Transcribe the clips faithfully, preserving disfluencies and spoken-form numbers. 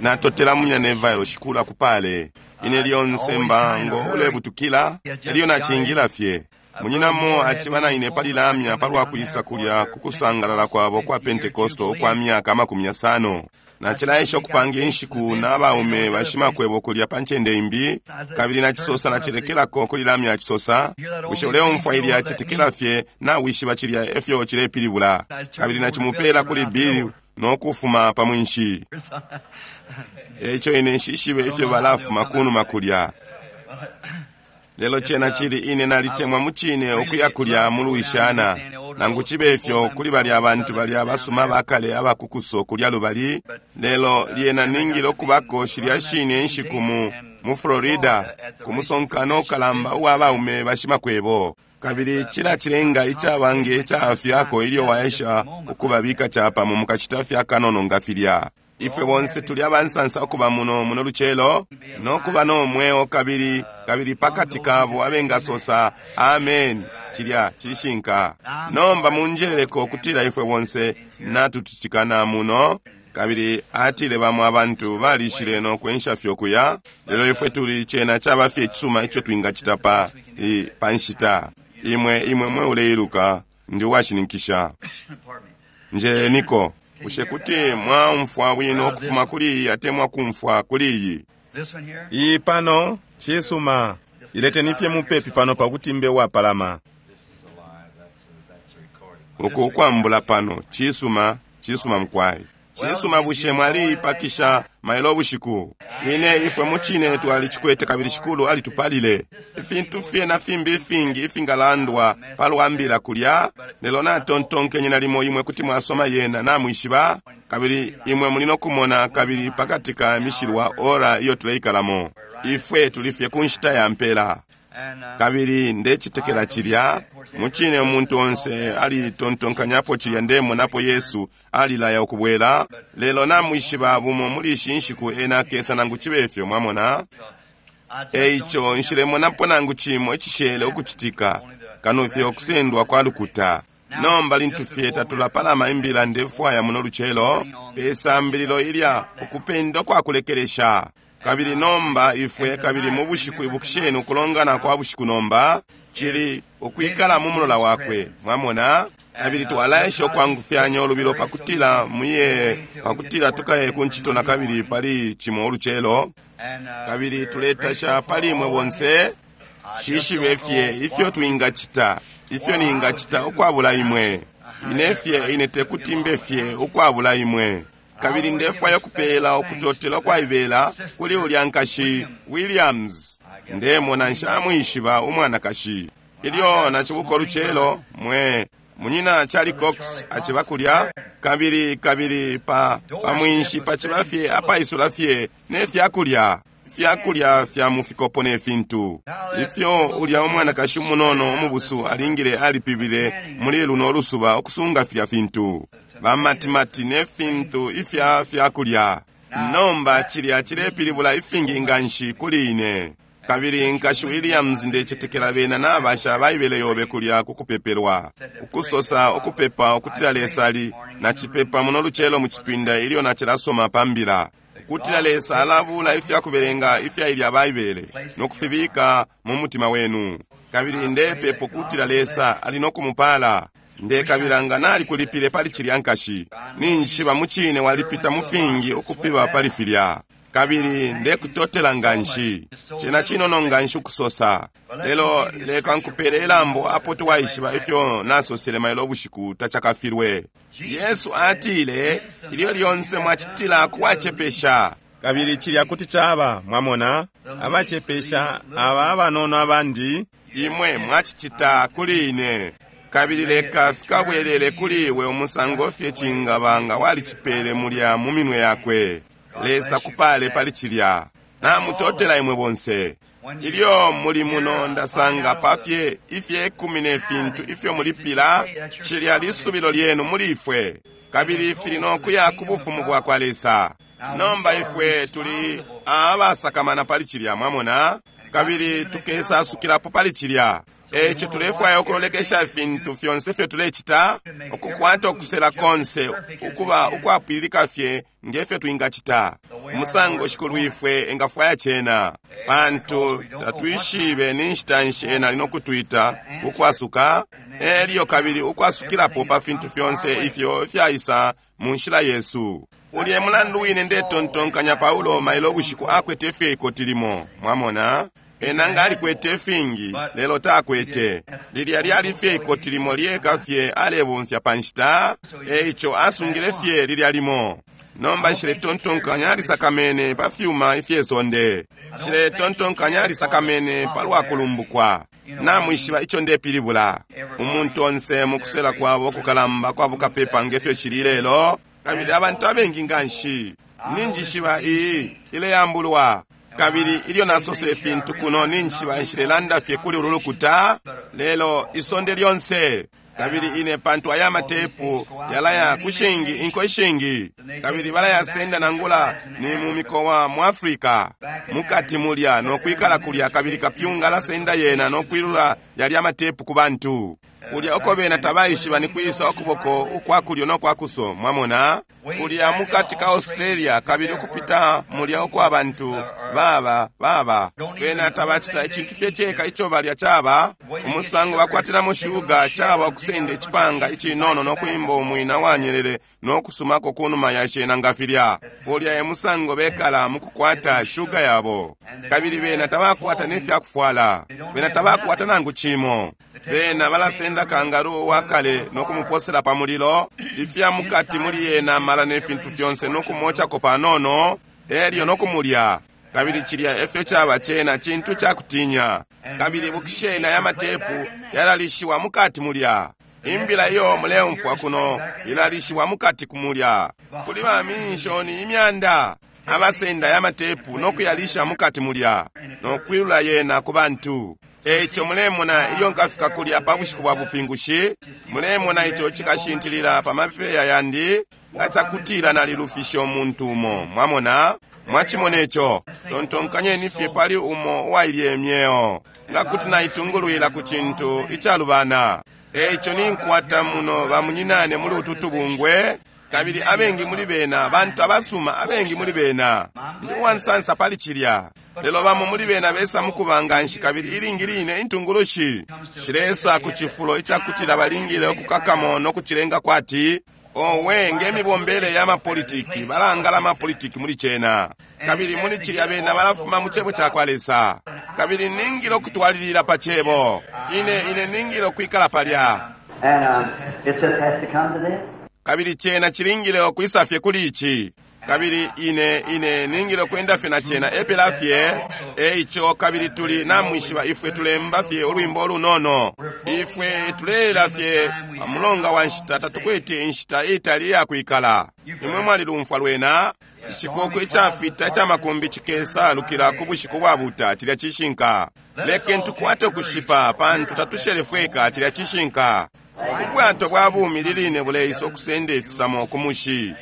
Natotela Munyina Neville, Shikulu akupale. Ine lyonse mba ngo ulebutukila elyo nacingila fye. Munyinamo aciba na ine pali lamya palwa kwisa kulya ku kusangalala kwabo kwa Pentecostal ukwa myaka amakumi yasano. Nacilaesha ukupanga inshiku na baume bashimakwebo kulya pa ncende imbi, kabili nacisosa nacilekelako kuli lamya acisosa, bushe uleumfwa ilya cetekela fye nawishiba cilya efyo cilepilibula. Kabili nacimupela kuli Bill no kufuma pa mwinshi. Eico ine nshishibe ifyo balafuma kunuma kulya. Lelo cena cili ine nalitemwa mucine ukuya kulya mu Louisiana. Nangu cibe ifyo kuli balya abantu balya basuma bakale abakukuso kulya lubali, lelo lyena ningile ukubako shilya shine inshiku mu, mu Florida ku musonkano ukalamba uwa baume bashimakwebo. Kabili cila cilenga icabange icafyako ilyo waesha ukubabika capamo mukacita fye akanono nga filya. Ifwe bonse tuli abansansa ukuba muno muno lucelo no kuba no mweo kabili kabili pakati kabo abengasosa amen. Cilya cishinka. Nomba munjeleleko ukutila ifwe bonse natututikana muno. Kabili atile bamo abantu balishile no kwensha fye ukuya, lelo ifwe tuli cena caba fye icisuma ico twingacita pa, i, pa nshita. Imwe imwe mwe uleiluka ndi uwashininkisha. Njeleniko. Bushe kuti mwaumfwa bwino ukufuma kuli iyi atemwa kumfwa kuli iyi? Iyi pano cisuma. Ileteni fye mupepi pano pakuti mbe uwapalama. Uku ukwambula pano cisuma, cisuma mukwai. Cisuma, bushe mwaliipakisha mailo ubushiku? Ine ifwe mucine twalicikwete kabili Shikulu alitupalile. Ifintu fye na fimbi ifingi ifingalandwa palwa mbila kulya, lelo natontonkenye nalimo imwe kuti mwasoma yena namwishiba, kabili imwe muli no kumona kabili pakati ka mishilwa ora iyo tuleikalamo. Ifwe tuli fye ku nshita ya mpela. Kabili ndecitekela cilya mucine umuntu onse alitontonkanyapo cilya ndemonapo Yesu alilaya ukubwela, lelo namwishiba bumo muli ishi nshiku ena akesa nangu cibe ifyo, mwamona. Eico nshilemonapo nangu cimo icishele ukucitika kano fye ukusendwa kwa lukuta. Nomba lintu fye tatulapalama imbila ndefwaya muno lucelo pe sambililo ilya ukupenda kwa kulekelesha. Kabili nomba ifwe kabili mu bushiku ibukisheni ukulongana kwa bushiku nomba cili ukwikala mu mulola wakwe, mwamona. Kabili twalaesha ukwangufyanya ulubilo pakutila muye pakutila tukaye ku ncito na kabili pali cimo ulucelo. Kabili tuletasha pali imwe bonse. Shishibe fye ifyo twingacita, ifyo ningacita ukwabula imwe. Ine fye ine tekuti mbe fye ukwabula imwe. Kabili ndefwaya kupela ukutotela kwaibela kuli ulya nkashi Williams. Ndemona nshamwishiba umwanakashi. Ilyo nacibuka ulucelo mwe munyina Charlie Cox aciba kulya, kabili kabili pa pa mwinshi paciba fye apaisula fye ne fyakulya fyakulya fya mufikopo ne fintu ifyo ulya umwanakashi umunono umubusu alingile alipibile muli luno lusuba ukusunga filya fintu bamatimati ne fintu ifya fyakulya. Nomba cilya cilepilibula ifingi nganshi kuli ine. Kabili nkashi Williams ndecetekela bena nabasha baibele yobe kulya kukupepelwa ukusosa ukupepa ukutila Lesa ali nacipepa muno lucelo mu cipinda ilyo nacilasoma pa mbila ukutila Lesa alabula ifyakubelenga ifya ilya baibele no kufibika mu mutima wenu. Kabili ndepepa ukutila Lesa ali no kumupala. Ndekabila nga nalikulipile pali cilya nkashi. Ninjishiba mucine walipita mu fingi ukupiba pali filya. Kabili ndekutotela nganshi. Cena cinono nganshi ukusosa. Lelo leka nkupele ilambo apo twaishiba ifyo nasosele mailo ubushiku tacakafilwe. Yesu atile ilyo lyonse mwacitila kuwacepesha. Kabili cilya kuti caba, mwamona, abacepesha aba abanono abandi, imwe mwacicita kuli ine. Kabili leka fikabwelele kuli iwe umusango fye cingaba nga walicipele mulya mu minwe yakwe. Lesa kupale pali cilya. Namutotela imwe bonse. Ilyo muli muno ndasanga pafye ifye kumi ne fintu ifyo mulipila, cilya lisubilo lyenu muli ifwe. Kabili fili no kuya ku bufumu bwa kwa Lesa. Nomba ifwe tuli abasakamana pali cilya, mwamona. Kabili tukesasukilapo pali cilya. Eico tulefwaya ukulolekesha ifintu fyonse ifyo tulecita, ukukwata ukusela konse ukuba ukwapwililika fye ngefyo twingacita, umusango Shikulu ifwe engafwaya cena, pantu tatwishibe ni nshita nshi ena ali nokutwita ukwasuka, elyo kabili ukwasukilapo pa fintu fyonse ifyo ifyaisa mu nshila yesu. Ulye mulandu wine ndetontonkanya Paulo mailo ubushiku akwete fye ikoti limo, mwamona? Ena nga alikwete ifingi, lelo takwete. Lilya lyali fye ikoti limo lyeka fye alebomfya pa nshita, eico asungile fye lilya limo. Nomba nshiletontonkanya alisakamene pa fyuma ifye sonde. Nshiletontonkanya alisakamene palwa kulumbukwa. Namwishiba ico ndepilibula. Umuntu onse mu kusela kwabo kukalamba kwa bukapepa ngefyo cili lelo, kabili abantu abengi nganshi. Ninjishiba iyi ileyambulwa. Kabili ilyo nasosa ifintu kuno, ninjishiba nshilelanda fye kuli ulu lukuta, lelo isonde lyonse. Kabili ine pantu aya matepu yalaya kushingi inko ishingi, kabili balayasenda nangula ni mu mikowa mu Afrika mukati mulya nokwikala kulya, kabili kapyunga alasenda yena nokwilula yalya matepu ku bantu kulya uko bena tabaishiba ni kwisa ukuboko ukwa kulyo no kuso, mwamona, kulya mukati ka Australia, kabili ukupita mulya ukwa bantu baba baba bena tabacita icintu fye ceka ico balya caba umusango bakwatilamo shuga, caba ukusenda icipanga icinono nokuimba umwina wanyelele nokusumako kunuma ya shena nga filya. Kulya e musango bekala mukukwata shuga yabo, kabili bena tabakwata nefyakufwala, bena tabakwata nangu cimo. Bena balasenda kangaroo wakale nokumuposela pa mulilo, ifya mukati muli yena mala ne fintu fyonse nokumochako panono, elyo nokumulya. Kabili cilya efyo caba cena cintu cakutinya. Kabili bukishena ya matepu yalalishiwa mukati mulya. Imbila iyo muleumfwa kuno ilalishiwa mukati kumulya. Kuli ba minshoni imyanda abasenda ya matepu nokuyalisha mukati mulya, nokwilula yena ku bantu. Eico mulemona ilyo nkafika kulya pa bushiku bwa bupingushi, mulemona ico cikashintilila pa mapeya yandi nga cakutila nalilufisha umuntu umo. Mwamona? Mwachimona ico? Tontonkanyeni fye pali umo uwailye imyeo, nga kuti naitungulwila ku cintu icalubana. Eico ninkwata muno bamunyinane muli utu tubungwe, kabili abengi muli bena bantu abasuma, abengi muli bena ndi uwansansa pali cilya. Lelo bamo muli bena besa mukuba nganshi, kabili ilingi line intungulushi shilesa ku cifulo icakutila balingile ukukakamo nokucilenga kwati owe ngemibombele ya mapolitiki, balangala mapolitiki muli cena, kabili muli cilya bena balafuma mu cebo cakwa Lesa. Kabili ningile okutwalilila pa cebo, ine ine ningile okwikala palya. And um, it just has to come to this. Kabili cena cilingile okwisa fye kuli ici. Kabili ine ine ningile okwenda fye na cena epela fye. Eico kabili tuli namwishiba ifwe tulemba fye ulwimbo olunono, ifwe tulelela fye mulonga wa nshita, tatukwete inshita itali iyakwikala. Imwe mwalilumfwa lwena icikoko icafita icamakumbi cikesa lukila ku bushiku bwa buta, cilya cishinka. Lekeni tukwate ukushipa pantu tatushele fweka, cilya cishinka. Ubwato bwa bumi liline buleisa okusenda ifisamo ku mushi.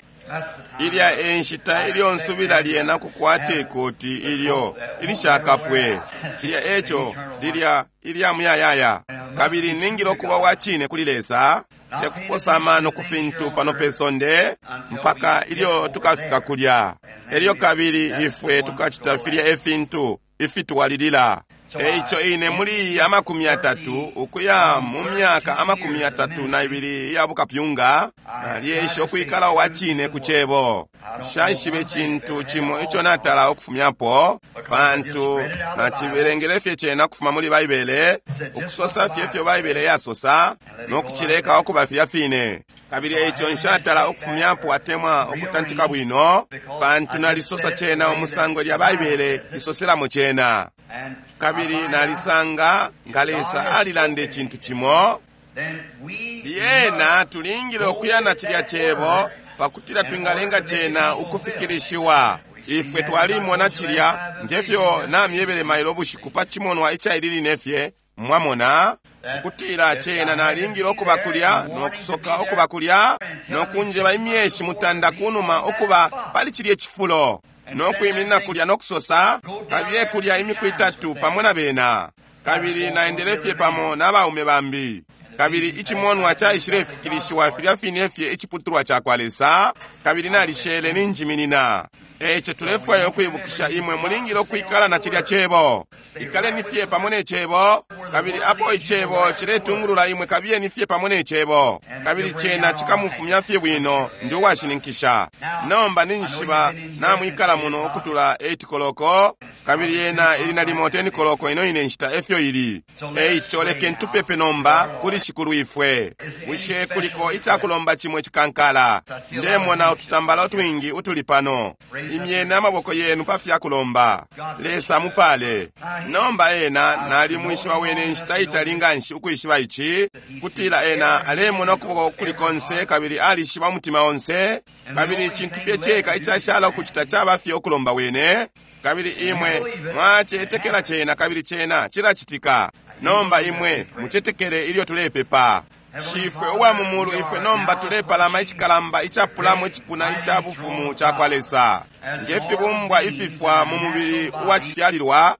Ilya enshita ilyo nsubila lyena kukwata ikoti ilyo ilishakapwe, cilya eco lilya ilya muyayaya. Kabili ningile okuba wa cine kuli Lesa, tekuposa amano ku fintu pano pe sonde mpaka ilyo tukafika kulya. Elyo kabili ifwe tukacita filya efintu ifitwalilila. Eico ine muli amakumi atatu ukuya mu myaka amakumi atatu na ibili ya bukapyunga, nalyesha ukwikala uwa cine ku cebo. Nshaishibe cintu cimo ico natala ukufumyapo, pantu nacibelengele fye cena ukufuma muli Baibele, ukusosa fye ifyo Baibele yasosa nokucileka ukuba filya fine. Kabili eico nshatala ukufumyapo atemwa ukutantika bwino, pantu nalisosa cena umusango lya Baibele isoselamo cena. Kabili nalisanga nga Lesa alilanda icintu cimo, lyena tulingile ukuya na cilya cebo pakutila twingalenga cena ukufikilishiwa. Ifwe twalimona cilya ngefyo namyebele mailo bushiku pa cimonwa icaili fye, mwamona, ukutila cena nalingile ukuba kulya nokusoka ukuba kulya nokunjeba imyeshi mutanda kunuma ukuba pali cilya cifulo, nokwiminina kulya nokusosa kabiye kulya imiku itatu pamo na bena. Kabili naendele fye pamo na baume bambi. Kabili icimonwa caishilefikilishiwa filya fine fye iciputulwa cakwa Lesa, kabili nalishele ninjiminina. Eico tulefwaya ukwibukisha imwe mulingile ukwikala na cilya Cebo. Ikaleni fye pamo ne Cebo, kabili apo Icebo ciletungulula imwe kabiyeni fye pamo ne Cebo. Kabili cena cikamufumya fye bwino, ndi uwashininkisha. Nomba ninjishiba namwikala muno ukutula eight koloko, kabili yena ili nalimo ten koloko ino ine nshita efyo ili. Eico lekeni tupepe nomba kuli Shikulu ifwe. Bushe kuliko icakulomba cimwe cikankala? Ndemona ututambala utwingi utuli pano. Imyeni amaboko yenu pa fyakulomba. Lesa mupale. Nomba ena nalimwishiba wene nshita itali nganshi ukwishiba ici, kutila ena alemona ukuboko kuli konse kabili alishiba umutima onse, kabili icintu fye ceka icashala ukucita caba fye ukulomba wene, kabili imwe mwacetekela cena kabili cena cilacitika. Nomba imwe mucetekele ilyo tulepepa. Shifwe uwa mu mulu, ifwe nomba tulepalama icikalamba icapulamo icipuna ica bufumu cakwa Lesa, nge fibumbwa ififwa mu mubili uwacifyalilwa.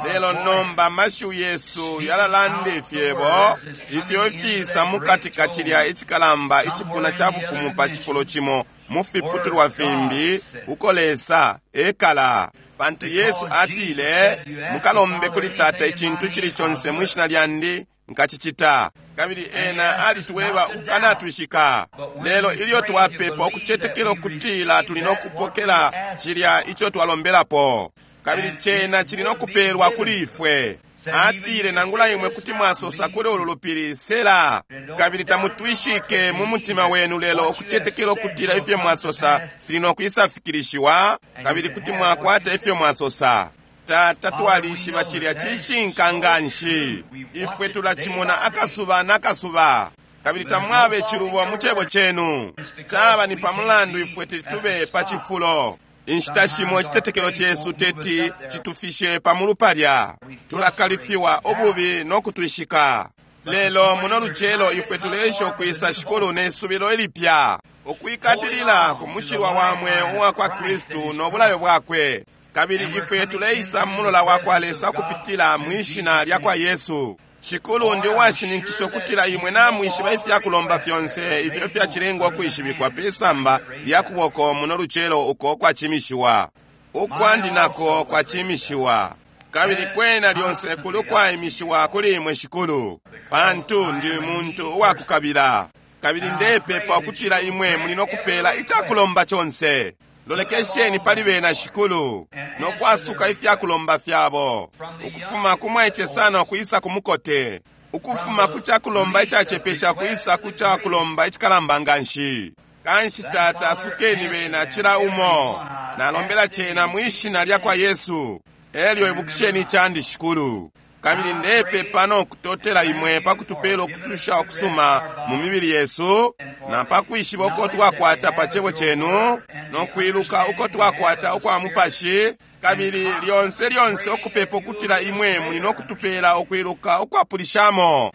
Lelo nomba amashiwi yesu yalalanda ifyebo ifyo ifiisa mukati ka cilya icikalamba icipuna ca bufumu pa cifulo cimo mu fiputulwa fimbi uko Lesa ekala. Pantu Yesu atile, mukalombe kuli Tata icintu cili conse mwishina lyandi, nkacicita. Kabili ena alituweba ukukanatwishika. Lelo ilyo twapepa ukucetekela ukutila tuli nokupokela cilya ico twalombelapo, kabili cena cili nokupelwa kuli ifwe. Atile, nangula imwe kuti mwasosa kuli ulu lupili, sela, kabili tamutwishike mu mutima wenu, lelo ukucetekela ukutila ifyo mwasosa fili nokwisafikilishiwa, kabili kuti mwakwata ifyo mwasosa. Tata, twalishiba cilya cishinka nganshi. Ifwe tulacimona akasuba nakasuba, kabili tamwabe cilubo mu cebo cenu. Caba ni pamulandu ifwe titube pa cifulo. Inshita shimo icitetekelo cesu teti citufishe pamulu palya. Tulakalifiwa ububi no kutwishika. Lelo muno lucelo ifwe tuleesha ukwisa Shikulu ne subilo ilipya, ukwikatilila ku mushilwa wa mweo uwa kwa Kristu no bulayo bwakwe. Kabili ifwe tuleisa mulola wa kwa Lesa kupitila mwishina lya kwa Yesu. Shikulu, ndi uwashininkisha ukutila imwe namwishiba ifyakulomba fyonse ifyo fyacilengwa ukwishibikwa pe samba lya kuboko muno lucelo uko kwacimishiwa. Ukwandi nako kwacimishiwa. Kabili kwena lyonse kuli ukwaimishiwa kuli imwe Shikulu, pantu ndi muntu uwakukabila. Kabili ndepepa ukutila imwe muli nokupela icakulomba conse. Lolekesheni pali bena Shikulu, no kwasuka ifyakulomba fyabo, ukufuma ku mwaice sana ukwisa ku mukote, ukufuma ku cakulomba icacepesha kwisa ku cakulomba icikalamba nganshi. Kanshi Tata, asukeni bena cila umo. Nalombela cena mwishina lya kwa Yesu. Elyo ibukisheni icandi Shikulu. Kabili ndepepa no kutotela imwe pa kutupela ukutusha ukusuma mu mibili yesu, na pa kwishiba uko twakwata pa cebo cenu, no kwiluka uko twakwata ukwa mupashi, kabili lyonse lyonse ukupepa ukutila imwe muli no kutupela ukwiluka ukwapulishamo,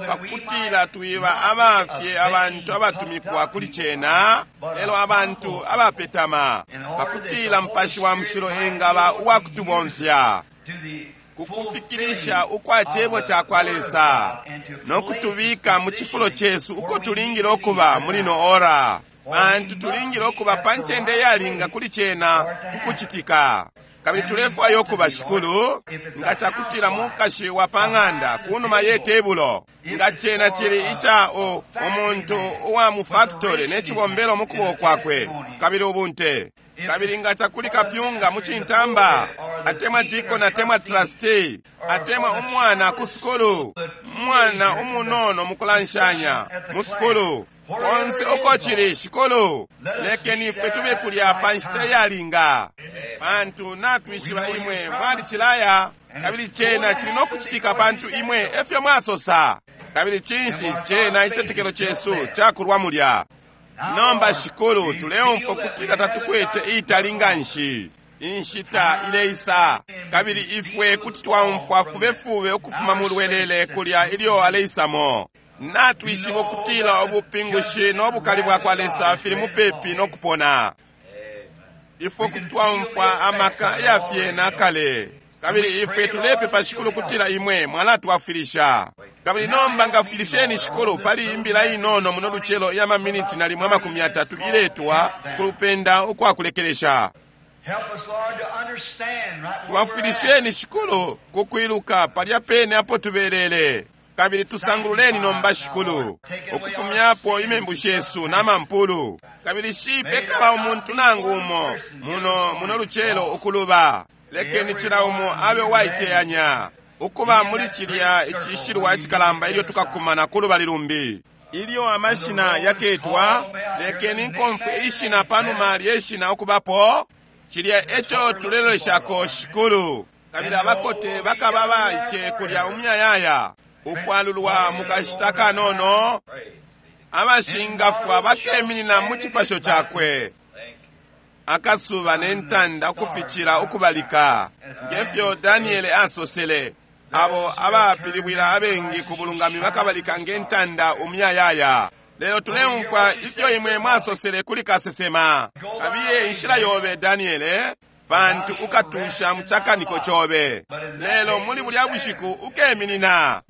pakutila twiba abafye abantu abatumikwa kuli cena, lelo abantu abapetama, pakutila Mupashi wa Mushilo engaba uwakutubomfya kukufikilisha ukwa cebo ca kwa Lesa, no kutubika mu cifulo cesu uko tulingile ukuba muli no ora, pantu tulingile ukuba pa ncende yalinga kuli cena kukucitika. Kabili tulefwaya ukuba Shikulu, nga cakutila mukashi wa pa ng'anda kunuma ye tebulo, nga cena cili ica o umuntu uwa mu factory ne cibombelo mu kuboko kwakwe, kabili ubunte. Kabili nga cakuli kapyunga mu cintamba, atemwa deacon, atemwa trustee, atemwa umwana ku sukulu, umwana umunono mukulanshanya mu sukulu, konse uko cili Shikulu, lekeni ifwe tube kulya pa nshita iyalinga, pantu natwishiba imwe mwalicilaya, kabili cena cili no kucitika pantu imwe efyo mwasosa. Kabili cinshi cena icitetekelo cesu cakulwa mulya. Nomba Shikulu, tuleumfwa kutila tatukwete itali nganshi. Inshita ileisa, kabili ifwe kuti twaumfwa fubefube ukufuma mu lwelele kulya ilyo aleisamo. Natwishiba ukutila ubupingushi no bukali bwa kwa Lesa fili mupepi no kupona. Ifwe kuti twaumfwa amaka yafye nakale, Kabili ifwe tulepepa, Shikulu, kutila imwe mwalatwafwilisha. Kabili nomba ngafwilisheni, Shikulu, pali imbila inono muno lucelo iya maminiti nalimo amakumi atatu iletwa kulupenda ukwakulekelesha. Twafwilisheni, Shikulu, kukwiluka palya pene apo tubelele. Kabili tusangululeni nomba, Shikulu, ukufumyapo imembu shesu n'amampulu. Kabili shipekaba umuntu nangu umo muno muno lucelo ukuluba. Lekeni cila umo abe uwaiteyanya ukuba muli cilya icishilwa icikalamba ilyo tukakumana ku lubali lumbi. Ilyo amashina yaketwa, lekeni nkomfwe ishina panuma lyeshina ukubapo. Cilya eco tuleloleshako, Shikulu. Kabili abakote bakaba baice kulya umuyayaya, ukwalulwa mukashita kanono, abashingafwa bakeminina mu cipasho cakwe. Akasuba ne ntanda ukuficila ukubalika, ngefyo Daniele asosele, abo abapilibwila abengi ku bulungami bakabalika nge ntanda umuyayaya. Lelo tuleumfwa ifyo imwe mwasosele kuli kasesema: kabiye inshila yobe, Daniele, pantu ukatusha mu cakaniko cobe. Lelo muli bulya bushiku ukeminina.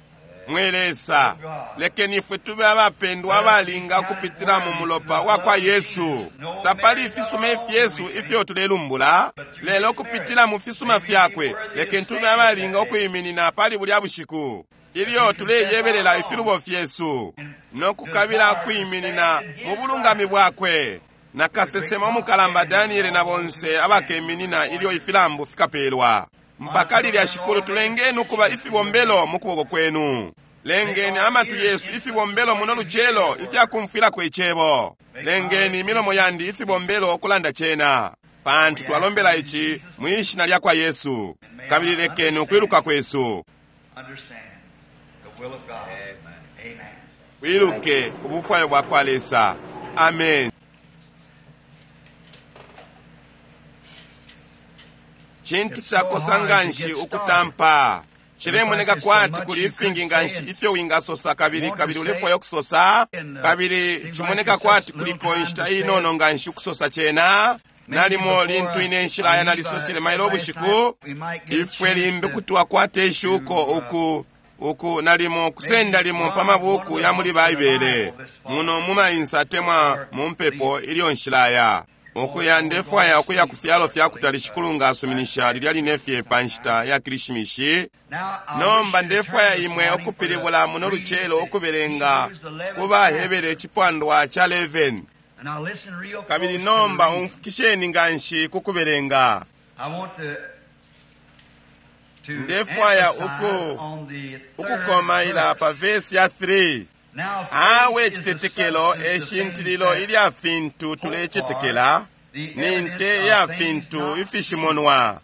Mwe Lesa, lekeni ifwe tube abapendwa abalinga ukupitila mu mulopa wa kwa Yesu. Tapali ifisuma ifyesu ifyo tulelumbula, lelo kupitila mu fisuma fyakwe, lekeni tube abalinga ukwiminina pali bulya bushiku ilyo tuleyebelela ifilubo fyesu no kukabila kwiminina mu bulungami bwakwe. Na kasesema umukalamba Daniele na bonse abakeminina ilyo ifilambu fikapelwa. Mpaka lilya, Shikulu, tulengeni ukuba ifibombelo mu kuboko kwenu. Lengeni amatu yesu ifibombelo muno lucelo ifyakumfwilako icebo. Lengeni imilomo yandi ifibombelo ukulanda cena, pantu twalombela ici mwishina lya kwa Yesu. Kabili lekeni ukwiluka kwesu wiluke ubufwayo bwa kwa Lesa. Amen. Cintu cakosa nganshi ukutampa. Cilemoneka kwati kuli ifingi nganshi ifyo wingasosa, kabili kabili ulefwaya ukusosa, kabili cimoneka kwati kuliko inshita inono nganshi ukusosa cena. Nalimo lintu ine nshila ya nalisosele mailo ubushiku, ifwe limbi kuti twakwata ishuko uku uku nalimo kusenda limo pa mabuku ya muli Baibele muno mumainsa atemwa mu mpepo ilyo nshilaya ukuya. Ndefwaya ukuya ku fyalo fya kutali, Shikulu nga asuminisha, lilya line fye pa nshita ya Kilishimishi. Nomba ndefwaya imwe ukupilibula muno lucelo ukubelenga ku baHebere icipandwa ca eleven. Kabili nomba umfukisheni nganshi ku kubelenga. Ndefwaya uku ukukomaila pa vesi ya three. Awe citetekelo eshintililo ilya fintu tulecetekela, ni nte ya fintu ifishimonwa.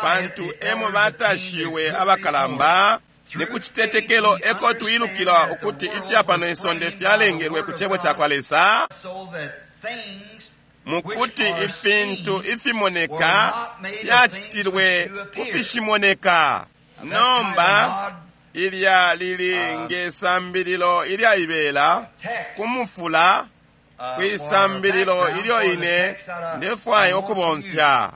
Pantu emo batashiwe abakalamba, ni ku citetekelo eko twilukila ukuti ifya pano isonde fyalengelwe ku cebo ca kwa Lesa, mukuti ifintu ifimoneka fyacitilwe ku fishimoneka. Nomba ilya lili nge sambililo ilyaibela kumufula kwisambililo ilyo ine ndefwaya ukubomfya.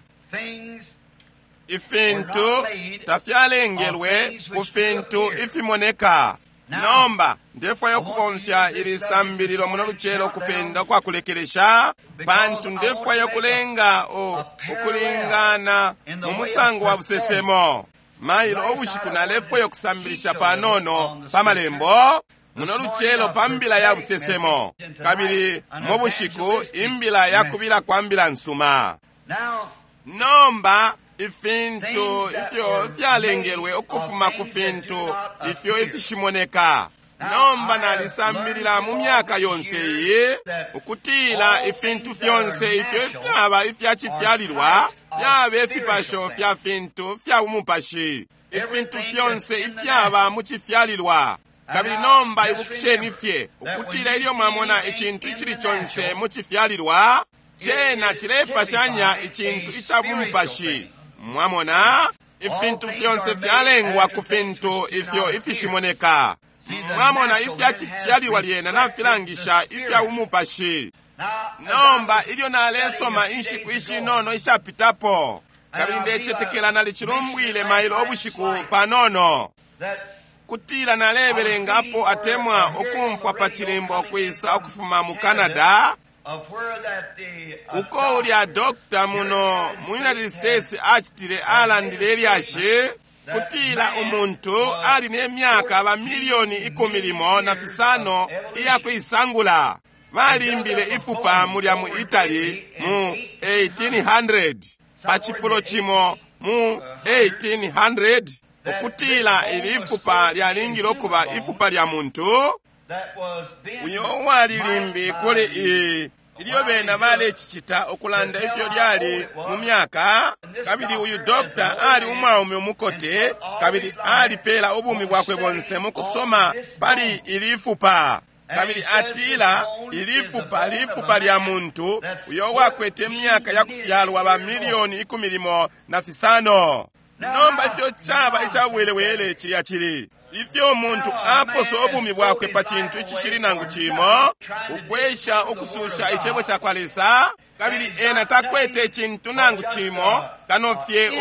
Ifintu tafyalengelwe ku fintu ifimoneka. Nomba ndefwaya ukubomfya ili sambililo muno lucelo kupenda kwa kulekelesha, pantu ndefwaya ukulenga ukulingana mu musango wa busesemo. Mailo ubushiku nalefwaya ukusambilisha panono pa malembo muno lucelo pa mbila ya busesemo, kabili mu bushiku imbila ya kubila kwa mbila nsuma. Nomba ifintu ifyo fyalengelwe ukufuma ku fintu ifyo ifishimoneka. Nomba nalisambilila mu myaka yonse iyi ukutila ifintu fyonse ifyo ifyaba ifyacifyalilwa fyaba ifipasho fya fintu fya umupashi, ifintu fyonse ifyaba mu cifyalilwa. Kabili nomba ibukisheni fye ukutila ilyo mwamona icintu icili conse mu cifyalilwa, cena cilepashanya icintu ica bumupashi. Mwamona, ifintu fyonse fyalengwa ku fintu ifyo ifishimoneka. Mwamona, ifya cifyalilwa lyena nafilangisha ifya umupashi. Nomba ilyo nalesoma inshiku ishinono ishapitapo, Kabili ndecetekela nalicilumbwile mailo ubushiku panono, kutila nalebelengapo atemwa ukumfwa pa chilimbo ukwisa ukufuma mu Canada, uko ulya dokta muno mu United States acitile alandile ilyashi kutila umuntu ali ne myaka ba milioni ikumi limo na fisano iya kuisangula. Balimbile ifupa mulya mu Italy mu eighteen hundred, pa cifulo cimo mu eighteen hundred, ukutila ili ifupa lyalingile ukuba ifupa lya muntu uyo uwali limbi kuli i ilyo bena balecicita ukulanda ifyo lyali mu myaka. Kabili uyu dokta ali umwaume umukote, kabili alipela ubumi bwakwe bonse mu kusoma pali ili ifupa. Kabili atila ili fupa lifupa lya muntu uyo wakwete myaka ya kufyalwa ba milioni ikumi limo na fisano. Nomba ifyo chaba icabwelewele chilya chili ifyo umuntu aposa ubumi bwakwe pa cintu icishili nangu cimo, ukwesha ukususha icebo ca kwa Lesa, kabili ena takwete icintu nangu cimo kano fye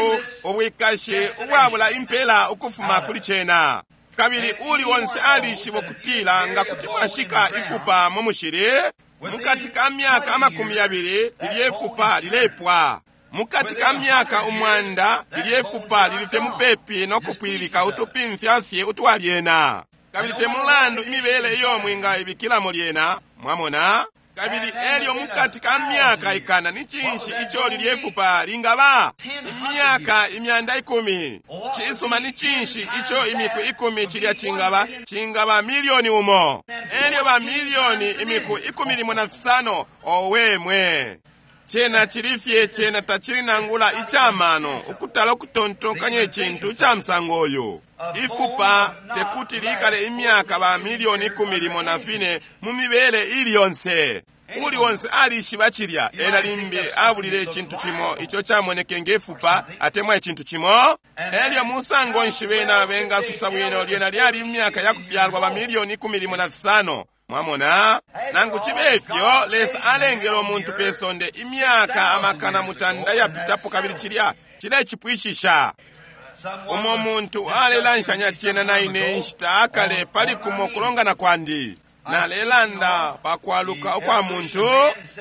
ubwikashi ubwabula impela ukufuma kuli cena. Kabili uli onse alishiba kutila nga kuti mwashika ifupa mu mushili mukati ka myaka amakumi yabili lilye fupa lilepwa, mukati ka myaka umwanda lilye fupa lilifye mupepi no kupwililika utupimfya fye utwalyena. Kabili te mulandu imibele iyo mwingaibikilamo lyena, mwamona. Kabili elyo mukati ka myaka ikana ni cinshi ico lilye fupa lingaba? Imyaka imyanda ikumi. Cisuma, ni cinshi ico imiku ikumi cilya cingaba? Cingaba milioni umo. Elyo ba milioni imiku ikumi limo na fisano. Owe mwe! Cena chilifye, cena tachili nangula icamano ukutala ukutontonkanya icintu ca musango uyu. Ifupa tekuti likale imyaka ba milioni ikumi limo na fine mu mibele ili yonse. Uli wonse alishiba cilya, ena limbi abulile icintu cimo ico camoneke ngefupa atemwa icintu cimo. Elyo musango nshi bena bengasusa bwino lyena lyali imyaka ya kufyalwa ba milioni ikumi limo na fisano. Mwamona, nangu cibe ifyo Lesa alengele umuntu pe sonde imyaka amakana mutanda yapitapo, kabili cilya cilecipwishisha. Umo muntu alelanshanya cena na ine inshita akale pali kumo kulongana kwandi. Nalelanda pakwaluka ukwa muntu,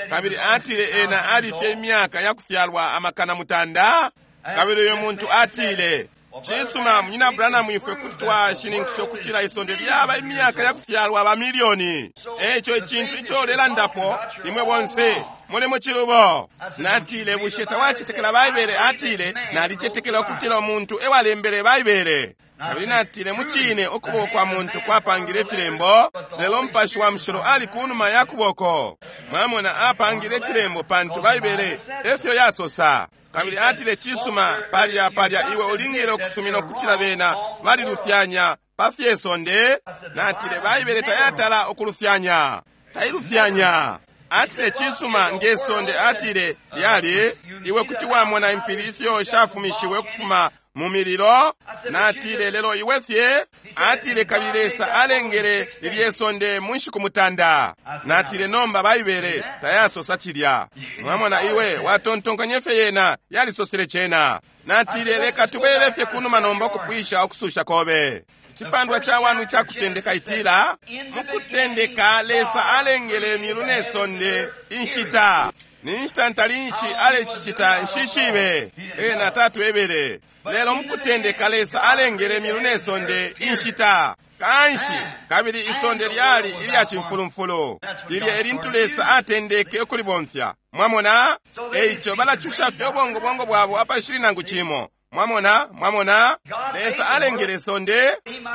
kabili atile ena alifye imyaka ya kufyalwa amakana mutanda. Kabili uyo muntu atile, cisuma munyina Branham, ifwe kuti twashininkisha ukutila isonde lyaba imyaka ya kufyalwa ba milioni. Eco icintu ico ulelandapo imwe bonse muli mu cilubo. Natile, bushe tawacetekela Baibele? Atile, nalicetekela ukutila umuntu ewalembele Baibele. Kabili natile, mucine ukuboko kwa muntu kwapangile ifilembo, lelo Mupashi wa Mushilo ali kunuma ya kuboko. Mwamona, apangile icilembo pantu Baibele efyo yasosa. Kabili atile, cisuma, palya palya iwe ulingile ukusumina ukutila bena balilufyanya pa fye sonde. Natile, Baibele tayatala ukulufyanya, tailufyanya. Atile, cisuma, nge sonde, atile lyali iwe kuti wamona impili ifyo shafumishiwe ukufuma mu mililo. Natile, lelo iwe fye. Atile, kabili Lesa alengele lilye sonde mu nshiku mutanda. Natile, nomba Baibele tayasosa cilya. Mwamona, iwe watontonkanye fye yena yalisosele cena. Natile, leka tubwelele fye kunuma nomba ukupwisha ukususha kobe. Icipandwa ca wanu ca kutendeka itila, mukutendeka Lesa alengele milu ne sonde inshita. Ni nshita ntalinshi alecicita nshishibe, ena tatwebele. Lelo mukutendeka Lesa alengele milu ne sonde inshita. Kanshi kabili isonde lyali ilya cimfulumfulu, lilya elintu Lesa atendeke ukulibomfya. Mwamona, eico balacusha fye ubongobongo bwabo apashili nangu cimo. Mwamona, mwamona, Lesa alengele sonde,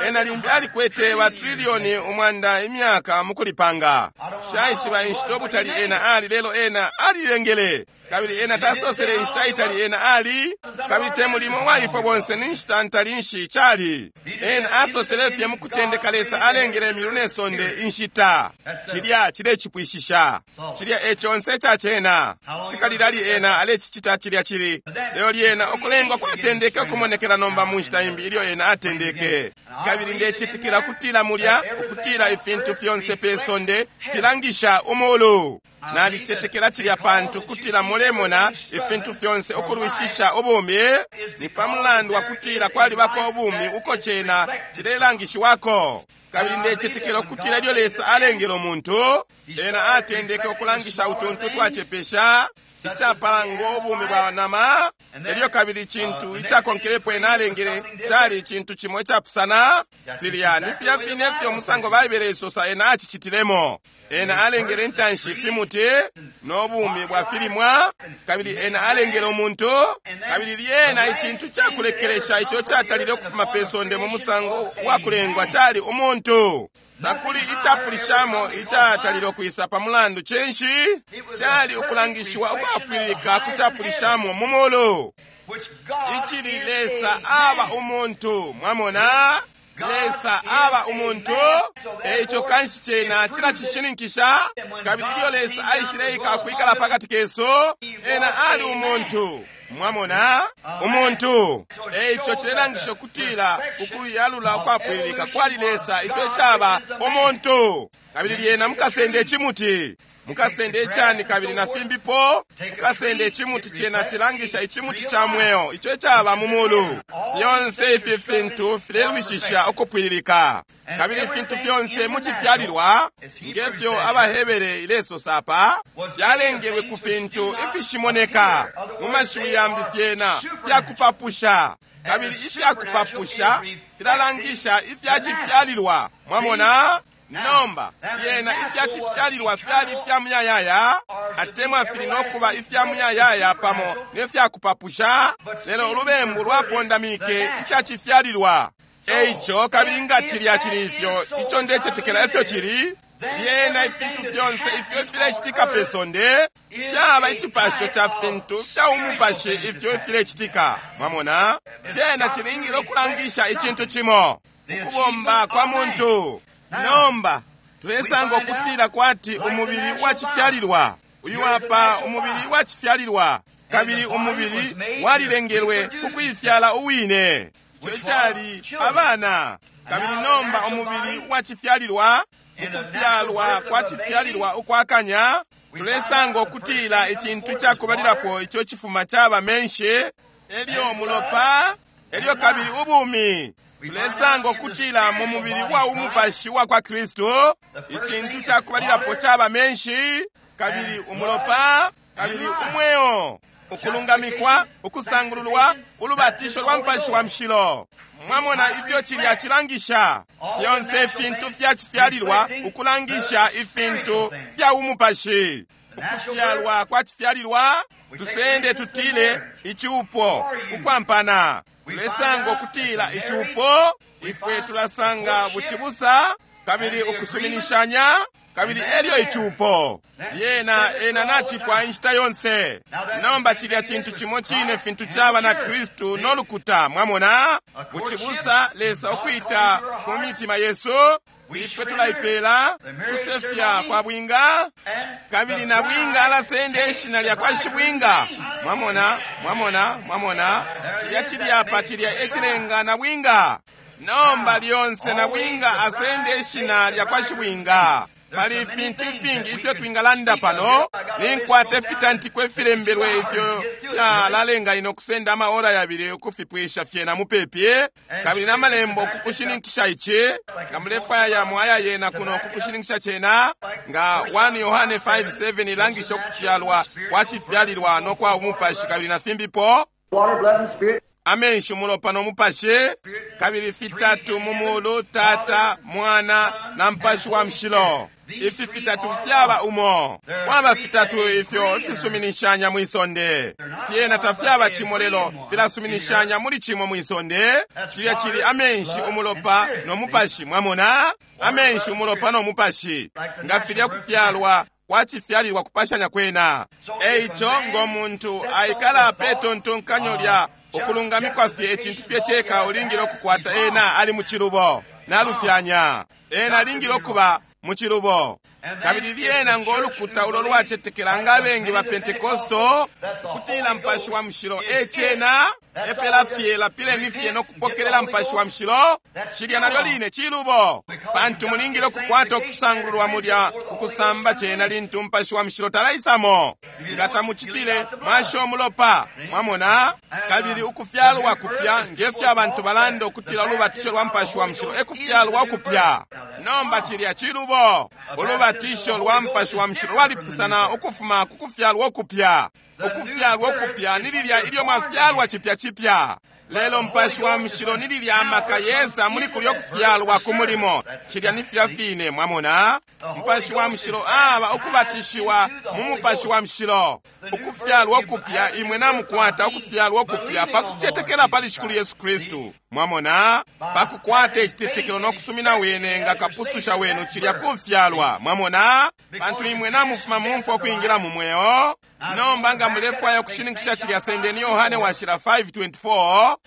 ena limbi alikwete ba trilioni umwanda imyaka mukulipanga. Shaishiba inshita ubutali ena ali, lelo ena alilengele. Kabili ena tasosele inshita itali ena ali, kabili te mulimo waifwe bonse ni nshita ntalinshi cali. Ena asosele fye mukutendeka Lesa alengele milu ne sonde inshita. Cilya cilecipwishisha. Cilya e conse ca cena. Fika lilali ena alecicita cilya cili. Lelo lyena ukulengwa kwatendeke ukumonekela nomba mu nshita imbi ilyo ena atendeke. Kabili ndecitikila kutila mulya ukutila ifintu fyonse pe sonde filangisha umulu. Nalicetekela cilya pantu kutila mulemona ifintu fyonse ukulwishisha ubumi ni pa mulandu wa kutila kwalibako ubumi uko cena cilelangishiwako. Kabili ndecetekela ukutila ilyo Lesa alengele umuntu, ena atendeke ukulangisha utuntu twacepesha icapala ngo ubumi bwa nama, elyo kabili icintu icakonkelepo ena alengele cali icintu cimo icapusana. Filya ni filya fine fyo musango Baibele isosa ena acicitilemo. Ena alengele intanshi ifimuti no bumi bwa filimwa, kabili ena alengele umuntu, kabili lyena icintu cakulekelesha ico catalile ukufuma pe sonde mu musango wa kulengwa cali umuntu. Takuli icapulishamo icatalile ukwisa pa mulandu cinshi cali ukulangishiwa ukwapwililika ku capulishamo mu mulu, icili Lesa aba umuntu. Mwamona, Lesa aba umuntu. Eico kanshi cena cilacishininkisha. Kabili ilyo Lesa aishileika kwikala pakati kesu, ena ali umuntu. Mwamona, umuntu. Eico cilelangisha ukutila ukuyalula ukwapwililika kwali Lesa, ico caba umuntu. Kabili lyena mukasende icimuti, mukasende icani kabili na fimbipo, mukasende icimuti, cena cilangisha icimuti ca mweo, ico caba mu mulu. Fyonse ifi fintu filelwishisha ukupwililika, kabili ifintu fyonse mucifyalilwa ngefyo abaHebere ilesosa apa fyalengelwe ku fintu ifishimoneka. Mu mashiwi yambi fyena fyakupapusha, kabili ifyakupapusha filalangisha ifyacifyalilwa. Mwamona? Nomba lyena ifyacifyalilwa fyali ifya muyayaya, atemwa fili nokuba ifya muyayaya pamo nefyakupapusha, lelo ulubembu lwapondamike icacifyalilwa. Eico kabili nga cilya cili ifyo, ico ndecetekela ifyo cili, lyena ifintu fyonse ifyo filecitika pe sonde fyaba icipasho ca fintu fya umupashi ifyo filecitika. Mwamona, cena cilingile ukulangisha icintu cimo, ukubomba kwa muntu. Nomba tulesanga ukutila kwati umubili wacifyalilwa uyu apa, umubili wacifyalilwa, kabili umubili walilengelwe kukuifyala uwine, ico cali abana. Kabili nomba umubili wacifyalilwa, ukufyalwa kwacifyalilwa ukwakanya, tulesanga ukutila icintu cakubalilapo ico cifuma caba menshi, elyo mulopa, elyo kabili ubumi. Tulesanga ukutila mu mubili wa umupashi wa kwa Kristu, icintu cakubalilapo caba menshi, kabili umulopa, kabili umweo, ukulungamikwa, ukusangululwa, ulubatisho lwa Mupashi wa Mushilo. Mwamona ifyo cilya cilangisha fyonse ifintu fyacifyalilwa ukulangisha ifintu fya umupashi. Ukufyalwa kwa cifyalilwa, tusende tutile icupo, ukwampana. Tulesanga ukutila icupo, ifwe tulasanga bucibusa, kabili ukusuminishanya, kabili elyo icupo lyena ena nacipwa inshita yonse. Nomba cilya cintu cimo cine fintu caba na Kristu no lukuta. Mwamona, bucibusa, Lesa ukwita ku mitima yesu, ifwe tulaipela kusefya kwa bwinga, kabili na bwinga alasenda ishina lya kwa shibwinga. Mwamona, mwamona, mwamona, cilya cili apa, cilya ecilenga na bwinga. Nomba lyonse na bwinga asende ishina lya kwa shibwinga. Pali ifintu ifingi ifyo twingalanda pano, ninkwata ifitantiko ifilembelwe ifyo fyalalenga ino kusenda amaora yabili ukufipwisha fyena mupepi, kabili namalembo kukushininkisha ici, nga mulefwaya yamo aya yena kuno kukushininkisha cena, nga one Yohane five seven ilangisha ukufyalwa kwacifyalilwa no kwa umupashi kabili na fimbipo, amenshi umulopa no mupashi, kabili fitatu mu mulu, Tata, Mwana na Mupashi wa Mushilo. Ifi fitatu fyaba umo. Kwaba fitatu ifyo fisuminishanya mwisonde. Fyena tafyaba cimo lelo filasuminishanya muli cimo mwisonde. Cilya cili amenshi umulopa no mupashi. Mwamona, amenshi umulopa no mupashi, nga filya kufyalwa kwacifyalilwa kupashanya kwena. Eico ngo muntu aikala pe tontonkanyo lya ukulungamikwa fye icintu fye ceka ulingile ukukwata, ena ali mucilubo nalufyanya, ena alingile ukuba mucilubo. Kabili lyena ngo lukuta ulo lwacetekela nga abengi ba Pentekosto ukutila Mupashi wa Mushilo ecena epela fye lapileni fye no kupokelela Mupashi wa Mushilo, cilya nalyo line cilubo, pantu mulingile ukukwata ukusangululwa mulya Kukusamba cena lintu Mupashi wa Mushilo talaisamo. Nga tamucitile, mwasha umulopa. Mwamona? Kabili ukufyalwa kupya, ngefyo abantu balanda ukutila ulubatisho lwa Mupashi wa Mushilo ekufyalwa ukupya. Nomba cilya cilubo. Ulubatisho lwa Mupashi wa Mushilo lwalipusana ukufuma ku kufyalwa ukupya. Ukufyalwa ukupya ni lilya ilyo mwafyalwa chipya chipya. Lelo Mupashi wa Mushilo ni lilya amaka yesa muli kulyo kufyalwa ku mulimo. Cilya ni filya fine, mwamona? Mupashi wa Mushilo aba ukubatishiwa mu Mupashi wa Mushilo. Ukufyalwa ukupya, imwe namukwata ukufyalwa ukupya pa kucetekela pali Shikulu Yesu Kristu. Mwamona? Pa kukwata icitetekelo no kusumina wene nga kapususha wenu, cilya kufyalwa. Mwamona? Pantu imwe namufuma mumfwa ukwingila mu mweo. Nomba nga mulefwaya ukushininkisha cilya, sendeni Yohane washila five twenty-four.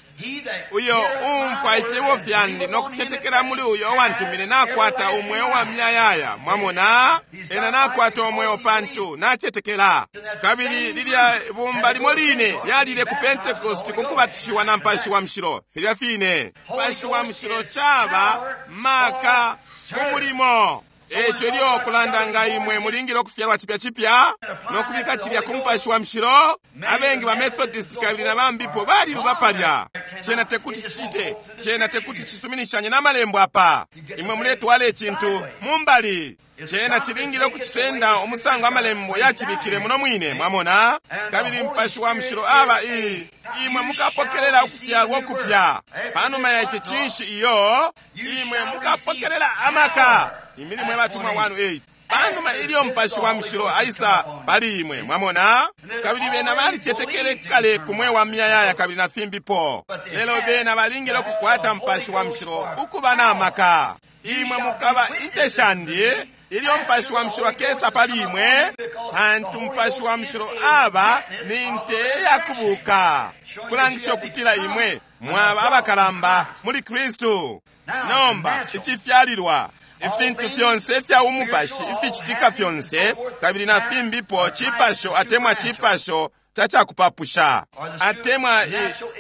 Uyo umfwa ifyebo fyandi no kucetekela muli uyo wantumine nakwata umweo wa miyayaya. Mwamona? Ena nakwata umweo pantu nacetekela. Kabili lilya bumba limo line lyalile ku Pentecost ku kubatishiwa na Mupashi wa Mushilo. Filya fine. Mupashi wa Mushilo caba maka ku mulimo. Eco ilyo kulanda nga imwe mulingile ukufyalwa chipya chipya no kubika cilya ku Mupashi wa Mushilo. Abengi ba Methodist kabili na bambipo baliluba palya. Cena tekuti cicite, cena tekuti cisuminishanye n'amalembo apa. Imwe muletwala icintu mumbali. Cena cilingile ukucisenda umusango amalembo yacibikile muno mwine, mwamona? Kabili Mupashi wa Mushilo aba i imwe mukapokelela ukufyalwa ukupya. Panuma ya ici cinshi iyo, imwe mukapokelela amaka. Imilimo y'abatumwa one eight. Panuma ilyo Mupashi wa Mushilo aisa pali imwe, mwamona? Kabili bena balicetekele kale ku mweo wa miyayaya kabili na fimbipo. Lelo bena balingile ukukwata Mupashi wa Mushilo ukuba na maka. Imwe mukaba inte shandi ilyo Mupashi wa Mushilo akesa pali imwe, pantu Mupashi wa Mushilo aba ni nte yakubuka, kulangisha ukutila imwe mwaba abakalamba muli Kristu. Nomba icifyalilwa, ifintu fyonse ifya umupashi ificitika fyonse kabili na fimbipo cipasho atemwa cipasho cacakupapusha, atemwa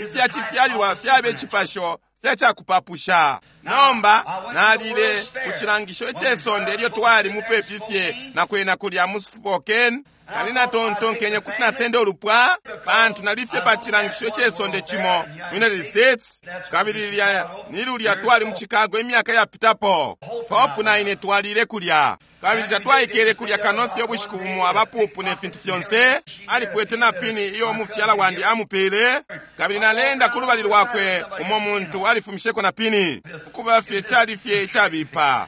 ifya cifyalilwa fyabe cipasho fyacakupapusha. Nomba nalile ku cilangisho icesonde ilyo twali mupepi fye na kwena kulya mu Spokane. Kali natontonkenye kuti nasenda ulupwa pantu nalifye pa cilangisho icesonde cimo mu United States, kabili lilya ni lulya twali mu Chicago imyaka yapitapo. Popu na ine twalile kulya, kabili tatwaikele kulya kano fye ubushiku bumo abapupu ne fintu fyonse. Alikwete na pini iyo umufyala wandi amupele, kabili nalenda ku lubali lwakwe umo muntu alifumisheko na pini, ukuba fye cali fye icabipa.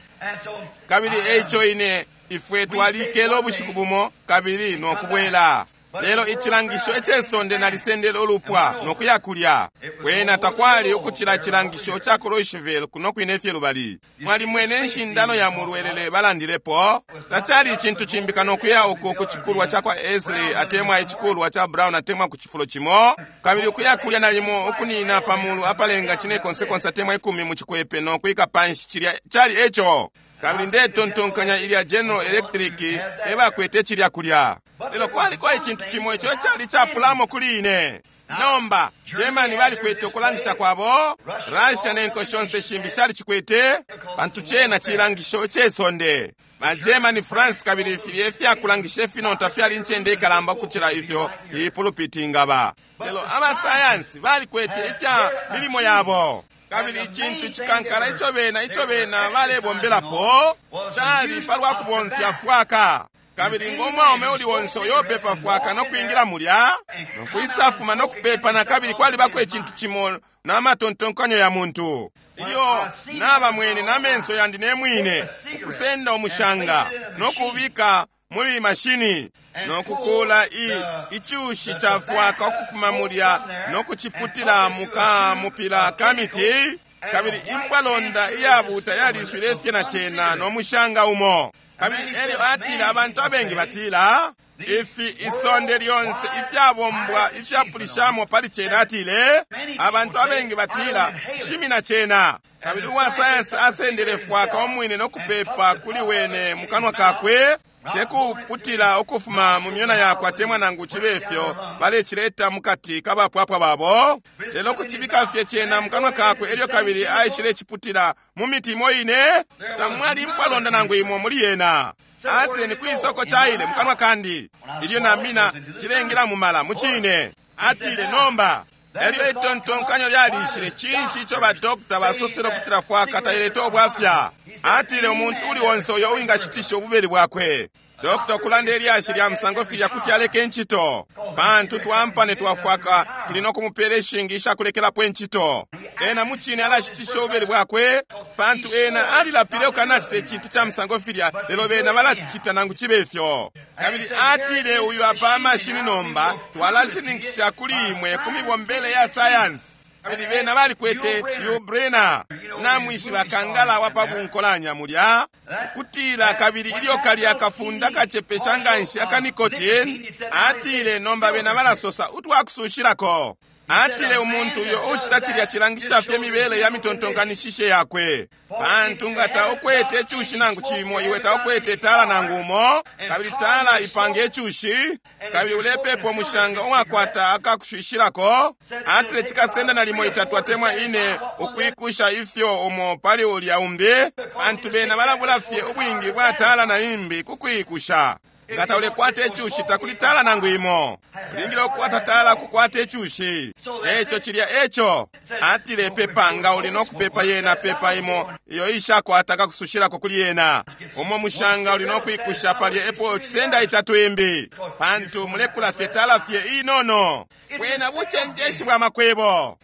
Kabili eico ine ifwe twalikele ubushiku bumo kabili no kubwela. Lelo icilangisho icesonde nalisendele ulupwa no kuya kulya. Kwena takwali ukucila icilangisho ca ku Louisville kuno kwine fye lubali. Mwalimwene inshindano ya mulwelele balandilepo. Tacali icintu cimbi kano kuya uku ku cikulwa ca kwa Esley atemwa icikulwa ca Brown atemwa ku cifulo cimo. Kabili ukuya kulya nalimo ukunina pamulu apalenga cine konse konse atemwa ikumi mu cikwepe no kuika panshi cilya cali eco. Kabili ndetontonkanya ilya General Electric ebakwete cilya kulya. Lelo kwaliko icintu cimo ico cali capulamo kuli ine. Nomba Germany balikwete ukulangisha kwabo, Russia nenko shonse shimbi shali cikwete, pantu cena cilangisho cesonde. Ma Germany, France kabili filye ifyakulangisha ifinota fyali incende ikalamba ukucila ifyo ipulupiti ingaba. Lelo abasayansi balikwete ifya milimo yabo. Kabili icintu icikankala ico bena ico bena balebombelapo cali palwa kubomfya fwaka. Kabili ngo mwaume uli onse uyopepa fwaka no kwingila mulya no kwisafuma no kupepa na kabili kwalibako icintu cimo na matontonkanyo ya muntu. Ilyo naba mwene na menso yandi ne mwine ukusenda umushanga no kubika muli mashini no kukula i icushi ca fwaka ukufuma mulya no kuciputila muka mupila kamiti. Kabili impwalonda iyabuta yaliswile fye na cena no mushanga umo. Kabili elyo atila abantu abengi batila ifi isonde lyonse ifyabombwa ifyapulishamo pali cena. Atile abantu abengi batila shimina cena. Kabili uwa sayansi asendele fwaka umwine no kupepa kuli wene mukanwa kakwe, tekuputila ukufuma mu myona yakwe atemwa nangu cibe ifyo balecileta mukati kabapwapwa babo, lelo kucibika fye cena mukanwa kakwe. Elyo kabili aishile ciputila mu miti imo ine, tamwali impwalonda nangu imo muli yena. Atile, ni kwisoko caile mukanwa kandi. Ilyo namina cilengila mumala mucine. Atile, nomba elyo itontonkanyo lyalishile, cinshi ico ba dokta basosele ukutila fwaka taileta obwafya? Atile, umuntu uli onse uyo uwingashitisha ububeli bwakwe. Dokta okulanda elyashi lya musango filya kuti aleke ncito, pantu twampane twafwaka tuli nokumupela ishingi ishakulekelapo incito. Ena mucine alashitisha ububeli bwakwe, pantu ena alilapile ukanacita icintu ca musango filya, lelo bena balacicita nangu cibe ifyo. Kabili atile, uyu apa amashini nomba twalashininkisha kuli imwe ku mibombele ya sayansi. Kabili bena balikwete Yubrena, namwishiba kangala wa pa bunkolanya mulya kutila, kabili ilyo kalya kafunda kacepesha nganshi aka nicotine. Atile, nomba bena balasosa utwakusushilako. Atile, umuntu uyo ucita cilya cilangisha fye mibele ya mitontonkanishishe yakwe, pantu nga taukwete icushi nangu cimo, iwe taukwete tala nangu umo, kabili tala ipanga icushi, kabili ulepepa umushanga uwakwata akakushishilako. Atile, cikasenda nalimo itatu atemwa ine ukwikusha ifyo umo pali ulya umbi, pantu bena balabula fye ubwingi bwa tala na imbi kukwikusha. Nga taulekwata icushi takuli tala nangu imo. Ulingile ukukwata tala kukwata icushi. Eco cilya eco. Atile, pepa nga uli nokupepa yena, pepa imo iyo ishakwata kakusushilako kuli yena. Umo mushanga uli nokwikusha palya epo cisenda itatu imbi, pantu mulekula fye tala fye inono. Bwena bucenjeshi bwa makwebo.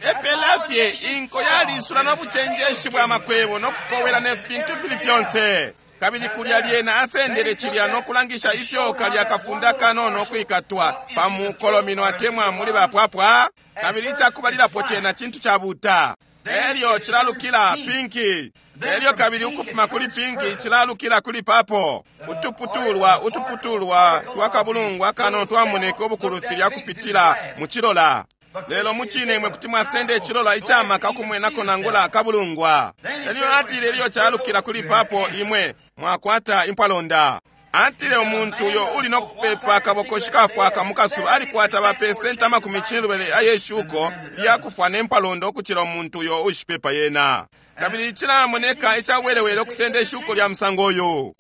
Epela fye inko yalisula no bucenjeshi bwa makwebo nokukowela ne fintu fili fyonse. Kabili kulya lyena asendele cilya nokulangisha ifyo kalya kafunda kanono kwikatwa pa mukolomino atemwa muli bapwapwa. Kabili icakubalilapo cena cintu cabuta, elyo cilalukila pinki, elyo kabili ukufuma kuli pinki cilalukila kuli papo. Utuputulwa utuputulwa twakabulungwa kanono twamoneka ubukulu filya kupitila mu cilola. Lelo mucine imwe kuti mwasenda icilola icamaka kumwenako nangula akabulungwa. Elyo atile, ilyo calukila kuli papo imwe mwakwata impwalonda. Atile, umuntu uyo uli nokupepa akabokoshi kafwaka mukasuba alikwata ba pesenti amakumi cinelubali ayeshuko lyakufwa ne mpwalonda ukucila umuntu uyo ushipepa yena. Kabili cilamoneka icawelewele okusenda ishuko lya musango uyu.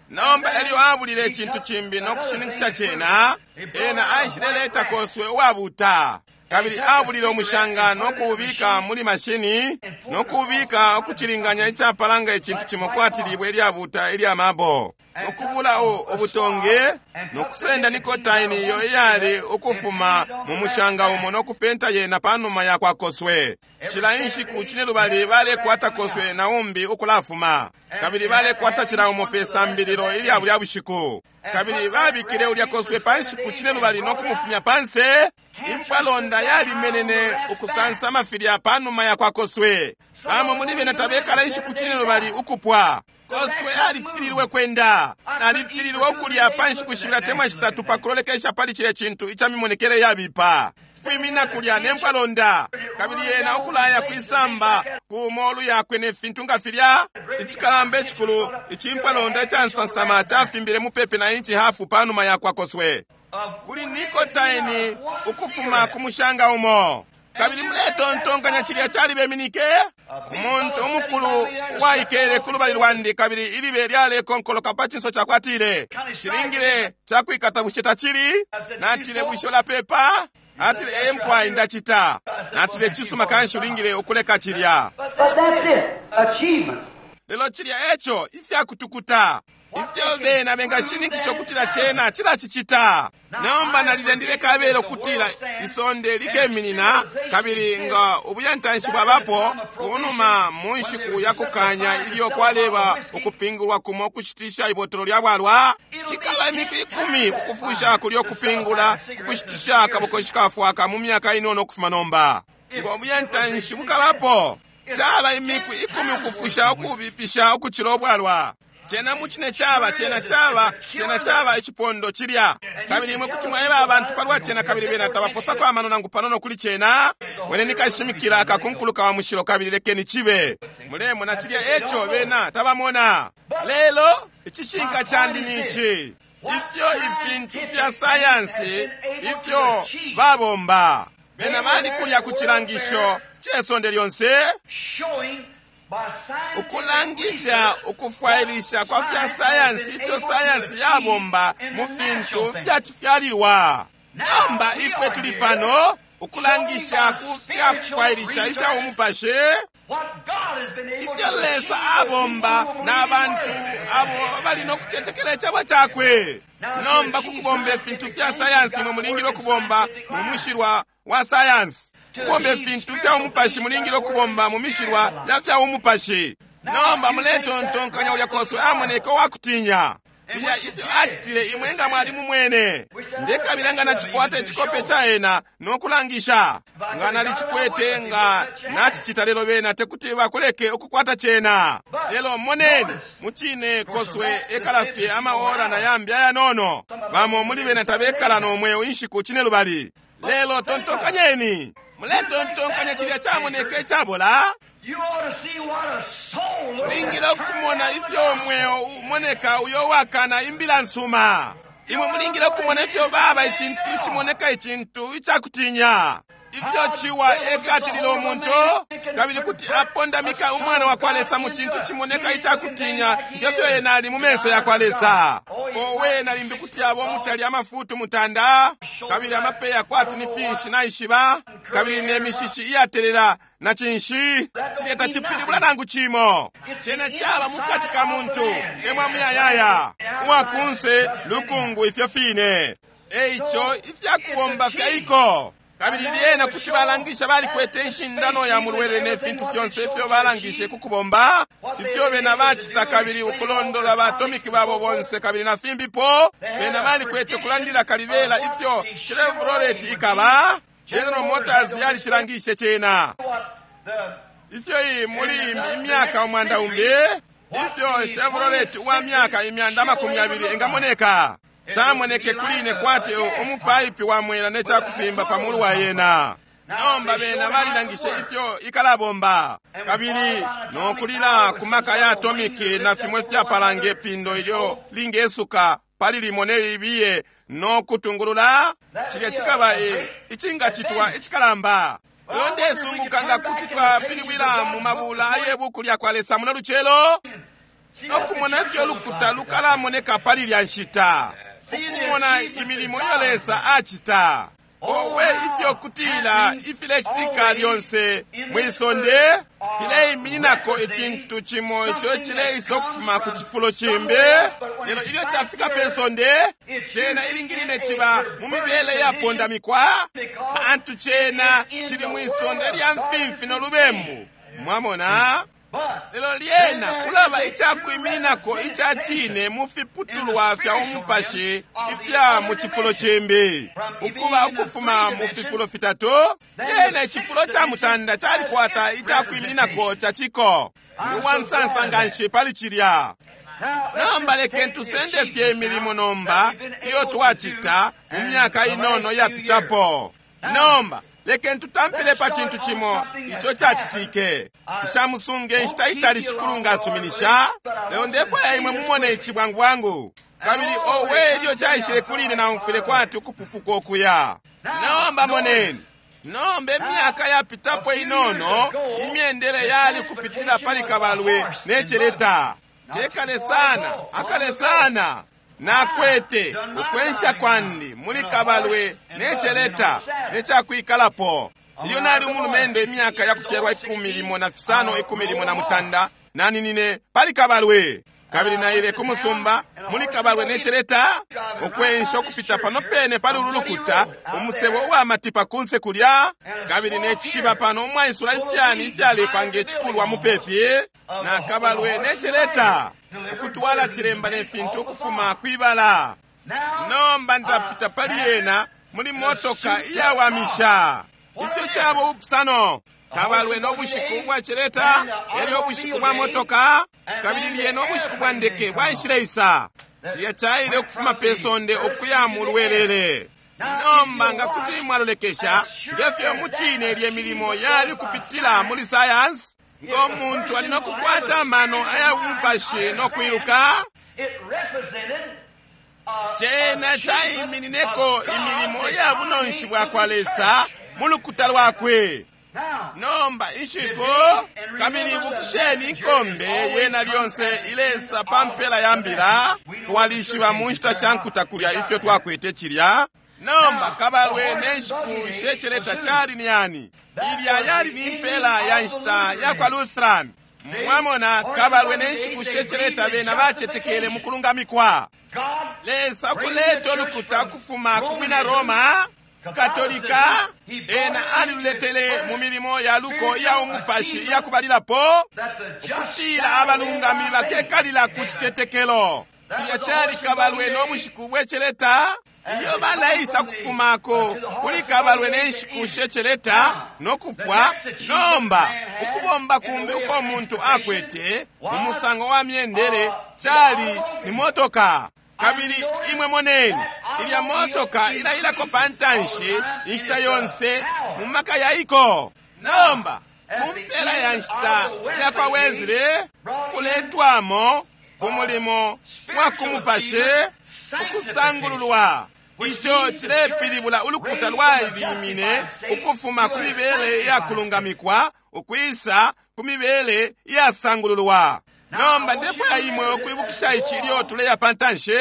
Nomba elyo abulile icintu cimbi nokushininkisha cena, ena aishileleta koswe uwabuta. Kabili abulile umushanga nokuubika muli mashini, nokuubika ukucilinganya icapalanga icintu cimo kwati libwe ilyabuta ilya mabo, nokubula ubutonge, nokusenda nikotaini iyo iyali ukufuma mu mushanga umo nokupenta yena panuma ya kwa koswe. Cila inshiku cinelubali balekwata koswe na umbi ukulafuma, kabili balekwata cila umo pe sambililo ilya bulya bushiku. Kabili babikile ulya koswe pa nshiku cinelubali nokumufumya panse. Impwalonda yalimenene ukusansa mafilya panuma ya kwa koswe. Bamo muli bena tabekala inshiku cinelubali ukupwa. Koswe alifililwe kwenda, alifililwe ukulya pa nshiku shibili atemwa shitatu pa kulolekesha pali cilya cintu ica mimonekele yabipa. Kwimina kulya ne mpwalonda, kabili yena ukulaya kwisamba ku molu yakwe ne fintu nga filya. Icikalamba icikulu icimpwalonda icansansama cafimbile mupepi na inchi hafu panuma ya kwa koswe, kuli nikotaini ukufuma ku mushanga umo. Kabili muletontonkanya cilya calibeminike? Umuntu umukulu uwaikele ku lubali lwandi, kabili ilibe lyalekonkoloka pa cinso cakwe, atile, cilingile cakwikata bushe tacili? Natile, bushe ulapepa? Atile, ee mpwai ndacita. Natile, cisuma kanshi ulingile ukuleka cilya. But that's it. Achievements. Lelo cilya eco ifyakutukuta ifyo bena bengashininkisha ukutila cena cilacicita. Nomba nalilendile kabela ukutila isonde likeminina, kabili nga ubuyantanshi bwabapo kunuma mu nshiku ya kukanya ilyo kwaleba ukupingulwa kumo ukushitisha ibotolo lya bwalwa, cikaba imiku ikumi ukufusha kulyo kupingula ukushitisha akabokoshi kafwaka mu myaka inono ukufuma nomba. Ngo buyantanshi bukabapo, caba imiku ikumi ukufusha ukubipisha ukucila ubwalwa. Cena mucine caba, cena caba, cena caba icipondo cilya. Kabili imwe kuti mwaeba abantu palwa cena, kabili bena tabaposako amano nangu panono kuli cena. Wene nikashimikila akakunkuluka wa mushilo, kabili lekeni cibe. Mulemona cilya eco bena tabamona. Lelo icishinka candi ni ici: ifyo ifintu fya sayansi ifyo babomba, bena bali kulya ku cilangisho ce sonde lyonse, Showing Ukulangisha ukufwailisha kwa fya sayansi ifyo sayansi yabomba mu fintu fyacifyalilwa. Nomba ifwe tuli pano ukulangisha ku fya kufwailisha ifya umupashi, ifyo Lesa abomba na bantu abo bali no kucetekela icebo cakwe. Nomba kukubomba ifintu fya sayansi mwe mulingile ukubomba mu mushilwa wa sayansi. Kubomba ifintu fya umupashi mulingile ukubomba mu mishilwa ya fya umupashi. Nomba muletontonkanya ulya koswe amoneka uwakutinya filya ifyo acitile imwe nga mwali mumwene. Ndekabila nga nacikwata icikope ca ena nokulangisha. Nga nalicikwete nga nacicita, lelo bena tekuti bakuleke ukukwata cena. Lelo moneni, mucine koswe ekala fye amaora na yambi ayanono. Bamo muli bena tabekala nomweo inshiku cine lubali. Lelo tontonkanyeni, muletontonkanya cilya camoneka icabola. Mulingile ukumona ifyo umweo umoneka uyo wakana imbila nsuma. Imwe mulingile ukumona ifyo baba icintu icimoneka icintu icakutinya, ifyo ciwa ekatilila umuntu kabili kuti apondamika umwana wa kwa Lesa mu cintu cimoneka icakutinya ngefyo ena ali mu menso ya kwa Lesa. Owe, na limbi kuti abo mutali amafutu mutanda kabili amapeya kwati ni finshi naishiba kabili ne mishishi iyatelela na cinshi cilya tacipilibula nangu cimo. Cena caba mukati ka muntu emwa muyayaya uwakunse lukungu ifyo fine. Eico ifyakubomba fyaiko. Kabili lyena kuti balangisha balikwete inshindano ya mulwele ne fintu fyonse ifyo balangishe kukubomba ifyo bena bacita, kabili ukulondola ba atomic babo bonse kabili na fimbipo. Bena balikwete ukulandila kalibela ifyo Chevrolet ikaba. General Motors yalicilangishe cena ifyo iyi muli imyaka umwanda umbi ifyo Chevrolet wa myaka imyanda amakumi abili engamoneka. Camoneke kuline kwati umupaipi wa mwela ne cakufimba pa mulu wa yena. Nomba bena balilangishe ifyo ikalabomba kabili nokulila ku maka ya atomiki na fimwe fyapalanga ipindo ilyo lingesuka pali limo ne libiye no kutungulula. Cilya cikaba icingacitwa icikalamba. Lelo ndesunguka nga kuti twapilibwila mu mabula aye buku lya kwa Lesa muno lucelo nokumona ifyo lukuta lukalamoneka pali lya nshita, ukumona imilimo iyo Lesa acita. Owe, ifyo kutila ifilecitika lyonse mwisonde fileimininako icintu cimo ico cileisa ukufuma ku cifulo cimbi. Lelo ilyo cafika pe sonde, cena ilingiline ciba mu mibele yapondamikwa, pantu cena cili mwisonde lya mfimfi no lubembu. Mwamona? Lelo lyena kulaba icakwimininako ica cine mu fiputulwa fya umupashi ifya mu cifulo cimbi, ukuba ukufuma mu fifulo fitatu. Lyena icifulo ca mutanda calikwata icakwimininako ca ciko. Ndi uwansansa nganshi pali cilya. Nomba lekeni tusende fye imilimo nomba iyo twacita mu myaka inono yapitapo. Nomba lekeni tutampile pa cintu cimo ico cacitike. Nshamusunge inshita itali Shikulu ngasuminisha, lelo ndefwaya imwe mumone ici bwangu bwangu. Kabili owe, ilyo caishile kuli ine naumfwile kwati ukupupuka ukuya. Nomba moneni, nomba imyaka yapitapo inono imyendele yali kupitila pali kabalwe ne celeta. Tekale sana, akale sana. Nakwete ukwensha kwandi muli kabalwe ne celeta ne cakwikalapo. Ilyo nali umulumendo imyaka ya kufyalwa ikumi limo na fisano ikumi limo na mutanda, naninine pali kabalwe kabili naile ku musumba muli kabalwe ne celeta, ukwensha ukupita pano pene pali ulu lukuta, umusebo uwa matipa kunse kulya, kabili ne cishiba pano umwaisula ifyani ifyalepa nge cikulwa mupepi na kabalwe ne celeta, ukutwala cilemba ne fintu ukufuma kwibala. Nomba ndapita pali yena muli motoka iyawamisha. Ifyo cabo upusano kabalwe no bushiku bwa celeta, elyo ubushiku bwa motoka, kabili lyena ubushiku bwa ndeke bwaishileisa. Cilya caile ukufuma pe sonde ukuya mu lwelele. Nomba nga kuti mwalolekesha ngefyo mucine lye milimo yali kupitila muli sayansi, ngo muntu ali no kukwata amano aya umupashi no kwiluka, cena caiminineko imilimo ya bunonshi bwa kwa Lesa mu lukuta lwakwe. Nomba inshiku, kabili ibukisheni inkombe yena lyonse ilesa pa mpela ya mbila. Twalishiba mu nshita sha nkuta kulya ifyo twakwete cilya. Nomba kabalwe ne nshiku sheceleta cali ni yani? Ilya yali ni mpela ya nshita ya kwa Lutheran. Mwamona, kabalwe ne nshiku sheceleta bena bacetekele mu kulungamikwa. Lesa kuleta ulukuta kufuma ku bwina Roma Katolika, ena aliluletele mu milimo ya luko iya umupashi iya kubalilapo, ukutila abalungami bakekalila ku citetekelo. Cilya cali kabalwe no bushiku bweceleta. Ilyo baleisa kufumako kuli kabalwe ne nshiku sheceleta no kupwa. Nomba ukubomba kumbi uko muntu akwete mu musango wa myendele cali ni motoka. Kabili imwe moneni ilya motoka ilailako pantanshi inshita yonse mu maka yaiko. Nomba ku mpela ya nshita ya kwa Wesley kuletwamo ku mulimo wa kumupashi ukusangululwa. Ico cilepilibula ulukuta lwailimine ukufuma ku mibele ya kulungamikwa ukwisa ku mibele iyasangululwa. Nomba ndefwaya imwe ukwibukisha ici ilyo tuleya pantanshi.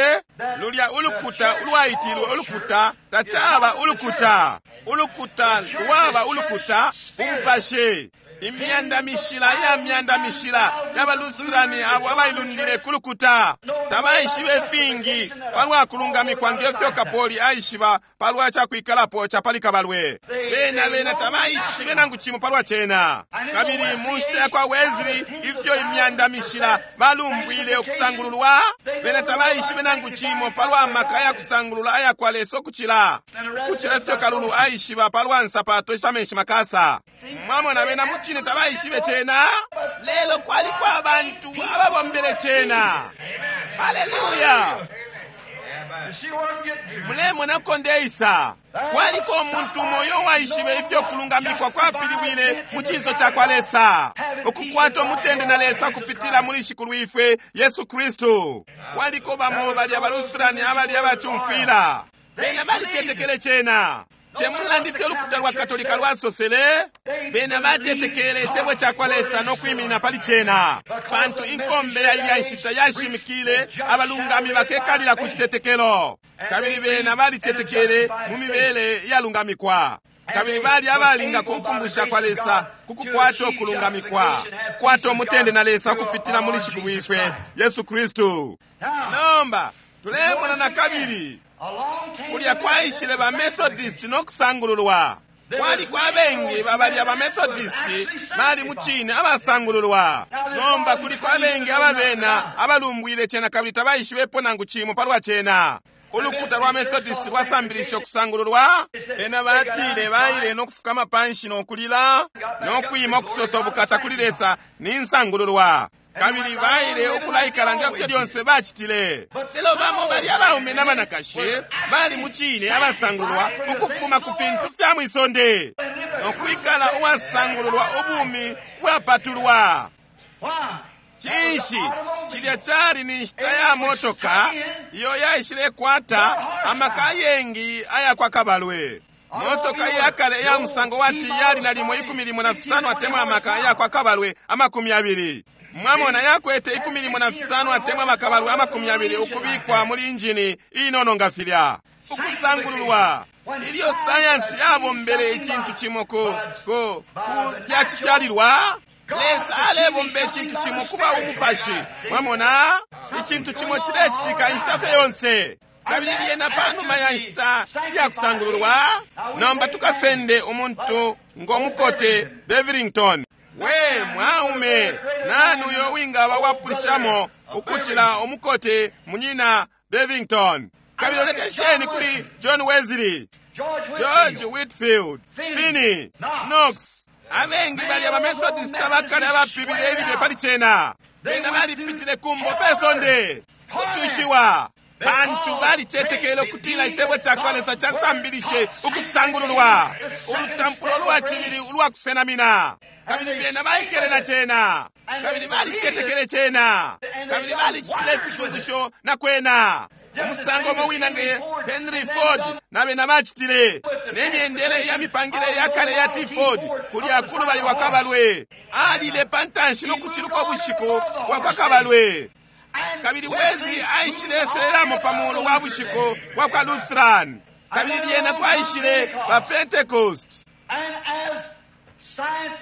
Lulya ulukuta ulwaitilwe ulukuta tacaba ulukuta. Ulukuta lwaba ulukuta umupashi. Imyanda mishila ya myanda mishila ya Lutherani abo abailundile ku lukuta tabaishibe fingi palwa kulungamikwa ngefyo Kapoli aishiba palwa cakwikalapo ca pali kabalwe. Bena bena tabaishibe nangu cimo palwa cena. Kabili mu nshita ya kwa Wesley ifyo imyanda mishila balumbwile ukusangululwa, bena tabaishibe nangu cimo palwa maka ya kusangulula aya kwa Lesa ukucila kucila ifyo Kalulu aishiba palwa nsapato isha menshi makasa. Mwamona, bena mucine tabaishibe cena, lelo kwaliko abantu ababombele cena. Haleluya! Mulemona ko ndeisa. Kwaliko umuntu umo uyo waishibe ifyo kulungamikwa kwapiliwile mu cinso ca kwa Lesa, ukukwata umutende na Lesa kupitila muli Shikulwifwe Yesu Kristu. Kwaliko bamo bali abalutherani abali abacumfwila, bena balicetekele cena. Temulandu ifyo ulukuta lwa Katolika lwasosele, bena bacetekele icebo ca kwa Lesa no kwiminina pali cena, pantu inkombe ya ilya nshita yashimikile abalungami bakekalila ku citetekelo. Kabili bena balicetekele mu mibele iyalungamikwa, kabili bali abalinga ku nkumbusha kwa Lesa ku kukwata ukulungamikwa, kukwata umutende na Lesa kupitila muli Shikulwifwe Yesu Kristu. Nomba tulemona na kabili kulya kwaishile ba Methodist no kusangululwa. Kwaliko abengi babali aba Methodist bali mucine abasangululwa. Nomba kuliko abengi ababena abalumbwile cena kabili tabaishibepo nangu cimo palwa cena. Ulukuta lwa Methodist lwasambilisha ukusangululwa. Bena batile baile no kufukama panshi no kulila no kwima ukusosa ubukata kuli Lesa ni nsangululwa. Kabili baile ukulaikala ngefyo lyonse bacitile. Lelo bamo bali abaume n'abanakashi bali mucine abasangululwa ukufuma ku fintu fya mwisonde no kwikala uwasangululwa ubumi bwapatulwa. Cinshi cilya cali ni nshita ya motoka iyo yaishilekwata amaka ayengi aya kwa kabalwe. Motoka iyakale iya musango wati yali nalimo ikumi limo na fisano atemwa amaka aya kwa kabalwe amakumi abili. Mwamona, yakwete ikumi limo na fisano atemwa amakabalwe amakumi abili ukubikwa muli injini inono nga filya. Ukusangululwa. Ilyo sayansi yabombele icintu cimo ku ku ku fyacifyalilwa, Lesa alebomba icintu cimo kuba umupashi. Mwamona, icintu cimo cilecitika inshita fye yonse. Kabili lyena panuma ya nshita ya kusangululwa, nomba tukasende umuntu ngo mukote Bevington. We mwaume, nani uyo wingaba wapulishamo ukucila umukote munyina Bevington? Kabili olekesheni kuli John Wesley, George Whitfield, Finney, Knox. Abengi bali aba Methodist abakale abapibile ilibe pali cena. Bena balipitile kumbo pesonde kucushiwa, pantu balicetekele ukutila icebo ca kwa Lesa casambilishe ukusangululwa, ulutampulo lwa cibili ulwa kusenamina. Kabili bena baikele na cena, kabili balicetekele cena, kabili balicitile ifisungusho na kwena. Umusango umo wina nge Henry Ford na bena bacitile, ne myendele ya mipangile ya kale ya T Ford kulya kulubali lwa kabalwe. Alile pantanshi no kuciluka ubushiku bwa kwa kabalwe. Kabili Wesley aishile selelamo pa mulu wa bushiku bwa kwa Lutheran. Kabili lyena kwaishile ba Pentecost.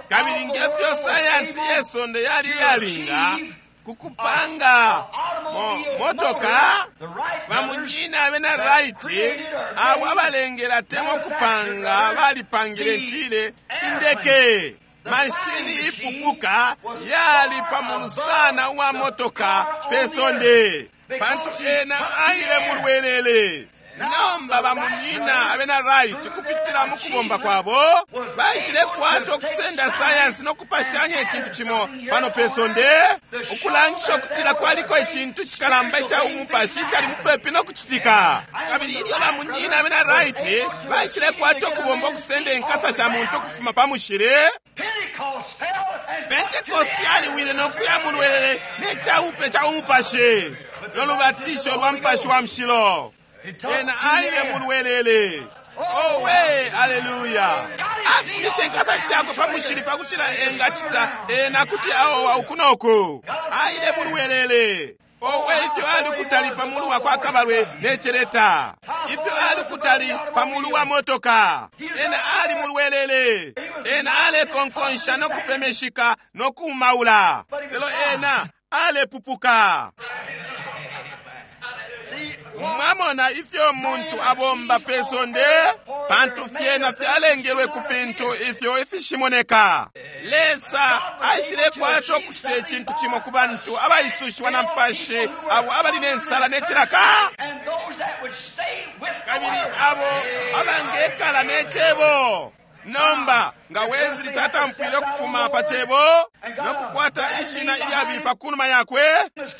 Kabili ngefyo sayansi yesonde yali yalinga kukupanga mo, motoka, bamunyina abena Wright abo abalengela temwa kupanga balipangile ntile indeke. Mashini ipupuka yali pamulu sana uwa motoka pesonde, pantu ena aile mulwelele. Nomba bamunyina abena Wright kupitila mu kubomba kwabo baishile kwata okusenda sayansi nokupashanya icintu cimo pano pesonde, ukulangisha ukutila kwaliko icintu cikalamba ica umupashi icali mupepi nokucitika. Kabili ilyo bamunyina abena Wright baishile kwata okubomba okusenda inkasa sha muntu ukufuma pa mushili, Pentecost yaliwile nokuya mulwelele ne caupe ca umupashi nolubatisho lwa mupashi wa mushilo. Ena aile mulwelele. Owe, aleluya. Afumishe inkasa shakwe pa mushili pakutila engacita ena kuti aowa uku noku. Aile mulwelele. Owe, ifyo ali kutali pa mulu wa kwa kabalwe ne celeta. Ifyo ali kutali pa mulu wa motoka. Ena ali mulwelele. Ena alekonkonsha no kupemeshika no kumaula. Lelo ena alepupuka. Mwamona ifyo muntu abomba pesonde, pantu fyena fyalengelwe ku fintu ifyo ifishimoneka. Lesa aishile kwata okucita icintu cimo ku bantu abaisushiwa na mpashi, abo abali nensala ne cilaka, kabili abo abangekala ne cebo. Nomba nga Wesley tatampwile ukufuma pa cebo nokukwata ishina ilyabipa kunuma yakwe,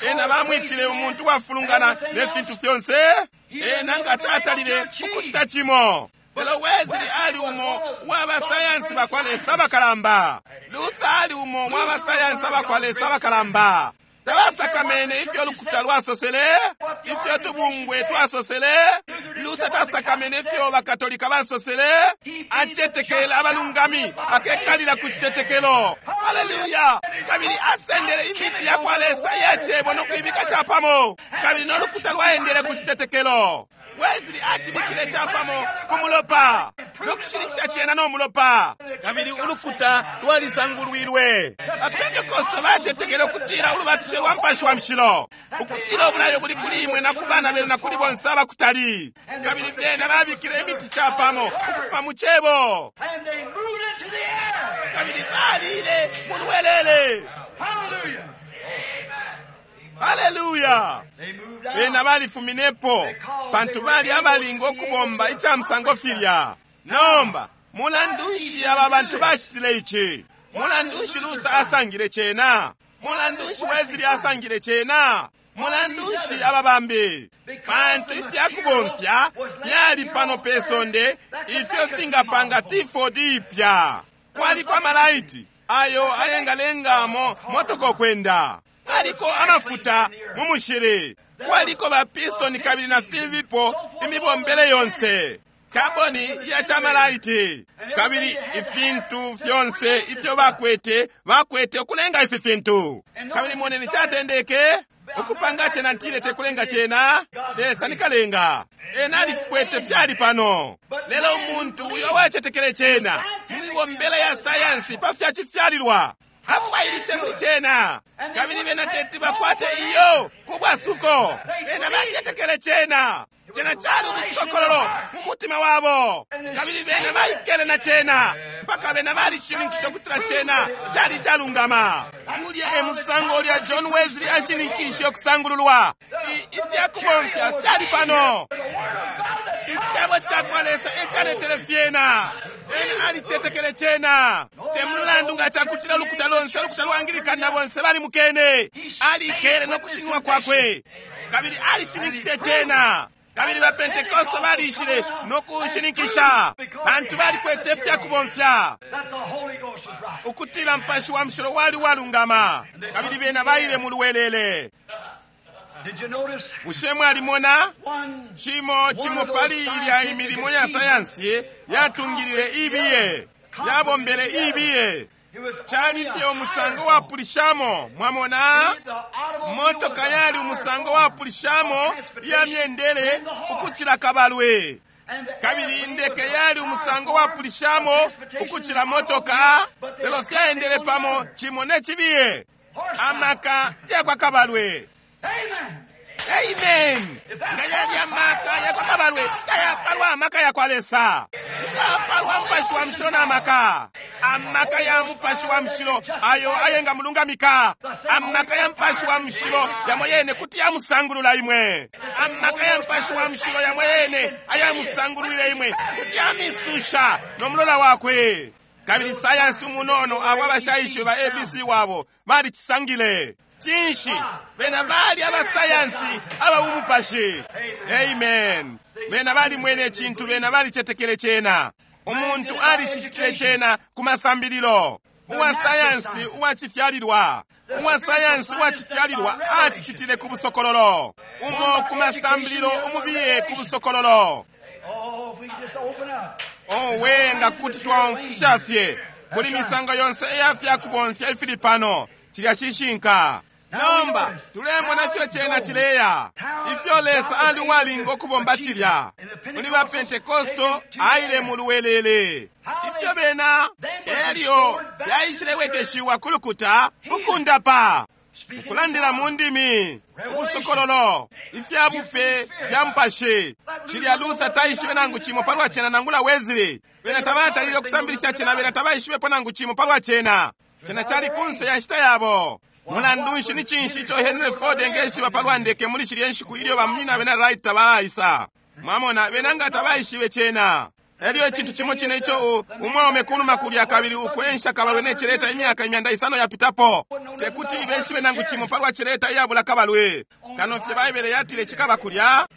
ena bamwitile umuntu wafulungana ne fintu fyonse, ena nga tatalile ukucita cimo. Lelo Wesley ali umo wa basayansi bakwa Lesa abakalamba. Luther ali umo wa basayansi abakwa Lesa abakalamba. Tabasakamene ifyo lukuta lwasosele, ifyo tubungwe twasosele. Luther tasakamene ifyo bakatolika basosele. Acetekele abalungami bakekalila ku citetekelo. Haleluya! Kabili asendele imiti ya kwa Lesa iya cebo no kuibika capamo, kabili no lukuta lwaendele ku citetekelo. Wesley acibikile capamo ku mulopa no kushininkisha cena no mulopa, kabili ulukuta lwalisangulwilwe. Apentekoste bacetekele ukutila ulubatisho lwa mupashi wa mushilo, ukutila ubulayo buli kuli imwe na ku bana benu na kuli bonse abakutali. Kabili bena babikile imiti capamo ukufuma mu cebo, kabili balile mulwelele. Haleluya! Bena balifuminepo pantu bali abalinga okubomba ica musango filya. Nomba mulandu nshi aba bantu bacitile ici? Mulandu nshi Luther asangile cena? Mulandu nshi Wesley asangile cena? Mulandu nshi aba bambi? Pantu ifyakubomfya fyali pano pesonde ifyo fingapanga T four ipya. Kwaliko amalaiti ayo ayengalengamo motoka okwenda. Kwaliko amafuta mu mushili. Kwaliko ba piston kabili na fimbipo imibombele yonse. Kaboni ya chamalaiti. Kabili ifintu fyonse ifyo bakwete, bakwete okulenga ifi fintu. Kabili moneni catendeke ukupanga cena ntile tekulenga cena, Lesa nikalenga. Ena alifikwete fyali pano. Lelo umuntu uyo wacetekele cena mu mibombele ya sayansi pa fyacifyalilwa, afwailishe muli cena, kabili bena teti bakwate iyo kubwasuko. Bena bacetekele cena. Cena cali ubusokololo mu mutima wabo, kabili bena baikele na cena mpaka bena balishininkisha ukutila cena cali calungama. Ulya e musango ulya John Wesley ashininkishe okusangululwa. Ifyakubomfya fyali pano. Icebo cakwa Lesa ecaletele fyena. Ena alicetekele cena. Te mulandu nga cakutila ulukuta lonse, ulukuta lwa Anglican na bonse balimukene, alikele no kushinwa kwakwe, kabili alishininkishe cena. Kabili ba Pentekoste balishile no kushininkisha, pantu balikwete ifyakubomfya ukutila mpashi wa mushilo wali walungama, kabili bena baile mulwelele. Did you notice Bushe mwalimona one cimo cimo pali ilya imilimo ya sayansi yatungilile ibiye yabombele ibiye It was cali fye umusango wapulishamo mwamona the automobile motoka was a yali higher umusango form wapulishamo of transportation iya myendele than the horse. ukucila kabalwe And the kabili airplane indeke was a yali higher umusango form wapulishamo of transportation ukucila than the motoka automobile, but they lelo were fyaendele coupled pamo together. cimo ne cibiye Horsepower. amaka yakwa kabalwe Amen. amen nga yali amaka yakwa kabalwe ngayapalwa amaka yakwa Lesa ngapalwa mupashi wa mushilo na amaka amaka ya mupashi wa mushilo ayo ayenga mulungamika amaka ya mupashi wa mushilo yamo yene kuti yamusangulula imwe amaka ya mupashi wa mushilo yamo yene ayamusangulwile imwe kuti yamisusha no mulola wakwe kabili sayansi umunono abo abashaishiwe ba A B C wabo balicisangile cinshi bena bali abasayansi aba bumupashi amen bena balimwene icintu bena balicetekele cena umuntu alicicitile cena ku masambililo uwa sayansi uwacifyalilwa uwa sayansi uwacifyalilwa acicitile ku busokololo umo ku masambililo umubiye ku busokololo Oh, if we could just open up. owe nga kuti twaumfisha fye kuli misango yonse iya fyakubomfya ifili pano cilya cishinka nomba tulemona ifyo cena cileya ifyo Lesa ali uwalinga ukubomba cilya muli ba Pentekosto aile mu luwelele ifyo bena elyo fyaishilewekeshiwa ku lukuta ukundapa ukulandila mu ndimi ubusokololo ifya bupe fya mupashi cilya Luther taishibe nangu cimo palwa cena nangula Wesley bena tabatalile ukusambilisha cena bena tabaishibepo nangu cimo palwa cena cena cali kunse ya nshita yabo mulandu nshi ni cinshi ico Henry Ford engeshiba palwa ndeke muli shilye nshiku ilyo bamunyina bena Wright tabaisa mwamona bena nga tabaishibe cena elyo icintu cimo cine ico umwaume kunuma kulya kabili ukwensha kabalwe ne celeta imyaka imyanda isano yapitapo tekuti ibeshibe nangu cimo palwa celeta iyabula kabalwe kano fye Baibele yatile cikaba kulya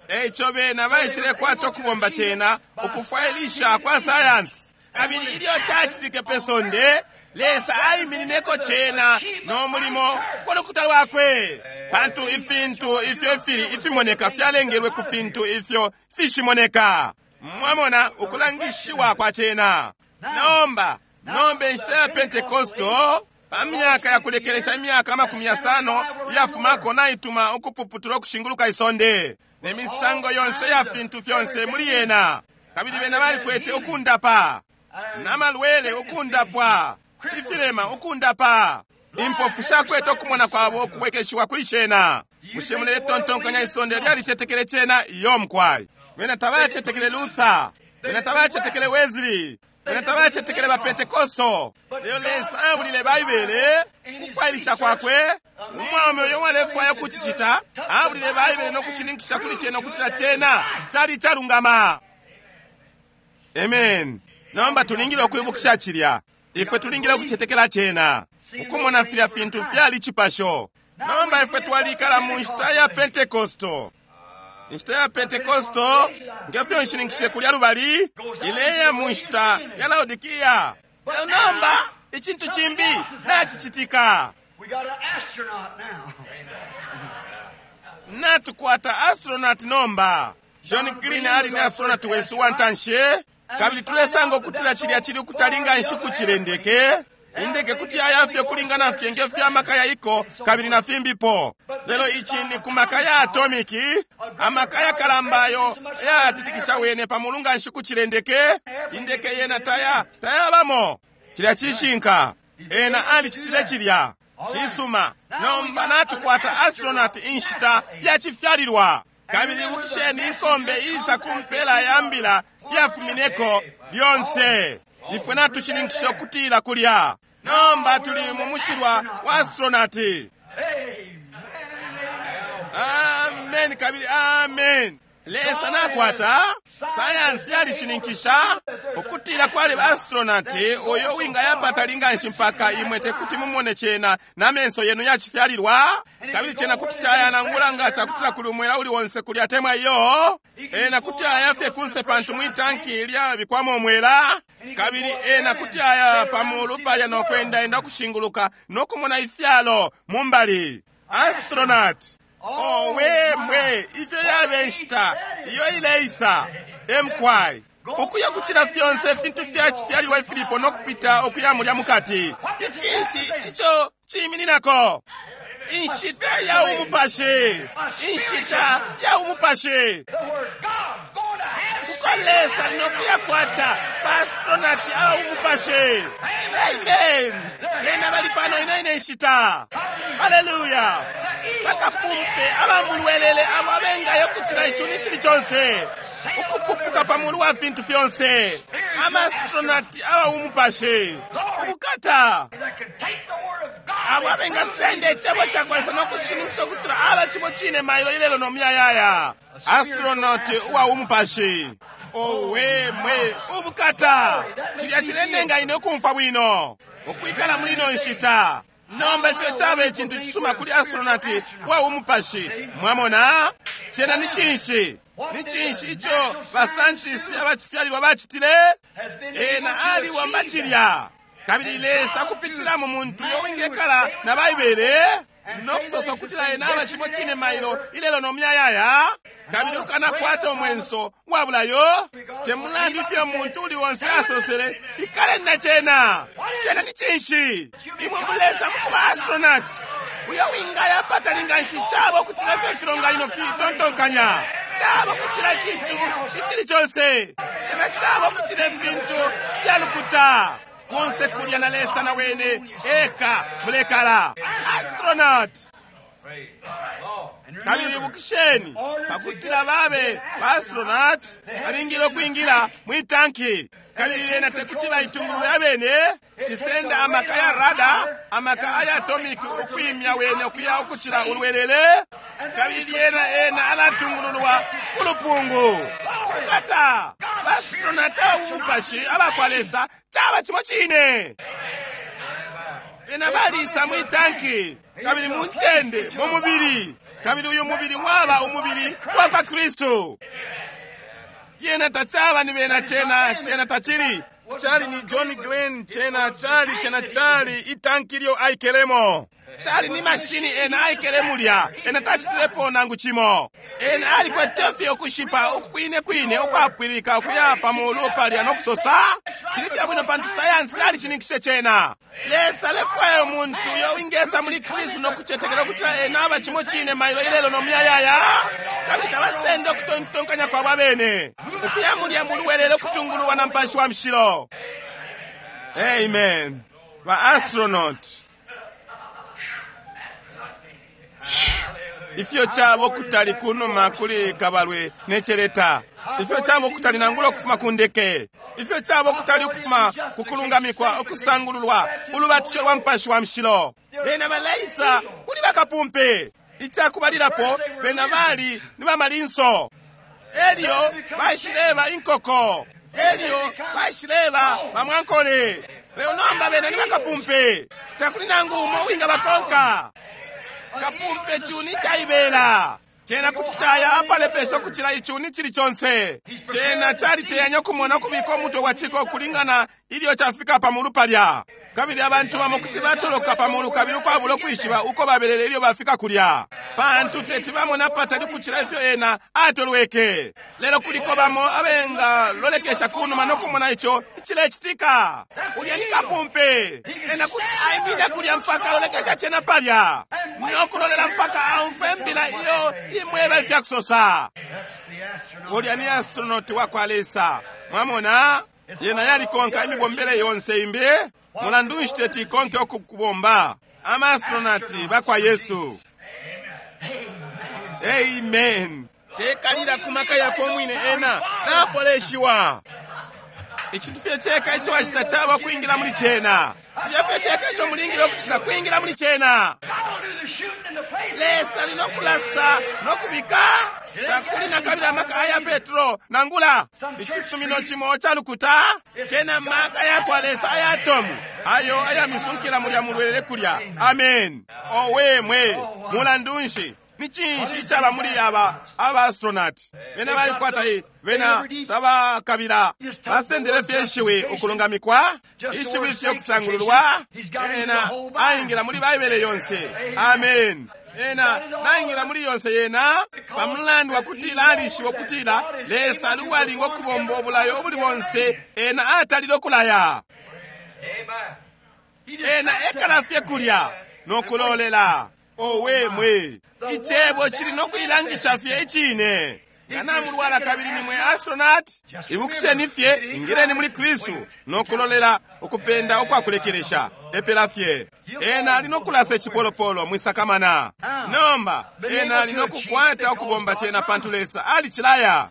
eico bena baishile kwata ukubomba cena ukufwailisha kwa sayansi kabili ilyo cacitike pe sonde Lesa aiminineko cena no mulimo ku lukuta lwakwe pantu ifintu ifyo ifili ifimoneka fyalengelwe ku fintu ifyo fishimoneka mwamona ukulangishiwa kwa cena nomba nomba inshita ya Pentekosto pa myaka ya kulekelesha imyaka amakumi yasano iyafumako naituma ukupuputula ukushinguluka isonde ne misango yonse ya fintu fyonse muli yena kabili bena balikwete ukundapa namalwele ukundapwa ifilema ukundapa impofu shakwete okumona kwabo okubwekeshiwa kuli shena bushe muletontonkanya isonde lyalicetekele cena iyo mukwai bena tabacetekele Luther bena tabacetekele Wesley bena tabacetekele ba Pentekosto lelo Lesa abulile Baibele kufwailisha kwakwe umwaume uyo walefwaya ukucicita abulile Baibele nokushininkisha kuli cena ukutila cena cali calungama amen nomba tulingile ukwibukisha cilya ifwe tulingile ukucetekela cena ukumona filya fintu fyali cipasho nomba ifwe twalikala mu nshita ya Pentekosto inshita ya Pentekosto ngefyo nshininkishe kulya lubali ileya mu nshita ya Laodikiya lelo nomba icintu cimbi nacicitika We got an astronaut now. Natukwata astronaut nomba John Green ali ni astronaut wesu wantanshi kabili tulesanga ukutila cilya cili ukutalinga nshiku cilendeke indeke kuti yayafye kulingana fye ngefyo amaka yaiko kabili na fimbipo lelo ici ni ku maka ya atomiki amaka yakalamba ayo yatitikisha wene pa mulunga nshiku cilendeke indeke yena taya tayabamo cilya cishinka ena alicitile cilya cisuma nomba natukwata astronaut inshita yacifyalilwa kabili ibukisheni inkombe isa ku mpela ya mbila yafumineko lyonse ifwe natushininkisha ukutila kulya nomba tuli mu mushilwa wa astronaut amen kabili amen Lesa nakwata sayansi yalishininkisha ukutila kwali astronaut uyo wingayapata linganshi mpaka imwe tekuti mumone cena na menso yenu yacifyalilwa kabili cena kuti cayanangula nga cakutila kuli umwela uli wonse kulya temwa iyo ena kuti ayafye kunse pantu mwitanki lyabikwamo umwela kabili ena kuti aya pamulu palya nokwendaenda okushinguluka nokumona ifyalo mumbali astronaut Owe mwe, ifyo yabe nshita iyo ileisa. Emkwai ukuya kuchila fyonse fintu fyachifyalilwa ifilipo nokupita ukuya mulya mukati. Icinshi icho chimininako? Inshita ya umupashi, inshita ya umupashi. Uko Lesa nokuyakwata baastronati aba umupashi. Amen. Bena bali pano ino ine nshita. Haleluya. Bakapumpe abamulwelele abo abengayo kuchila ichuni chili chonse, ukupupuka pamulu wa fintu fyonse. Amaastronati aba umupashi ubukata abo abengasenda icebo cakwa Lesa nokushininkisha ukutila aba cimo cine mailo ilelo nomuyayaya. Astronaut uwa umupashi. Owe mwe, ubukata. Chilya chilenenga ine ukumfwa bwino ukwikala muli ino nshita. Nomba ifyo chaba icintu cisuma kuli astronaut wa umupashi. Mwamona chena ni cinshi? Ni cinshi icho bascientist abachifyalilwa bachitile? Ena aliwamba chilya. Kabili Lesa kupitila mu muntu uyo wingekala na Baibele nokusosa ukutila ena aba cimo cine mailo ilelo nomuyayaya. Kabili ukanakwata omwenso wabulayo temulandu ifyo muntu uli wonse asosele, ikaleni na chena. Chena ni cinshi? Imwe mulesa mukuba astronaut uyo wingaya patalinga nshi chabo kuchila ifyo ifilonganino fitontonkanya, chabo kuchila icintu icili chonse, chena chabo kuchila ifintu fyalukuta konse kulya na Lesa na wene eka mulekala. Astronaut. Kabili bukisheni pakutila babe baastronaut balingile ukwingila mwitanki. Kabili lena tekuti baitungulule abene. Cisenda amaka ya rada, amaka aya atomic ukwimya wene ukuya ukuchila ulwelele. Kabili lyena ena alatungululwa kulupungu kukata. Baastronaut abumupashi abakwa Lesa chaba chimo chine. Bena balisa mwitanki kabili muncende mu mubili. Kabili uyu mubili waba umubili wa kwa Kristu. Yena tachaba ni bena chena, chena tachili. Chali ni John Glenn, chena chali, chena chali itanki lyo aikelemo. Chali ni mashini ena aikele mulya, ena tachitilepo nangu chimo. Ena alikwete okushipa ukwine kwine ukwapwilika ukuya pamulu palya nokusosa. Chili fyabwino pantu sayansi alishininkishe chena. Lesa alefwaya umuntu uyo wingesa muli Kristu nokuchetekela ukutila ena aba chimo chine mailo ilelo nomuyayaya. Kabili tabasenda okutontonkanya kwabo abene ukuya mulya muluwelele okutungululwa na Mupashi wa Mushilo. Amen. Ba astronaut. Ifyo chabo kutali kunuma kuli kabalwe necheleta. Ifyo chabo kutali nangula okufuma kundeke. Ifyo chabo kutali ukufuma kukulungamikwa okusangululwa ulubatisho lwa Mupashi wa Mushilo. Bena balaisa kuli bakapumpe. Ichakubalilapo bena bali ni bamalinso. Elyo baishileba inkoko. Elyo baishileba bamwankole. Leo nomba bena ni bakapumpe. Takuli nangu umo winga bakonka. Kapumpe chuni chaibela. Chena kuti chaya apalepesha kuchila ichuni chili chonse. Chena chali teyanya kumona kubika omutwe wa chiko kulingana ilyo chafika pamulu palya. Kabili abantu bamo kuti batoloka pamulu kabili ukwabula okwishiba uko babelele ilyo bafika kulya. Pantu teti bamona patali kuchila ifyo ena atolweke. Lelo kuliko bamo abenga lolekesha kunuma nokumona icho ichilechitika. Ulya ni kapumpe. Ena kuti aimine kulya mpaka alolekesha chena palya. Nokulolela mpaka aumfe mbila iyo imweba ifyakusosa. Ulya ni astronaut wa kwa Lesa. Mwamona yena yalikonka imibombele yonse imbi. Mulandu nshi teti ikonke okukubomba. Ama astronaut bakwa Yesu. Amen. Tekalira kumaka yako mwine ena napoleshiwa. Icintu fye cheka icho wachita chaba kwingira muli chena. Ilyo fye cheka icho mulingire okuchita kwingira muli chena. Lesa linokulasa nokubika. Takuli nakabila amaka aya Petro nangula ichisumino chimo chalukuta chena maka yakwa Lesa aya atomu ayo ayamisunkila mulya mulwelele kulya. Amen. Owe mwe mulandu nshi ni cinshi icaba muli aba aba astronaut bena balikwata i bena tabakabila basendele fye ishiwi ukulungamikwa ishiwi fye okusangululwa. Ena aingila muli Baibele yonse. Amen. Ena naingila muli yonse yena pamulandu wakutila alishiba ukutila Lesa ali uwalinga ukubomba obulayo obuli bonse ena atalile okulaya. Ena ekala fye kulya nokulolela. Owe mwe, icebo cili nokuilangisha fye icine. Nga namulwala kabili nimwe astronaut, ibukisheni fye, ingileni muli Kristu nokulolela ukupenda ukwakulekelesha. Epela fye. Ena ali nokulasa icipolopolo mwisakamana. Nomba ena ali nokukwata ukubomba cena pantu Lesa alicilaya.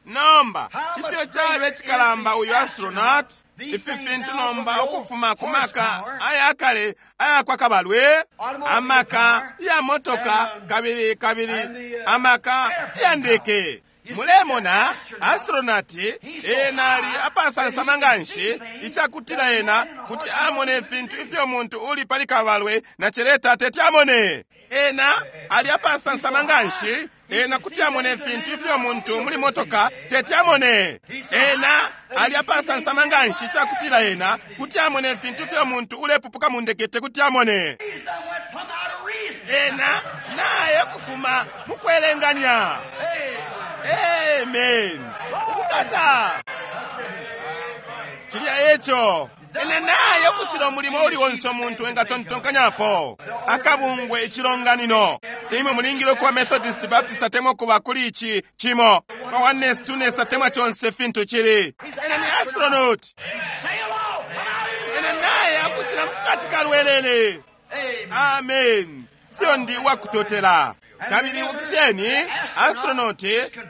Nomba ifyo cabe cikalamba uyu astronaut, ifi fintu nomba ukufuma ku maka ayakale ayakwa kabalwe, amaka ya motoka kabili kabili amaka ya ndeke. Mulemona astronaut ena ali apasansama nganshi icakutila ena kuti amone ifintu ifyo muntu uli pali kabalwe na celeta teti amone. Ena ali apasansama nganshi ena kuti amone ifintu ifyo muntu muli motoka teti amone. Ena ali apasansama nganshi icakutila ena kuti amone ifintu ifyo muntu ulepupuka mu ndeke tekuti amone. Ena naye kufuma mukwelenganya. Amen. Ubukata. Cilya eco. Ena naye kucila umulimo uli onse umuntu engatontonkanyapo. Akabungwe icilonganino. Imwe mulingile ukuba Methodist, Baptist atemwa kuba kuli ici cimo. Pa oneness, two-ness atemwa conse fintu cili. Ena ni astronaut. Ena naye akucila mukati kalwelele. Amen. Fyo ndi uwakutotela. Kabili ukisheni astronaut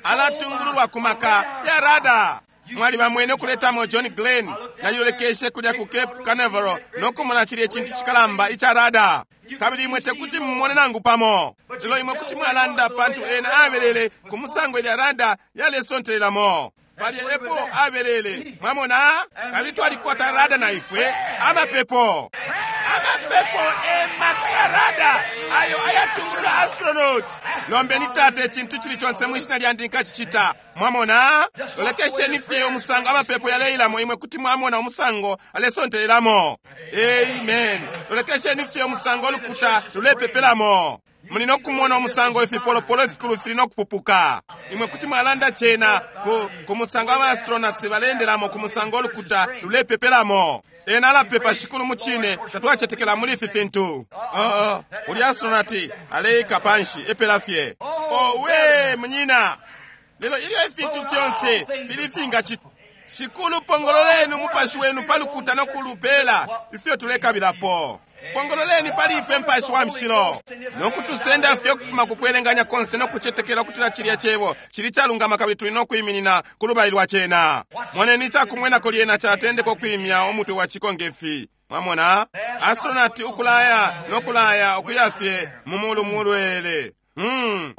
alatungululwa ku maka ya radar. Mwali bamwene okuletamo John Glenn nalilolekeshe kulya ku Cape Canaveral nokumona chili ecintu cikalamba ica radar. Kabili imwe tekuti mumone nangu pamo. Lelo imwe kuti mwalanda pantu ena abelele ku musango ilya radar yalesontelelamo. Palya epo abelele. Mwamona? Kabili twalikwata radar na ifwe amapepo. Amapepo emaka ya radar ayo ayatungulula astronaut. Lombeni tate ecintu cili conse mwishina lyandi nkacicita. Mwamona? Lolekesheni fye umusango amapepo yaleilamo imwe kuti mwamona umusango alesontelelamo. Amen. Lolekesheni fye umusango olukuta lulepepelamo. Muli nokumona umusango ifipolopolo ifikulu fili nokupupuka. Imwe kuti mwalanda cena ku, ku musango ama astronauts balendelamo ku musango olukuta lulepepelamo. Ena alapepa shikulu mucine tatwacetekela muli ifi fintu. Oh, oh. Uli astronaut aleika panshi epela fye. Oh, we munyina. Lelo ilyo ifintu fyonse fili finga shikulu pongololeni umupashi wenu palukuta nokulupela ifyo tulekabilapo. Pongololeni pali ife mpashi wa mshilo nokutusenda fye okufuma kukwelenganya konse nokucetekela okutila cilya cebo cili calungama kabili tuli nokwiminina ku lubali lwa cena. Moneni icakumwenako lyena catendeka okwimya omutwe wa ciko ngefi. Mwamona astronaut ukulaya nokulaya okuya fye mu mulu mulwele. Mm.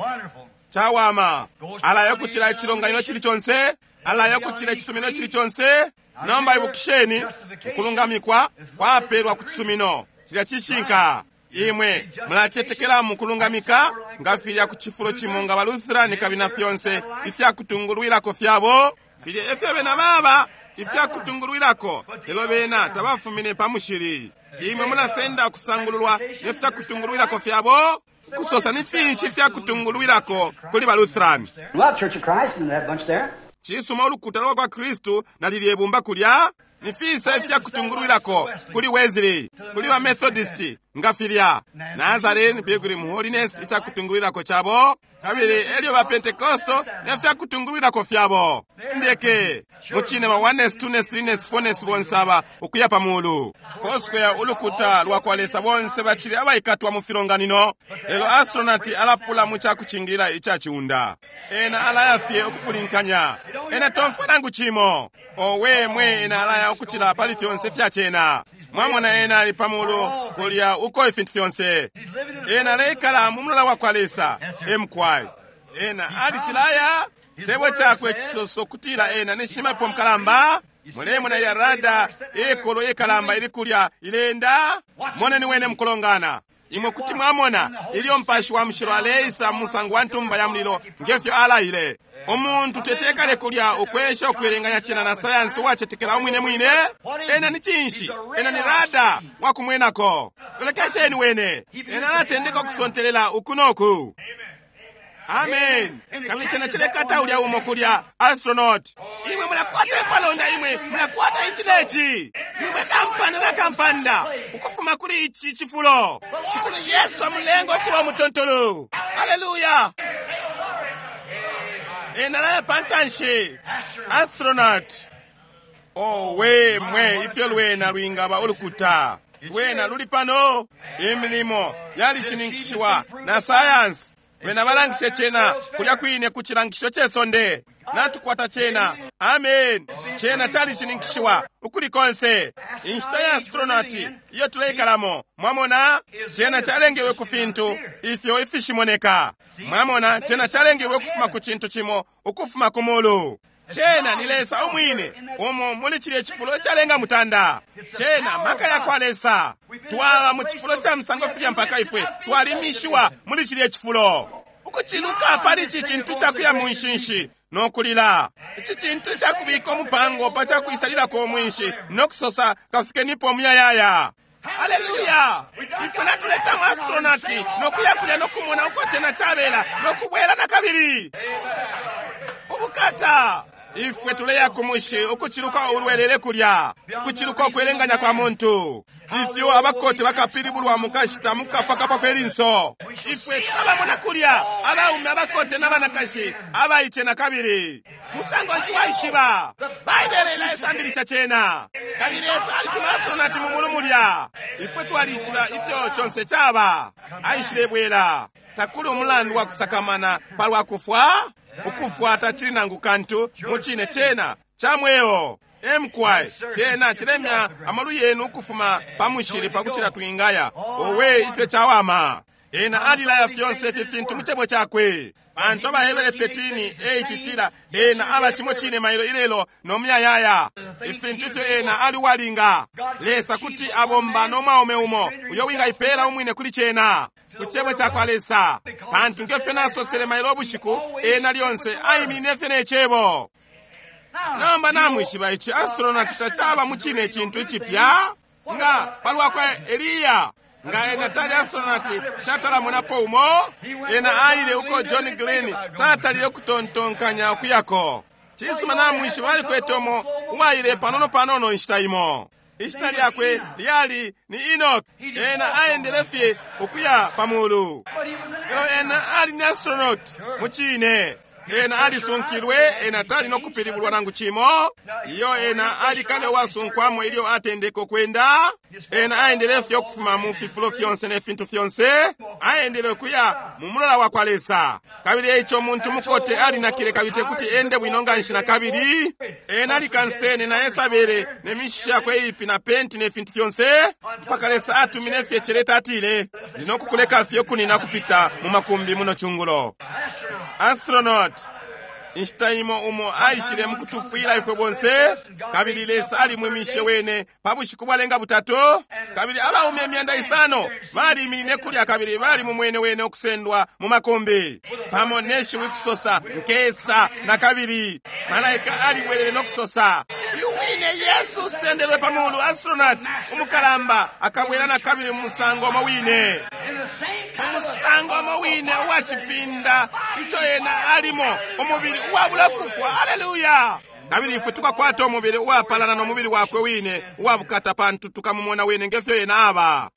Cawama alaya okucila icilonganino cili conse, alaya okucila icisumino cili conse. Nomba ibukisheni ukulungamikwa kwapelwa ku cisumino. Cilya cishinka. Imwe mulacetekela mu kulungamika nga filya ku cifulo cimo nga baLutherani kabili na fyonse ifyakutungulwilako fyabo. Filya efyo bena baba ifyakutungulwilako, lelo bena tabafumine pa mushili. Imwe mulasenda ukusangululwa nefyakutungulwilako fyabo. Kusosa ni finshi ifyakutungulwilako kuli baLutherani. Well, Church of Christ and that bunch there. Cisuma ulukuta lwa kwa Kristu na lilye bumba kulya. Ni fisa ifyakutungulwilako kuli Wesley, kuli ba Methodist nga filya Nazarene, Pilgrim Holiness icakutungulwilako cabo, kabili elyo ba Pentecostal nefyakutungulwilako fyabo. Ndeke mucine ba oneness, two-ness, three-ness, four-ness bonse aba ukuya pa mulu. Foursquare ulukuta lwa kwa Lesa bonse bacili abaikatwa mu filonganino. Lelo astronaut alapula mu cakucingilila icaciunda. Ena alaya fye ukupulinkanya. Ena tomfwa nangu cimo. Owe mwe ena alaya ukucila pali fyonse fyacena. Mwamona ena ali pamulu kulya uko ifintu fyonse. Ena aleikala mu mulola wa kwa Lesa. Emkwai. Ena alicilaya cebo cakwe cisoso kutila ena ni shimapepo mukalamba. Mulemona ya rada ikolo ikalamba ili kulya ilenda. Moneni wene mukulongana. Imwe kuti mwamona ilyo mpashi wa mushilo aleisa musango wa ntumba ya mulilo ngefyo alaile. Umuntu tetekale kulya ukwesha ukwelenganya cena na sayansi wacetekela umwine mwine. Ena ni cinshi? Ena ni rada wakumwenako. Lolekesheni wene. Ena alatendeka ukusontelela uku noku. Amen. Kabili chena chilekata ulya umo kulya astronaut. Imwe mulakwata ipalonda, imwe mulakwata ichi nechi. Nimwe kampanda na kampanda ukufuma kuli ichi chifulo. Shikulu Yesu amulenga okuba mutontolo. Hallelujah. Ena laya pantanshi. Astronaut. Oh, we mwe ifyo lwena lwingaba ulukuta. Lwena luli pano. Imilimo yalishininkishiwa na science. Bena balangishe chena kulya kwine ku chilangisho chesonde. Natukwata chena. Amen. Chena chalishininkishiwa ukuli konse. Inshita ya astronaut iyo tuleikalamo. Mwamona chena chalengelwe ku fintu ifyo ifishimoneka. Mwamona chena chalengelwe kufuma ku chintu chimo ukufuma ku mulu. Chena ni Lesa umwine umo muli chile chifulo chalenga mutanda. Chena maka ya kwa Lesa. Twaba mu chifulo cha msango filya mpaka ifwe twalimishiwa muli chile chifulo. Ukuchiluka pali ichi chintu chakuya mu nshinshi nokulila. Ichi chintu chakubika omupango pa chakwisalilako omwinshi nokusosa kafikenipo omuyayaya. Haleluya! Ifwe natuleta mu astronaut nokuya kulya nokumona uko chena chabela nokubwela na kabili. Ubukata! Ifwe tuleya kumushi ukuchiluka ulwelele kulya, kuchiluka okwelenganya kwa muntu. Ifyo abakote bakapilibulwa mukashita mukapakapa kwelinso. Ifwe tukabamona kulya abaume abakote n'abanakashi abaiche na kabili. Musango nshi waishiba. Baibele ilayisambilisha chena. Kabili Yesu alituma astronaut mu mulu mulya. Ifwe twalishiba ifyo chonse chaba. Aishile bwela. Takuli umulandu wa kusakamana palwa kufwa. Ukufwa tachili nangu kantu muchine chena chamweo. Emkwai chena chilemya amalu yenu ukufuma pamushili pakuchila twingaya. Owe ifyo chawama. Ena alilaya fyonse ifi fintu muchebo chakwe. Pantu abahebere thirteen eight tila ena aba chimo chine mailo ilelo nomuyayaya. Ifintu ifyo ena ali walinga. Lesa kuti abomba nomwaume umo uyo wingaipela umwine kuli chena. Kuchebo chakwa Lesa. Pantu ngefyo nasosele mailo obushiku ena lyonse ayiminine fye nechebo. Namba namwishiba ichi astronaut tachaba muchine chintu ichipya nga palwa kwa Eliya. Nga ena tali astronaut shatalamonapo umo ena aile uko John Glenn tatalile kutontonkanya okuyako. Chisuma namwishiba alikwete umo uwaile panono panono inshita imo. Ishina lyakwe lyali ni Enoch. Ena aendele fye okuya pamulu. Elo ena ali ni astronaut muchine. Ena alisunkilwe, ena tali nokupilibulwa nangu chimo. Iyo ena alikale wasunkwamo ilyo atendeka okwenda. Ena aendele fye okufuma mu fifulo fyonse ne fintu fyonse. Aendele okuya mu mulola wa kwa Lesa. Kabili eicho omuntu mukote alinakile kabili tekuti ende bwino nga nshi na kabili. Ena alikansene na Yesabele ne mishishi yakwe ipi na penti ne fintu fyonse. Mpaka Lesa atumine fye cheleta atile, ndinokukuleka fye okunina kupita mu makumbi muno chungulo. Astronaut inshita imo umo aishile mukutufwila ifwe bonse. Kabili Lesa alimwimishe wene pa bushiku bwalenga butatu. Kabili abaume emyanda isano baliminine kulya kabili bali mumwene wene okusendwa mu makumbi pamo neshiwi kusosa nkesa na kabili. Malaika alibwelele nokusosa uyu wine Yesu usendelwe pamulu. Astronaut umukalamba akabwela na kabili mu musango omo wine. Mu musango omo wine uwachipinda icho ena alimo umubili uwabula kufwa. Haleluya! Kabili ifwe tukakwata umubili uwapalana n'omubili wakwe wine uwabukata pantu tukamumona wene ngefyo ena aba.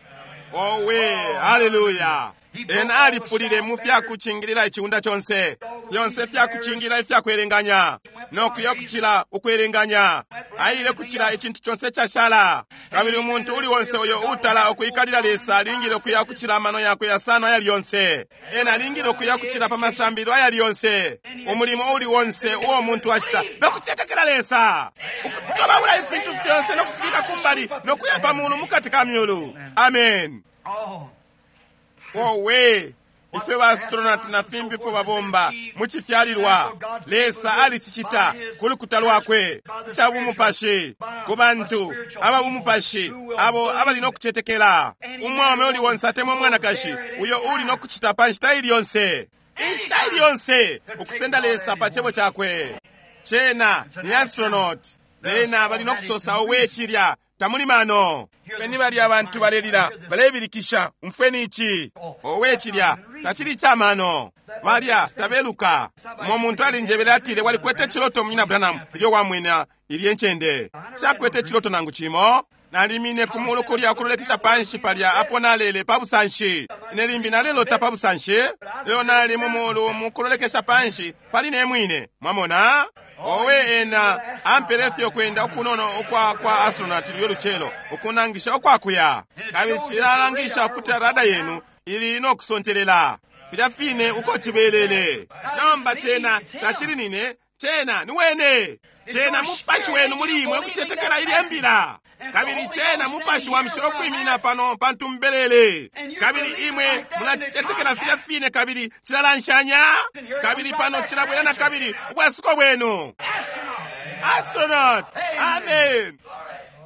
Owe, haleluya! Ena alipulile mu fyakuchingilila ichiunda chonse. Fyonse fyakuchingilila ifyakwelenganya nokuya kuchila ukwelenganya. Aile kuchila ichintu chonse chashala. Kabili umuntu uli wonse uyo utala okuikalila Lesa alingile okuya kuchila amano yakwe yasano ayali yonse. Ena alingile okuya kuchila pa masambilo ayali yonse. Umulimo uli wonse uwo muntu achita nokuchetekela Lesa. Ukutobawula ifintu fyonse nokufibika kumbali nokuya pamulu mukati ka myulu. Amen. Owe, ifwe ba astronaut na fimbipo babomba muchifyalilwa. Lesa alichichita kulukuta lwakwe cha bumupashi ku bantu aba bumupashi abo abali nokuchetekela. Umwaume uli wonse atemwa mwanakashi uyo uli nokuchita pa nshita ili yonse, inshita ili yonse ukusenda Lesa pa chebo chakwe. Chena ni astronaut. Bena bali nokusosa owe chilya Tamuli mano. Beni bali abantu balelila, balebilikisha, umfweni ici. Owe cilya, tacili icamano. Balya tabeluka. Umo muntu alinjebele atile walikwete ciloto munyina Branham ilyo wamwena ilye ncende. Shakwete ciloto nangu cimo. Nalimine ku mulu kulya kulolekesha panshi palya apo nalele pa busanshi. Ine limbi nalelota pa busanshi, lelo nali mu mulu mukulolekesha panshi pali ne mwine. Mwamona? Owe ena ampele fye kwenda ukunono ukwa kwa astronaut lyo lucelo ukunangisha ukwakuya. Kabili cilalangisha ukuti rada yenu ili no kusontelela. Filya fine uko cibelele. Nomba cena tacili nine, cena ni wene. Cena mupashi wenu muli imwe ukucetekela ilye mbila. Kabili cena mupashi wa mushilo kwiminina pano pantu mbelele. Kabili imwe mulacicetekela filya fine kabili cilalanshanya. Kabili pano cilabwela na kabili ubwasuko bwenu. Astronaut. Amen.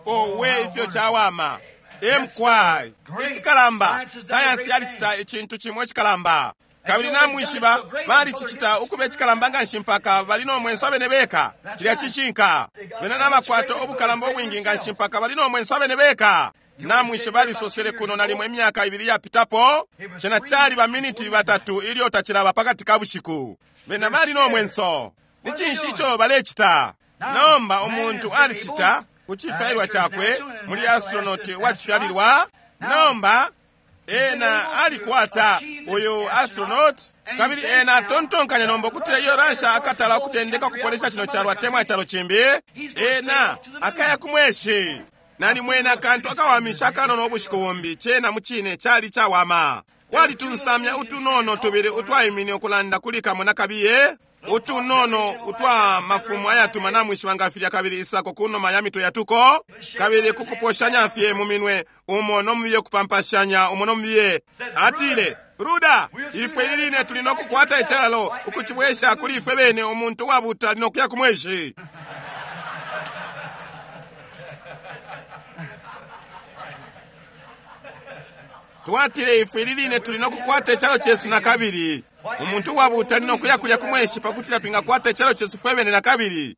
Owe ifyo chawama. Emkwai. Ifikalamba. Sayansi yalicita icintu chimwe chikalamba. Kabili namwishiba balicicita ukuba icikalamba nganshi mpaka bali nomwenso abene beka. Cilya cishinka. Bena nabakwata ubukalamba ubwingi nganshi mpaka bali nomwenso abene beka. Namwishiba balisosele kuno nalimo imyaka ibili yapitapo. Cena cali baminiti batatu ilyo tacilaba pakati ka bushiku. Bena bali nomwenso. Ni cinshi ico balecita? Nomba umuntu alicita ku cifyalilwa cakwe muli astronaut wacifyalilwa. Nomba ena alikwata uyu astronaut kabili ena atontonkanya nomba ukutila iyo Russia akatala ukutendeka kupolesha chino chalo atemwa chalo chimbi. Ena akaya kumweshi. Nali mwena akantu akawamisha akanono ubushiku bumbi chena muchine chali chawama. Walitunsamya utunono tubili utwaimine ukulanda kuli kamwe na kabiye. Utunono utwa mafumu ayatuma namwishiba ngafilya kabili isako kunoma ya mitwe yatuko. Kabili kukuposhanya fye mu minwe umo nomubiye kupampashanya umo nomubiye. Atile, Ruda, ifwe iline tuli nokukwata icalo ukucibwesha kuli ifwe bene umuntu wabuta ali nokuya kumweshi. Twatile ifwe iline tuli nokukwata icalo chesu na kabili. Umuntu wabuta ali nokuya kulya kumweshi pakutila twingakwata icalo chesu fwe bene na kabili.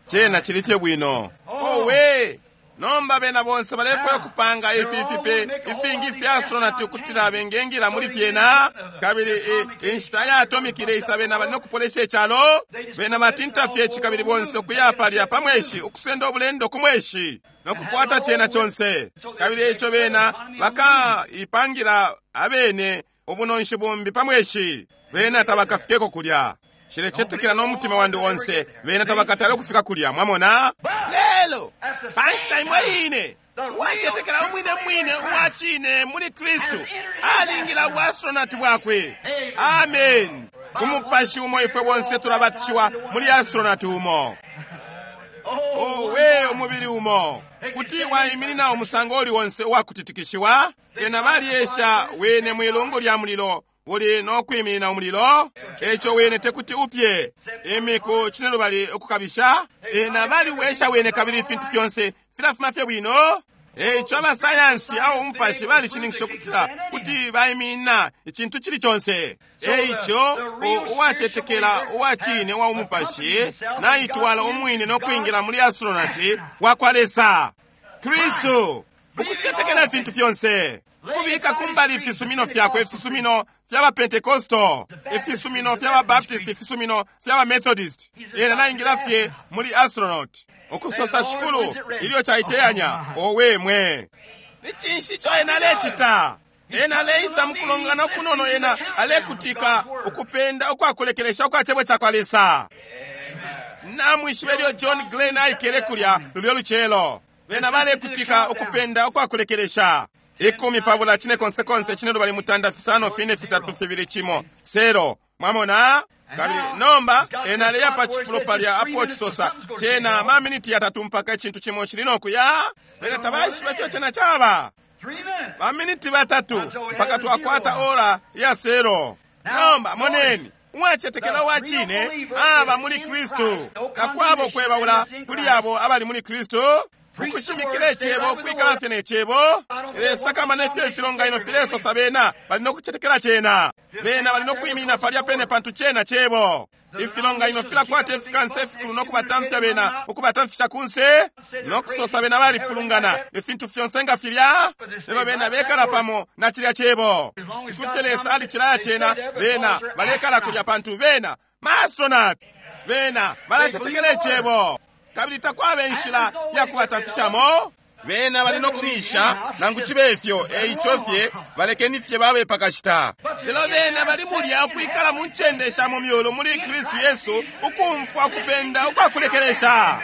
Chena chili fye bwino. Owe! Nomba bena bonse balefwaya kupanga ifi ifipe ifingi fya astronaut ukutila bengengila muli fyena. Kabili inshita ya atomic ileisa bena bali nokupolesha icalo. Bena batinta fye ici kabili bonse ukuya palya pa mweshi ukusenda ubulendo ku mweshi nokukwata chena chonse. Kabili ico bena bakaipangira abene ubunonshi bumbi pa mweshi. Bena tabakafikeko kulya. Nshilecetekela n'omutima wandi onse bena tabakatale okufika kulya. Mwamona? Lelo panshita imwe ine uwacetekela umwine mwine uwacine muli Kristu alingila ubwastronati bwakwe. Amen. Ku mupashi umo ifwe bonse tulabatishiwa muli astronati umo. Owe umubili umo kuti waiminina umusango uli wonse uwakutitikishiwa. Bena baliesha wene mwilungu lya mulilo uli nokwiminina umulilo eco wene tekuti upye imiku cine lubali ukukabisha. Ena baliwesha wene kabili ifintu fyonse filafuma fye bwino. Eco abasayansi awo umupashi balishininkisha ukutila kuti baiminina icintu cili conse. Eico uwacetekela uwacine wa umupashi naitwala umwine nokwingila muli astronati wakwa Lesa Kristu ukucetekela ifintu fyonse. Kubika kumbali ifisumino fyakwe, ifisumino fya bapentekosto, ifisumino fya babaptist, ifisumino fya bamethodist. Ena naingila fye muli astronaut ukusosa shikulu ilyo chaiteyanya. Owe mwe, ni cinshi ico ena alecita? Ena aleisa mukulongana okunono, ena alekutika ukupenda ukwakulekelesha ukwa cebo cakwa Lesa. Namwishiba ilyo John Glenn aikele kulya lulyo lucelo, bena balekutika ukupenda ukwakulekelesha. Ikumi pabula chine konse konse chine lubali mutanda fisano fine fitatu fibili chimo sero. Mwamona? Kabili nomba ena aleya pa chifulo palya apo chisosa chena maminiti yatatu mpaka ichintu chimo chili nokuya. Bena tabaishiba ifyo chena chaba. Maminiti batatu mpaka twakwata ora ya sero. Nomba moneni uwacetekela uwacine aba muli Kristu. Takwaba ukwebaula kuli abo abali muli Kristu. Ukushimikila icebo, ukwikala fye ne cebo. Lesakamana ifyo ifilonganino filesosa bena bali nokucetekela cena. Bena bali nokwiminina palya pene pantu cena cebo. Ifilonganino filakwata ifikansa ifikulu nokubatamfya bena, ukubatamfisha kunse, nokusosa bena balifulungana, ifintu fyonse nga filya. Lelo bena bekala pamo na cilya Cebo. Cikulu Lesa alicilaya cena, bena balekala kulya pantu bena ma-astronaut, bena balacetekela Icebo. Kabili takwaba inshila ya kubatamfishamo. Bena bali nokumisha nangu cibe ifyo, eico fye balekeni fye babe pakashita. Lelo bena bali mulya ukwikala mu ncende sha mu myulu muli Kristu Yesu, ukumfwa ukupenda ukwakulekelesha.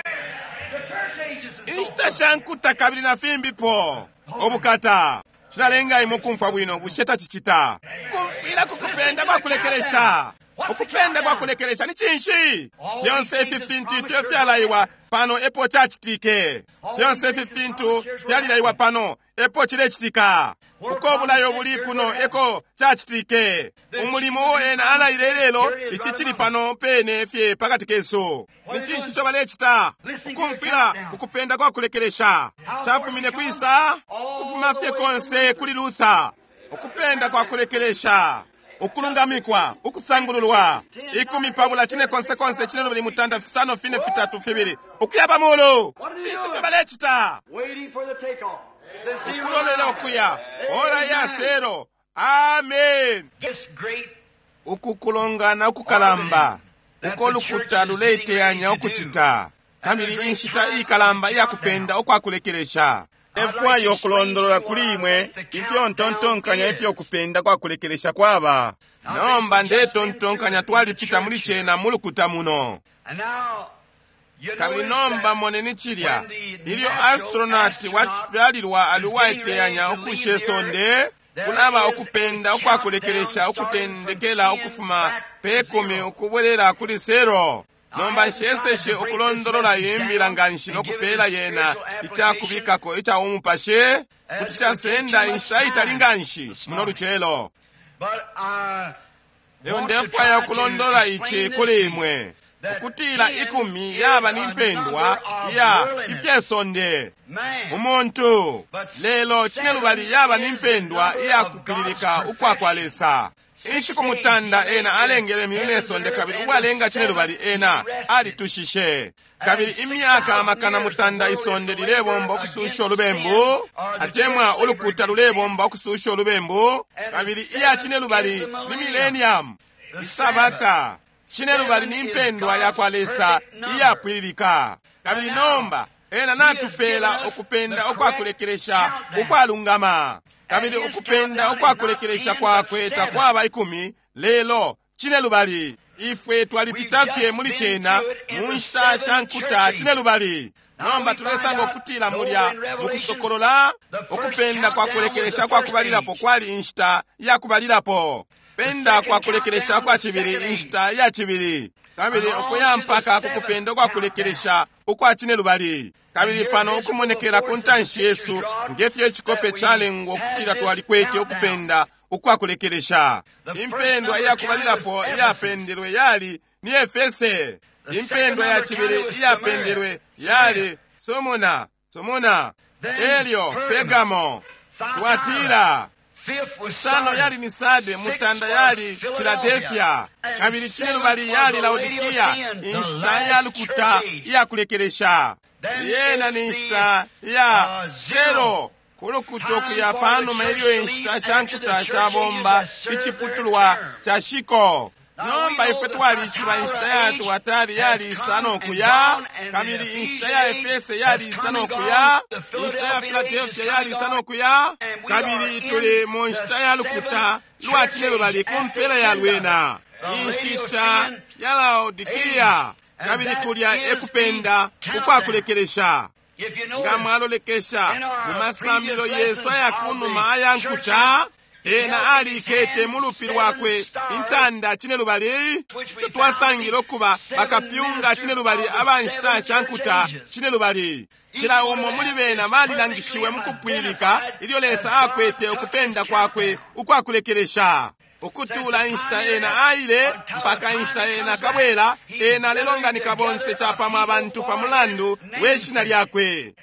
Inshita sha nkuta kabili na fimbipo. Ubukata cilalenga imwe ukumfwa bwino, bushe tacicita? Kumfwila ku kupenda kwakulekelesha. Ukupenda kwakulekelesha ni cinshi? Fyonse ifi fintu ifyo fyalaiwa pano epo cacitike. Fyonse ifi fintu fyalilaiwa pano epo cilecitika. Uko bulayo buli kuno eko cacitike. Umulimo uo ena alaile lelo, ici cili pano pene fye pakati kesu. Ni cinshi ico balecita? Ukumfwila ukupenda kwakulekelesha. Cafumine kwisa? Kufuma fye konse kuli Luther. Ukupenda kwakulekelesha, ukulungamikwa, ukusangululwa. Ikumi pabula cine konse konse cine lubali mutanda fisano fine fitatu fibili ukuya pamulu. Finshi fyo balecita? Ukulolela ukuya ora ya sero. Amen. Ukukulongana ukukalamba uko lukuta luleiteyanya ukucita, kabili inshita ikalamba iyakupenda ukwakulekelesha. Efwayo okulondolola kuli imwe ifyo ntontonkanya ifyo kupenda kwakulekelesha kwaba. Nomba ndetontonkanya twalipita muli cena mu lukuta muno. Kabili nomba moneni cilya, ilyo astronaut wacifyalilwa ali uwaiteyanya ukushe sonde, kulaba ukupenda ukwakulekelesha ukutendekela ukufuma pe kumi ukubwelela kuli sero. Nomba nsheseshe ukulondolola imbila nganshi nokupela yena icakubikako ica umupashi, kuti casenda inshita itali nganshi muno lucelo. Lelo ndefwaya ukulondolola ici kuli imwe, ukutila ikumi yaba ni mpendwa iya ifyesonde umuntu, lelo cinelubali yaba ni mpendwa iya kupililika ukwa kwa Lesa. Inshiku mutanda ena alengele imyulu ne sonde, kabili uwalenga cinelubali ena alitushishe. Kabili imyaka amakana mutanda isonde lilebomba ukususha ulubembu, atemwa ulukuta lulebomba ukususha ulubembu. Kabili iya cinelubali ni millennium, isabata. Cinelubali ni mpendwa ya kwa Lesa iyapwililika. Kabili nomba ena natupela ukupenda ukwakulekelesha ukwalungama. Kabili ukupenda ukwakulekelesha kwakwe takwaba ikumi, lelo cinelubali. Ifwe twalipita fye muli cena mu nshita sha nkuta cinelubali. Nomba tulesanga ukutila mulya mukusokolola ukupenda kwakulekelesha kwakubalilapo kwali inshita yakubalilapo, penda kwakulekelesha kwa cibili inshita ya cibili, kabili ukuya mpaka kukupenda kwakulekelesha ukwa cinelubali. Kabili pano ukumonekela ku ntanshi yesu ngefyo icikope calengwa ukutila twalikwete ukupenda ukwakulekelesha. Impendwa iyakubalilapo iyapendelwe yali ni Efese. Impendwa ya cibili iyapendelwe yali Sumuna, Sumuna, elyo Pergamo, Tuatira. Isano yali ni Sade, mutanda yali Filadelfia, kabili cinelubali yali Laodikia, inshita ya lukuta iyakulekelesha. Yena ni inshita ya zero kulukuta ukuya panuma ilyo inshita sha nkuta shabomba iciputulwa ca shiko. Nomba ifwe twalishiba inshita ya Tuatari yali isano kuya, kabili inshita ya Efese yali isano kuya, inshita ya Filadelfia yali isano kuya, kabili tuli mu nshita ya lukuta lwa cinelubali ku mpela ya lwena, inshita ya Laodikia. Kabili kulya ekupenda ukwakulekelesha. Nga mwalolekesha mu masambilo yesu ayakunuma aya nkuta, ena alikete mu lupi lwakwe intanda cinelubali, ico twasangile ukuba bakapyunga cinelubali aba nshita sha nkuta cinelubali. Cila umo muli bena balilangishiwe mu kupwililika ilyo Lesa akwete ukupenda kwakwe ukwakulekelesha. Ukutula inshita ena aile mpaka inshita ena kabwela, ena alelonganika bonse capamo abantu pa mulandu we shina lyakwe.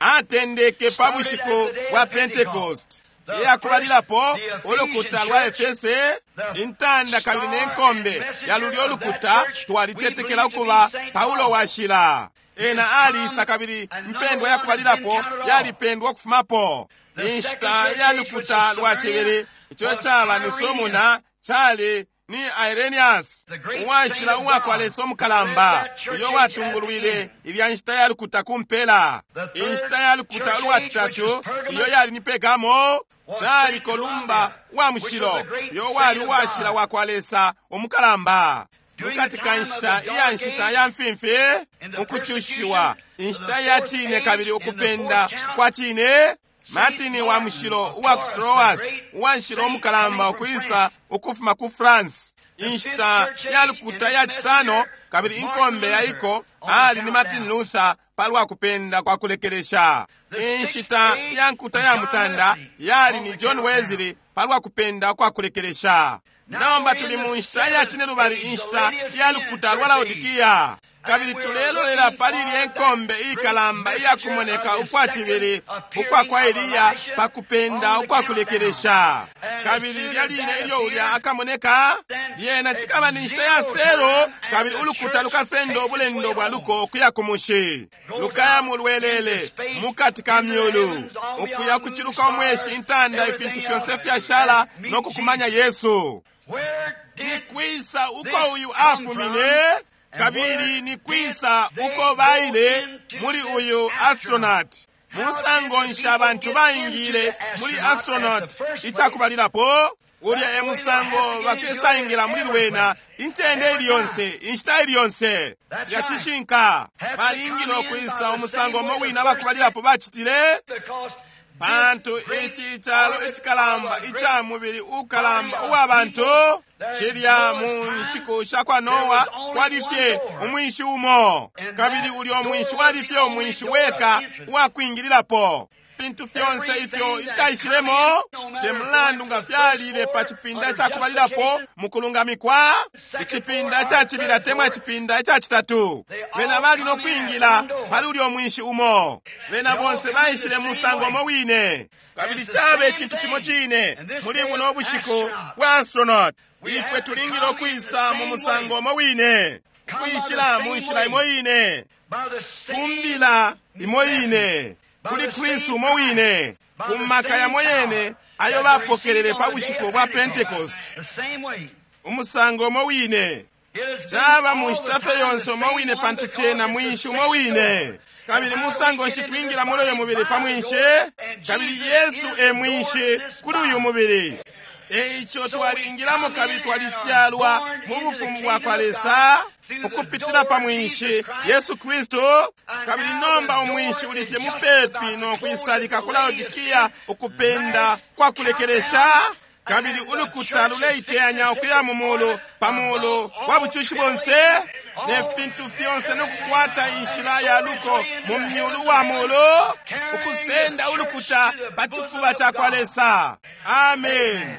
Atendeke pa bushiku bwa Pentecost. Iyakubalilapo ulukuta lwa Efese, intanda kabili ne nkombe ya lulyo lukuta twalicetekela ukuba Paulo washila. Ena aliisa kabili impendwa yakubalilapo yalipendwa ukufumapo. Inshita ya lukuta lwa cibili, ico caba ni Somuna, cali ni Irenius, uwashila uwakwa Lesa umukalamba, uyo watungulwile ilya nshita ya lukuta kumpela. Inshita ya lukuta ulwa citatu, iyo yali ni Pergamo, cali Kolumba wa mushilo, uyo wali uwashila wakwa Lesa umukalamba. Mukati ka nshita iya nshita ya mfimfi, ukucushiwa, inshita ya cine kabili ukupenda kwa cine, Martin wa mushilo uwa ku Troas, uwashila umukalamba ukwisa ukufuma ku France. Inshita ya lukuta ya cisano kabili inkombe ya iko ali ni Martin Luther palwa kupenda kwa kulekelesha. Inshita ya nkuta ya mutanda yali ni John Wesley palwa kupenda kwa kulekelesha. Nomba tuli mu nshita ya cine lubali, inshita ya lukuta lwa Laodikia, kabili tulelolela pali ilye nkombe ikalamba iyakumoneka ukwa cibili ukwa kwa Eliya pa kupenda ukwa kulekelesha. Kabili lilya line ilyo ulya akamoneka, lyena cikaba ni nshita ya sero, kabili ulukuta lukasenda ubulendo bwa luko ukuya ku mushi, lukaya mu lwelele mukati ka myulu, ukuya kuciluka umweshi, intanda, ifintu fyonse fyashala no kukumanya Yesu. Ni kwisa uko uyu afumine kabili ni kwisa uko baile muli uyu astronaut? Musango nshi abantu baingile muli astronaut icakubalilapo? Ulya e musango bakesaingila muli lwena incende ili yonse, inshita ili yonse. Cilya cishinka. Balingile ukwisa umusango umo wina abakubalilapo bacitile, pantu ici calo icikalamba ica mubili ukalamba uwa bantu cilya mu nshiku sha kwa Noa kwali fye umwinshi umo, kabili ulyo mwinshi wali fye umwinshi weka uwakwingililapo. Fintu fyonse ifyo ifyaishilemo te mulandu nga fyalile pa cipinda ca kubalilapo mu kulungamikwa, icipinda ca cibili atemwa icipinda ica citatu, bena bali no kwingila pali ulyo mwinshi umo. Bena bonse baishile mu musango umo wine, kabili cabe icintu cimo cine muli buno bushiku bwa astronaut. Ifwe tulingile ukwisa mu musango umo wine, ukwishila mu nshila imo ine, kumbila imo ine, kuli Kristu umo wine, ku maka yamo yene ayo bapokelele pa bushiku bwa Pentecost. Umusango umo wine caba mu nshita fye yonse umo wine, pantu cena mwinshi umo wine. Kabili musango nshi twingila muli uyu mubili pa mwinshi, kabili Yesu e mwinshi kuli uyu mubili. Eico twalingilamo kabili twalifyalwa mu bufumu bwa kwa Lesa ukupitila pa mwinshi Yesu Kristu. Kabili nomba umwinshi uli fye mupepi no kwisalika ku Laodikia, ukupenda kwa kulekelesha. Kabili ulukuta luleiteyanya ukuya mu mulu pa mulu wa bucushi bonse ne fintu fyonse, no kukwata inshila ya luko mu myulu wa mulu, ukusenda ulukuta pa cifuba ca kwa Lesa. Amen,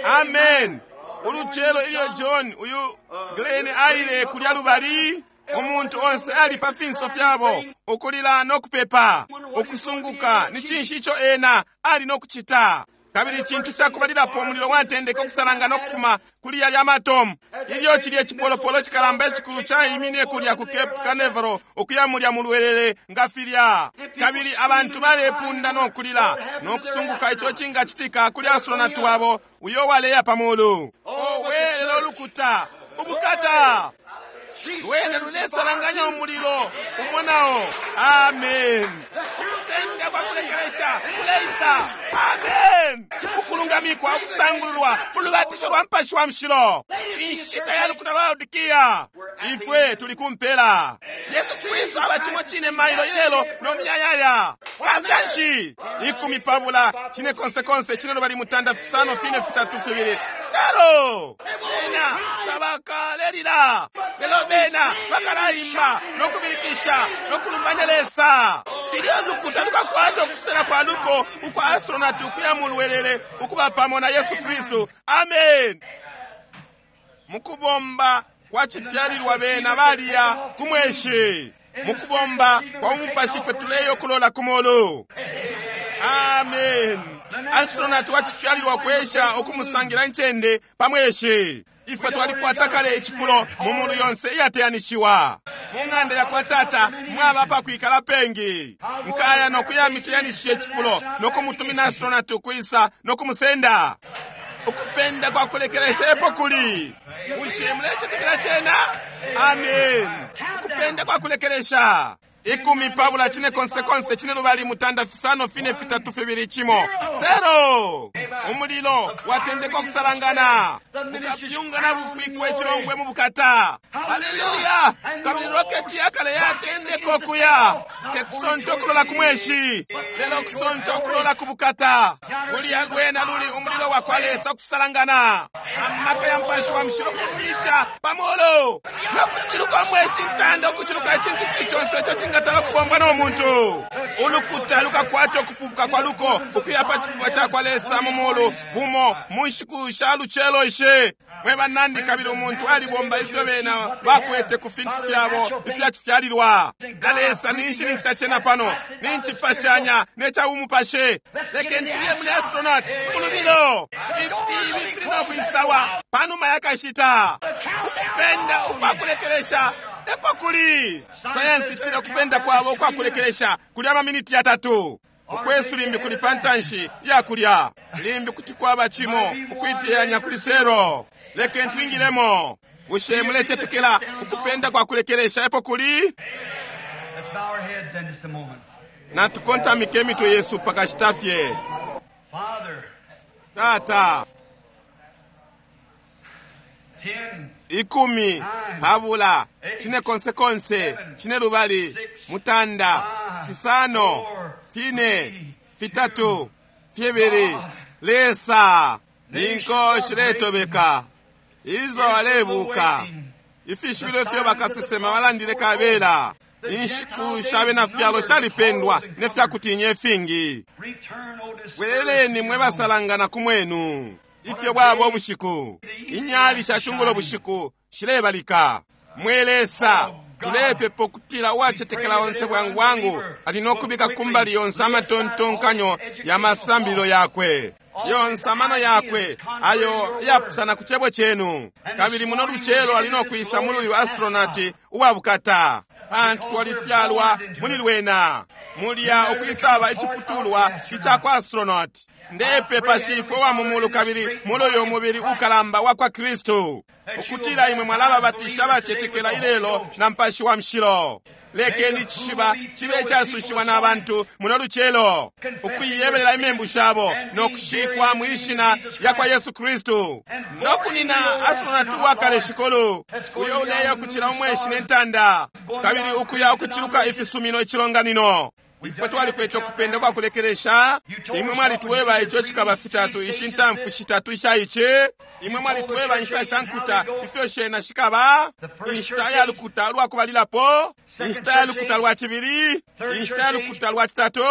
amen. Ulucelo ilyo John uyu Glenn aile kulya lubali, umuntu onse ali pa finso fyabo ukulila no kupepa, ukusunguka ni cinshi ico ena ali no kucita. Kabili icintu cakubalilapo, umulilo watendeka ukusalanga no kufuma kuli yalya matomu. Ilyo cilye cipolopolo cikalamba icikulu caimine kulya ku Cape Canaveral ukuya mulya mulwelele nga filya, kabili abantu balepunda no kulila no kusunguka ico cingacitika kuli astronaut wabo uyo waleya pa mulu. Owe, lelo lukuta ubukata lwene lulesalanganya umulilo umonao. Amen. Ukutenda kwa kulekelesha kuleisa. Amen. Ukulungamikwa, ukusangululwa ulubatisho lwa Mupashi wa Mushilo, inshita ya lukuta lwa Laodikia. Ifwe tuli kumpela. Yesu Kristu aba cimo cine mailo ilelo no muyayaya. Pafyanshi ikumi pabula cine konse konse cine lubali mutanda fisano fine fitatu fibili sero. Bena tabakalelila, lelo bena bakalaimba no kubilikisha no kulumbanya Lesa. Ilyo lukuta lukakwata ukusela kwa luko ukwa astronaut ukuya mulwelele ukuba pamo na Yesu Kristu. Amen. Mukubomba kwa cifyalilwa bena baliya ku mweshi, mukubomba kwa umupashi fwe tuleyo kulola ku mulu. Amen. Astronaut wacifyalilwa kwesha ukumusangira incende pa mweshi. Ifwe twalikwata kale icifulo mu mulu yonse iyateyanishiwa. Mu ng'anda yakwa Tata mwaba apakwikala pengi. Nkaya nokuyamiteyanishisha icifulo nokumutumina astronaut ukwisa nokumusenda. Ukupenda kwa kulekelesha epo kuli. Bushe mulecetekela cena? Amen. Ukupenda kwa kulekelesha. Ikumi pabula chine konse konse chine lubali mutanda fisano fine fitatu fibili chimo zero. Umulilo watendeka kusalangana ukapyunga na bufikwa echilongwe mu bukata. Haleluya! Kabili roketi yakale yatendeka okuya tekusonta okulola ku mweshi, lelo kusonta okulola ku bukata. Kulya lwena luli umulilo wa kwa Lesa okusalangana, amaka ya mpashi wa mushilo kulumisha pamolo nokuchiluka omweshi ntanda okuchiluka echintu chili chonse echo chingatala kubombwa n'omuntu. Ulukuta lukakwata okupupuka kwa luko ukuya pa chifuba cha kwa Lesa mu mulu bumo mu nshiku sha lucelo ishe. Mwe banandi, kabili umuntu alibomba ifyo bena bakwete ku fintu fyabo ifyacifyalilwa na Lesa. Ninshininkisha cena pano, ninchipashanya necha umupashe. Leke ntuye muli astronaut mulubilo ifibi fili nokwisawa panuma yakashita. Ukupenda ukwakulekelesha epo kuli. Sayansi itila kupenda kwabo ukwakulekelesha kuli amaminiti yatatu. Ukwesu limbi kuli pantanshi yakulya, limbi kuti kwaba chimo ukwiteyanya kuli sero. Leke ntwingilemo. Bushe mulecetekela ukupenda kwa kulekelesha epo kuli? Let's bow our heads in just a moment. Natukontamike emitwe yesu pakashita fye. Father, Tata, ten, ikumi pabula chine konse konse chine lubali mutanda fisano fine fitatu fibili. Lesa ninko shiletobeka izo alebuka ifishibilo ifyo bakasesema balandile kabela. Inshiku shabe na fyalo shalipendwa nefyakutinya ifingi. return, O dispersed Bweleleni mwe basalangana ku mwenu. Ifyo bwaba ubushiku, inyali shachungulo bushiku shilebalika. Mwe Lesa, tulepepa ukutila uwacetekela onse bwangu bwangu ali nokubika kumbali yonse amatontonkanyo ya masambililo yakwe yonse amano yakwe ayo yapusana ku chebo chenu. Kabili muno lucelo ali nokwisa muli uyu astronaut uwabukata, pantu twalifyalwa muli lwena mulya ukwisaba iciputulwa icakwa astronaut. Ndepepa shifwe wa mumulu kabili muli uyo mubili ukalamba wa kwa Kristu, ukutila imwe mwalababatisha abacetekela ilelo na mpashi wa mshilo. Lekeni cishiba chibe icasushiwa na bantu muno lucelo ukuiyebelela imembu shabo nokushikwa mwishina ya kwa Yesu Kristu nokunina astronaut uwakale shikulu uyo uleya ukuchila umweshi nentanda kabili ukuya ukuchiluka ifisumino icilonganino. Ifwe twalikwete ukupenda kwa kulekelesha. Imwe mwalitweba icho chikaba fitatu ishi ntamfu shitatu isha ichi. Imwe mwalitweba inshita sha nkuta ifyo shena shikaba inshita ya lukuta lwa kubalilapo, inshita ya lukuta lwa chibili, inshita ya lukuta lwa chitatu,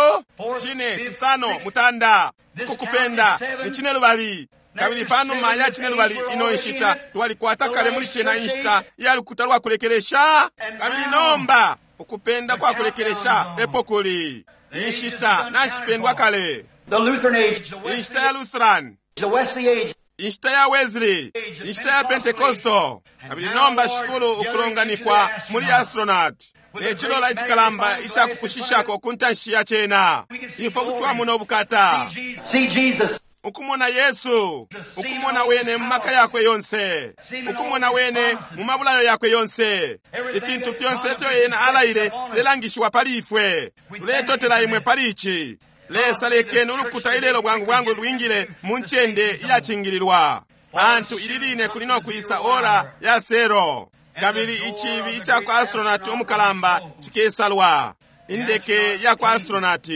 chine chisano mutanda. Ukukupenda ni chine lubali. Kabili panuma ya chine lubali ino inshita twalikwata kale muli chena inshita ya lukuta lwa kulekelesha. Kabili nomba ukupenda kwa kulekelesha epo kuli inshita nachipendwa kale. The Lutheran age, the Wesley, Inshita ya Lutheran, the Wesley age, inshita ya Wesley, inshita ya Pentecostal. Kabili nomba shikulu ukulonganikwa muli astronaut nechilola ichikalamba ichakukushishako kuntanshi ya chena. Ifo kutwamuna ubukata see Jesus, ukumona Yesu, ukumona wene mu maka yakwe yonse, ukumona wene mu mabulayo yakwe yonse. Ifintu fyonse ifyo yena alaile filelangishiwa pali ifwe. Tuletotela imwe pali ichi. Lesa lekeni ulukuta ilelo bwangu bwangu lwingile mu ncende iyachingililwa, pantu ili line kuli nokwisa ora ya sero. Kabili ichibi ichakwa astronaut umukalamba chikesalwa, indeke yakwa astronaut.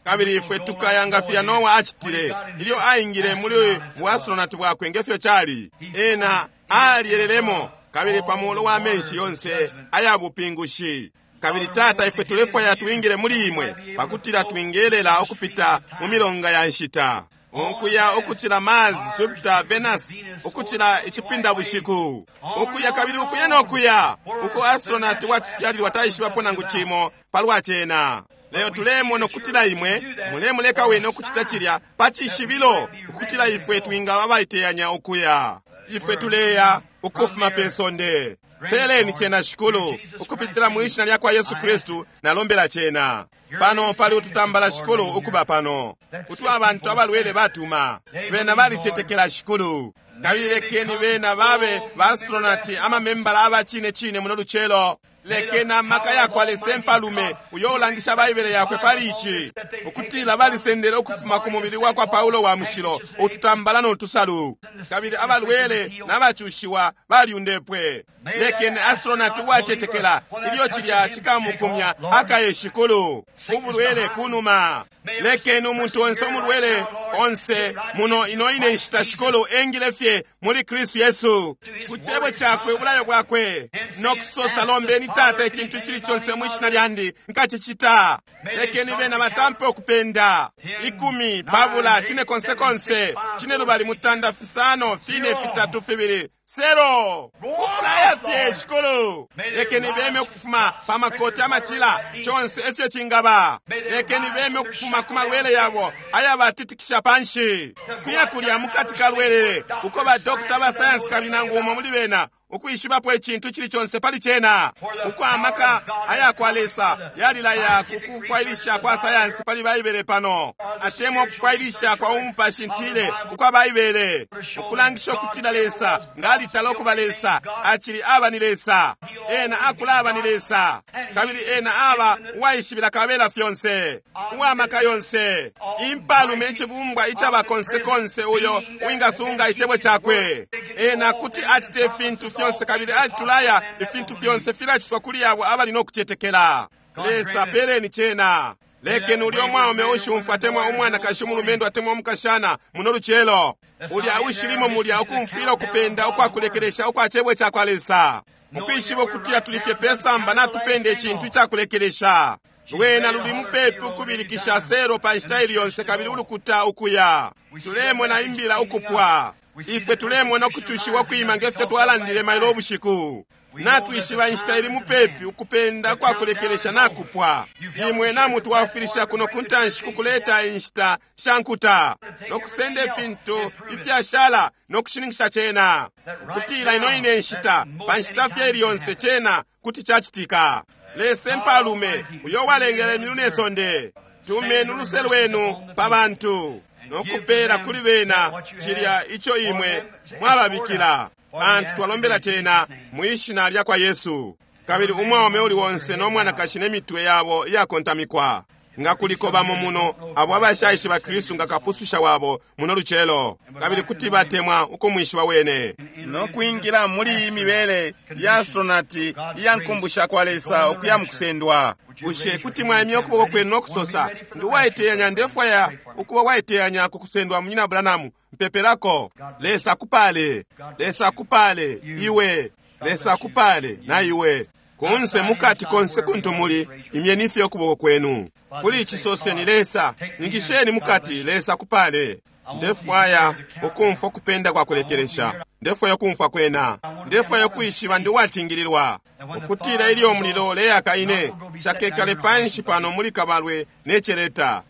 Kabili ifwe tukaya filya Noa achitile ilyo aingile muli buastronaut bwakwe ngefyo chali. Ena aliyelelemo kabili pamulo wa menshi yonse aya bupingushi. Kabili Tata, ifwe tulefwaya twingile muli imwe pakutila twingelela ukupita mu milonga ya nshita, ukuya ukuchila Mars, Jupiter, Venus, ukuchila ichipinda bushiku, ukuya kabili ukuya nokuya uko astronaut wachifyalilwa taishibapo nangu chimo palwa chena. Lelo tulemona ukutila imwe mulemuleka wene ukucita cilya pa cishibilo, ukutila ifwe twingaba abaiteyanya ukuya. Ifwe tuleya ukufuma pe sonde. Peleni cena, Shikulu, ukupitila mu ishina lyakwa Yesu Kristu nalombela cena. Pano pali ututambala, Shikulu, ukuba pano utu abantu abalwele batuma. Bena balicetekela, Shikulu, kabili lekeni bena babe baastronati, amamembala aba cine cine muno lucelo. Lekeni amaka yakwa Lesa impalume uyo ulangisha Baibele yakwe pali ici, ukutila balisendele ukufuma ku mubili wakwa Paulo wa mushilo ututambala no tusalu, kabili abalwele n'abacushiwa balyundepwe. Lekeni astronati uwacetekela, ilyo cilya cikamukumya, akaye, Shikulu, ubulwele kunuma. Lekeni umuntu onse umulwele onse muno ino ine nshita, Shikulu, engile fye muli Kristu Yesu ku cebo cakwe, ubulayo bwakwe, no kusosa, lombeni Tata icintu cili conse mu ishina lyandi, nkacicita. Lekeni bena batampe ukupenda ikumi, pabula, cine konse konse, cine lubali, mutanda, fisano, fine, fitatu, fibili, sero, ukulaya fye, Shikulu. Lekeni beme ukufuma pa makoti, amacila, conse efyo cingaba. Lekeni beme ukufuma ku malwele yabo ayabatitikisha panshi, kuya kulya mukati ka lwelele uko badokita ba sayansi kabili nangu umo muli bena ukwishibapo icintu cili conse pali cena, uko amaka ayakwa Lesa yalilaya ku kufwailisha kwa sayansi pali Baibele pano, atemwa ukufwailisha kwa umupashi ntile ukwa Baibele, ukulangisha ukutila Lesa ngalitala ukuba Lesa, acili aba ni Lesa, ena akulaba ni Lesa, kabili ena aba uwaishibila kabela fyonse, uwamaka yonse, impalume, icibumbwa icaba konse konse uyo uwingasunga icebo cakwe. Ena kuti acite ifintu fyonse, kabili alitulaya ifintu fyonse filacitwa kuli abo abali no kucetekela. Lesa, peleni cena. Lekeni ulya umwaume ushumfwa, atemwa umwanakashi, umulumendo atemwa umukashana muno lucelo, ulya ushilimo mulya ukumfwila ukupenda ukwakulekelesha ukwa cebo cakwa Lesa, mukwishiba ukutila tuli fye pesamba, natupenda icintu icakulekelesha. Lwena luli mupepi ukubilikisha sero pa nshita ili yonse, kabili ulukuta ukuya. Tulemona imbila ukupwa. Ifwe tulemona ukucushiwa kwima ngefyo twalandile mailo ubushiku. Natwishiba inshita ili mupepi, ukupenda kwakulekelesha nakupwa. Imwe namutwafwilisha kuno kuntanshi kukuleta inshita sha nkuta no kusenda ifintu ifyashala no kushininkisha cena, ukutila ino ine nshita, pa nshita fye ili yonse cena kuti cacitika. Lesa impalume uyo walengele imyulu ne sonde, tumeni uluse lwenu pa bantu no kupela kuli bena cilya ico imwe mwababikila, pantu twalombela cena mu ishina lya kwa Yesu. Kabili umwaume uli wonse no mwanakashi ne mitwe yabo iyakontamikwa, nga kuliko bamo muno abo abashaishiba Kristu nga kapususha wabo muno lucelo, kabili kuti batemwa ukumwishiba wene no kwingila muli iyi mibele ya astronati iya nkumbusha kwa Lesa ukuya mukusendwa, bushe kuti mwaimya ukuboko kwenu no kusosa, ndi uwaiteyanya, ndefwaya ukuba waiteyanya ku kusendwa, Munyina Branham, mpepelako? Lesa akupale. Lesa akupale iwe. Lesa akupale na iwe. Kunse, mukati, konse kuntu muli, imyeni fye ukuboko kwenu kuli ici, soseni, Lesa, ingisheni mukati. Lesa akupale. Ndefwaya ukumfwa ukupenda kwa kulekelesha. Ndefwaya ukumfwa kwena. Ndefwaya ukwishiba ndi uwacingililwa, ukutila ilyo umulilo uleyaka ine nshakekale panshi pano muli kabalwe ne celeta.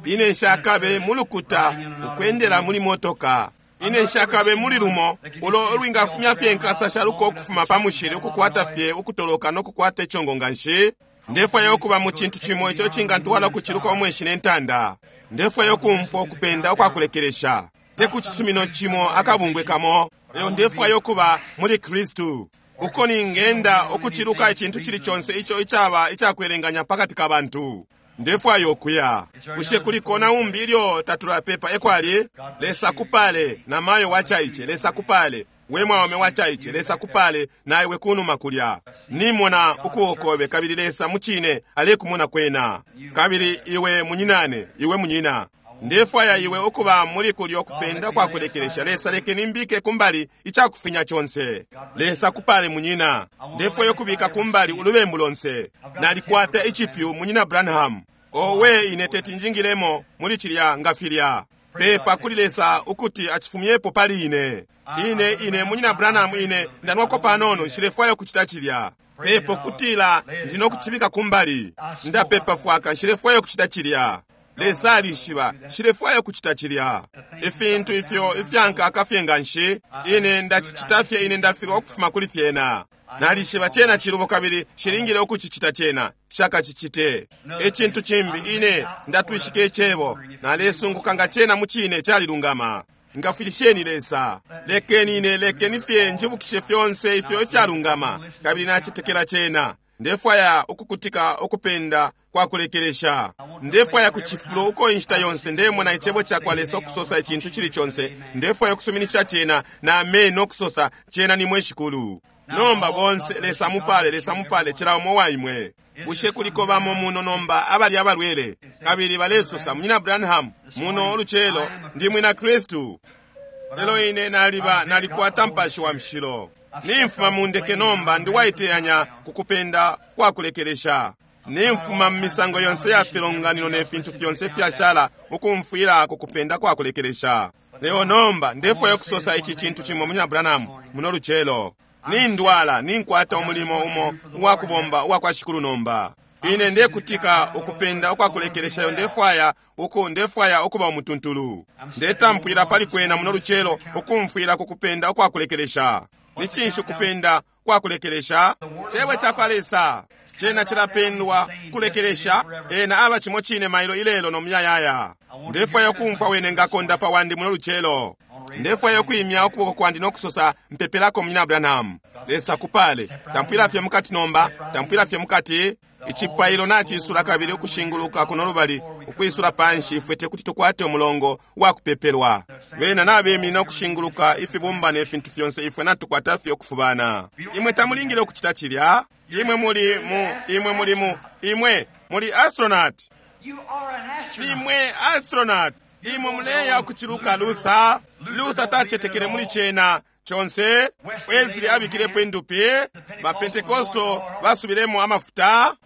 Ine nshakabe mu lukuta ukwendela muli motoka. Ine nshakabe muli lumo ulo ulwingafumya fye inkasa shaluko ukufuma pa mushili, ukukwata fye ukutoloka no kukwata icongo nga nshi. Ndefwaya ukuba mu cintu cimo ico cingantwala ukuciluka umweshi ne ntanda. Ndefwaya ukumfwa ukupenda ukwakulekelesha, te ku cisumino cimo, akabungwe kamo, lelo ndefwaya ukuba muli Kristu, uko ningenda ukuciluka icintu cili conse ico icaba icakwelenganya pakati ka bantu. Ndefwaya ukuya. Bushe kuliko na umbi ilyo tatulapepa? Ekwali. Lesa akupale, na mayo wacaice. Lesa akupale, we mwaume wacaice. Lesa akupale, na iwe kunuma kulya. Nimona ukuokobe, kabili Lesa mucine alekumona kwena. Kabili iwe munyinane, iwe munyina, ndefwaya iwe ukuba muli kulyo kupenda kwa kulekelesha. Lesa, lekeni mbike kumbali icakufinya conse. Lesa akupale, munyina. Ndefwaya ukubika kumbali ulubembu lonse. Nalikwata icipyu, Munyina Branham. Owe, ine teti njingilemo muli cilya nga filya. Pepa kuli Lesa ukuti acifumyepo pali ine. Ine ine Munyina Branham, ine ndanwako panono, nshilefwaya ukucita cilya. Pepo kutila ndino kuchibika kumbali. Ndapepa fwaka nshilefwaya kuchita chilya. Lesa alishiba nshilefwaya kuchita chilya. Ifintu ifyo ifyankaka fye nga nshi ine ndachichita fye ine ndafilwa ukufuma kuli fyena. Nalishiba chena chilubo kabili shilingile ukuchichita chena shakachichite. Echintu chimbi ine ndatwishika echebo nalesunguka nga chena muchine chalilungama. Ngafwilisheni Lesa. Lekeni ine lekeni fye njibukishe fyonse ifyo ifyalungama kabili nachitekela chena. Ndefwaya ukukutika ukupenda kwa kulekelesha. Ndefwaya kuchifulo uko inshita yonse ndemona icebo cha kwa Lesa okusosa ichintu chili chonse. Ndefwaya okusuminisha chena na ameno okusosa chena ni mwe shikulu. Nomba bonse Lesa mupale Lesa mupale chila umo wa imwe. Bushe kuliko bamo muno nomba abali abalwele kabili balesosa munyina Branham muno oluchelo ndi mwina Kristu. Lelo ine naliba nalikwata mpashi wa mshilo. Nimfuma mundeke nomba ndi waiteyanya kukupenda kwa kulekelesha. Nimfuma mmisango yonse ya filonganino ne fintu fyonse fyashala ukumfwila kukupenda kwa kulekelesha. Leo nomba ndefwaya kusosa ichi chintu chimwe munyina Branham muno luchelo. Nindwala ninkwata umulimo umo uwakubomba uwakwa shikulu nomba. Ine ndekutika ukupenda ukwakulekeleshayo ndefwaya uku ndefwaya ukuba umutuntulu. Ndetampwila pali kwena muno luchelo ukumfwila kukupenda ukwakulekelesha. Ni chinshi ukupenda kwakulekelesha? Chebwe chakwa Lesa chena chilapendwa kulekelesha ena aba chimo chine mailo ilelo nomuyayaya. Ndefwaya ukumfwa wene ngakonda pa wandi muno luchelo. Ndefwaya ukuimya ukuboko kwandi nokusosa mpepelako munyina Branham. Lesa kupale tampwila fye mukati nomba tampwila fye mukati. Ichipailo nachisula kabili ukushinguluka kuno lubali ukwisula panshi ifwe tekuti tukwate umulongo wakupepelwa. Bena nabemina ukushinguluka ifibumba ne fintu fyonse ifwe natukwata fye okufubana. Imwe tamulingile okuchita chilya. Imwe muli mu imwe muli mu imwe muli astronaut. Imwe astronaut. Imwe muleya okuchiluka Luther. Luther tachetekele muli chena chonse. Wesley abikilepo endupi. Ba Pentecostal basubilemo amafuta.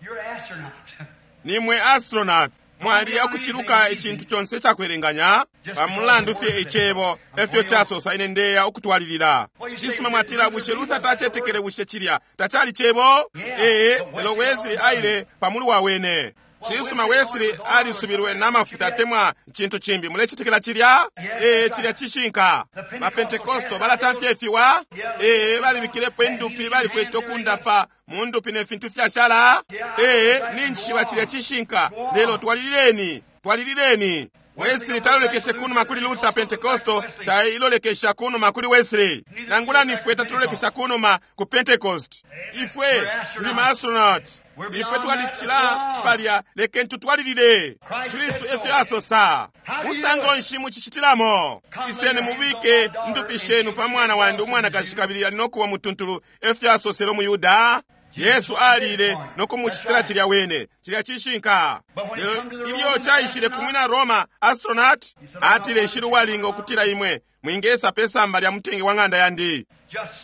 Nimwe astronaut. Mwali okuchiluka ichintu chonse chakwelenganya pamulandu fye echebo efyo chasosa ine ndeya okutwalilira. Chisuma mwatila bushe Luther tachetekele bushe chilya tachali chebo? Ee, lelo Wesley aile pamulu wa wene. Chisuma Wesley alisubilwe n'amafuta temwa chintu chimbi mulechitekela chilya? Ee, chilya chishinka. Ba Pentecostal balatamfya ifiwa? Ee, balibikilepo endupi balikwete okundapa mu ndupi ne fintu fyashala? Ee, ninchiwa chilya chishinka. Lelo twalilileni, twalilileni. Wesley talolekeshe kunuma kuli Luther. Pentecostal tailolekesha kunuma kuli Wesley. Nangula nifwe tatulolekesha kunuma ku Pentecost. Ifwe tuli ma astronaut. Ifwe twalichila palya lekeni tutwalilile. Kristu efyo asosa. Musango nshi muchichitilamo? Iseni mubike ndupi shenu pa mwana wandi umwanakashi kabili ali nokuba mutuntulu efyo asosele umuyuda. Yesu alile nokumuchitila chilya wene. Chilya chishinka. Lelo ilyo chaishile kumwina Roma astronaut atile nshili uwalinga okutila imwe mwingesa pesamba lya mutenge wa ng'anda yandi.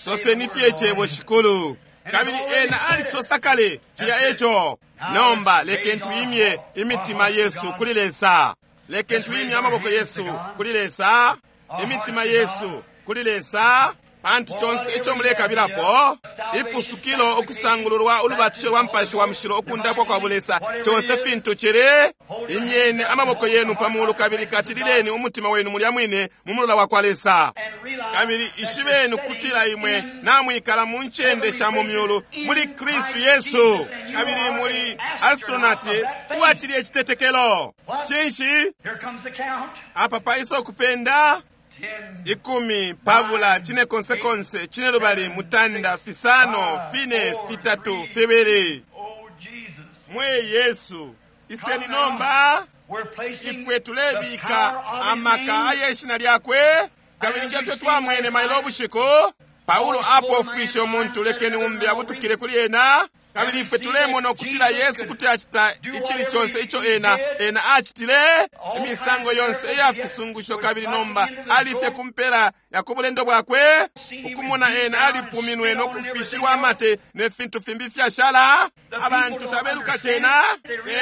Soseni fye chebo shikulu. Kabili ena alisosa kale chilya echo. Nomba lekeni tuimye imitima yesu kuli Lesa. Lekeni tuimye amaboko yesu kuli Lesa. Imitima yesu kuli Lesa. Pantu chonse echo mulekabilapo ipusukilo okusangululwa ulubatisho lwa mpashi wa mushilo okundapwa kwa bulesa chonse fintu chili imyene amaboko yenu pamulu kabili katilileni umutima wenu mulya mwine mu mulola wa kwa Lesa. Kabili ishibeni kutila imwe namwikala mu ncende sha mu myulu muli Kristu Yesu kabili muli astronaut uwachili echitetekelo. Chinshi apa paiso okupenda ikumi pabula chine konse konse chine lubali mutanda fisano fine fitatu fibili. Mwe Yesu iseni nomba ifwe tulebika amaka ayeshina lyakwe kabili ngefyo twamwene mailo obushiku. Paulo apofwishe omuntu lekeni umbi abutukile kuli ena kabili ifwe tulemona okutila Yesu kuti achita ichili chonse icho ena ena achitile imisango yonse eyafisungusho kabili nomba alifye kumpela yakubulendo bwakwe ukumona ena alipuminwe nokufishilwa amate ne fintu fimbi fyashala. Abantu tabeluka chena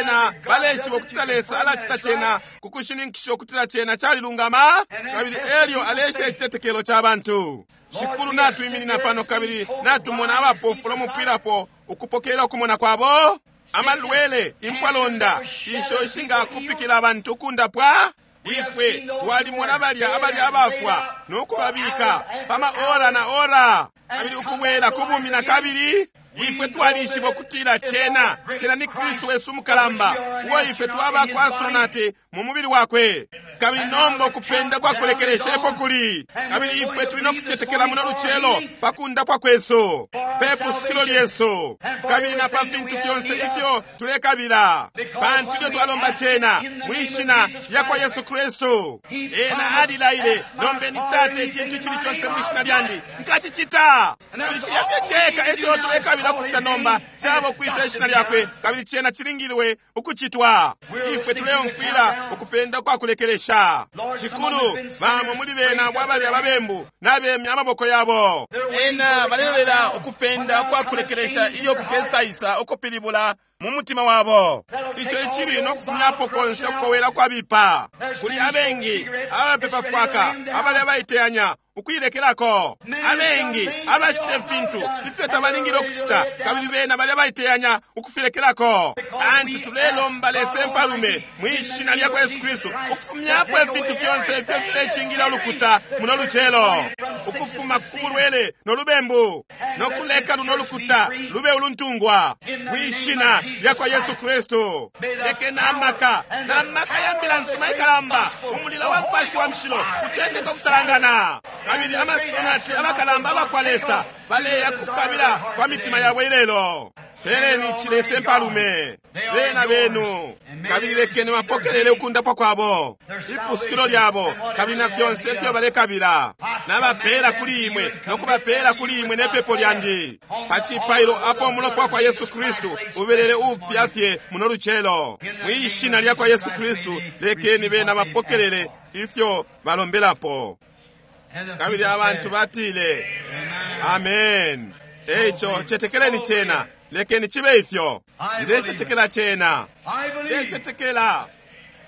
ena baleshiba okutila Lesa alachita chena kukushininkisha okutila chena chalilungama kabili elyo alesha echitetekelo cha bantu. Shikulu natuiminina pano kabili natumona abapofu lomupwilapo ukupokela ukumona kwabo? Amalwele, impwalonda, isho ishingakupikila abantu ukundapwa. Ifwe twalimona balya abali abafwa nokubabika pama ora na ora, kabili ukubwela kubumi na kabili. Ifwe twalishiba ukutila cena cena ni Kristu wesu mukalamba, uo ifwe twaba kwa astronauti mu mubili wakwe. Kabili nomba ukupenda kwakulekeleshepo kuli, kabili ifwe tuli no kucetekela muno lucelo pa kundapwa kwesu, pe pusukilo lyesu, kabili na pa fintu fyonse ifyo tulekabila, pantu ilyo twalomba cena mwishina lya kwa Yesu Kristu. Ena alilaile, lombeni Tate icintu icili conse mwishina lyandi, nkacicita. Kabili cilya fye ceka eco tulekabila ukucita nomba caba kwita ishina lyakwe, kabili cena cilingilwe ukucitwa. Ifwe tuleumfwila ukupenda kwa kulekelesha. Shikulu, bamo muli bena abo abali ababembu nabemya amaboko yabo. Ena balelolela ukupenda kwa kulekelesha ilyo kukesaisa ukupilibula mu mutima wabo, ico icili no kufumyapo konse ukukowela kwabipa. Kuli abengi abapepa fwaka abali abaiteyanya ukuilekelako, abengi abacita ifintu ifyo tabalingile ukucita, kabili bena bali abaiteyanya ukufilekelako. Pantu tulelomba Lesa mpalume mwishina lya kwa Yesu Kristu ukufumyapo ifintu fyonse ifyo filecingila ulukuta muno lucelo, ukufuma ku bulwele no lubembu, no kuleka luno lukuta lube uluntungwa mwishina lya kwa Yesu Kristu. Leke n'amaka n'amaka ya mbila nsima ikalamba, umulilo wa Mupashi wa Mushilo utendeka ukusalangana, kabili amasonati abakalamba abakwa Lesa baleya kukabila kwa mitima yabo ilelo. Peleni Chilese mpalume bena benu, kabili lekeni bapokelele ukundapwa kwabo, ipusukilo lyabo, kabili na fyonse ifyo balekabila. Nabapela kuli imwe nokubapela kuli imwe nepepo lyandi pa cipailo apo umulopa kwa Yesu Kristu ubelele upya fye muno lucelo. Mwishina lya kwa Yesu Kristu lekeni bena bapokelele ifyo balombelapo. Kabili abantu batile amen. Eico cetekeleni cena, lekeni chibe ifyo. Ndecetekela cena, ndecetekela.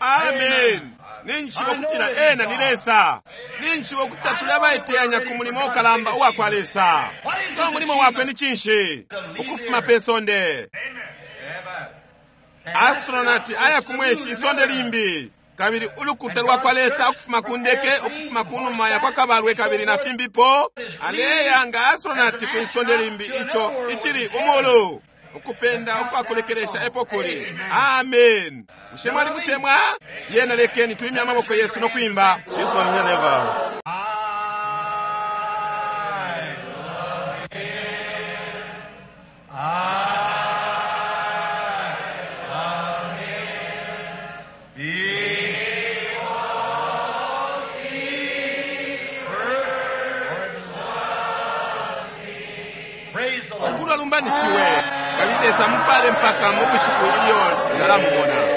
Amen. Ninjishiba ukutila ena ni Lesa. Ninjishiba ukutila tuli abaiteyanya ku mulimo ukalamba uwa kwa Lesa. Ngo mulimo wakwe ni cinshi? Ukufuma pe sonde. Astronaut aya kumweshi isonde limbi, kabili ulukuta lwa kwa Lesa ukufuma ku ndeke, ukufuma ku numa ya kwa kabalwe, kabili na fimbipo, aleya nga astronaut ku isonde limbi, ico icili umulu. Ukupenda ukwakulekelesha epo kuli. Amen. Bushe mwali kutemwa? Yena lekeni tuimye amaboko yesu no kwimba. Shiswa mnyaneva. Praise the Lord. Shikulu alumbanishiwe. Kabili Lesa mupale mpaka mu bushiku ilyo nalamumona.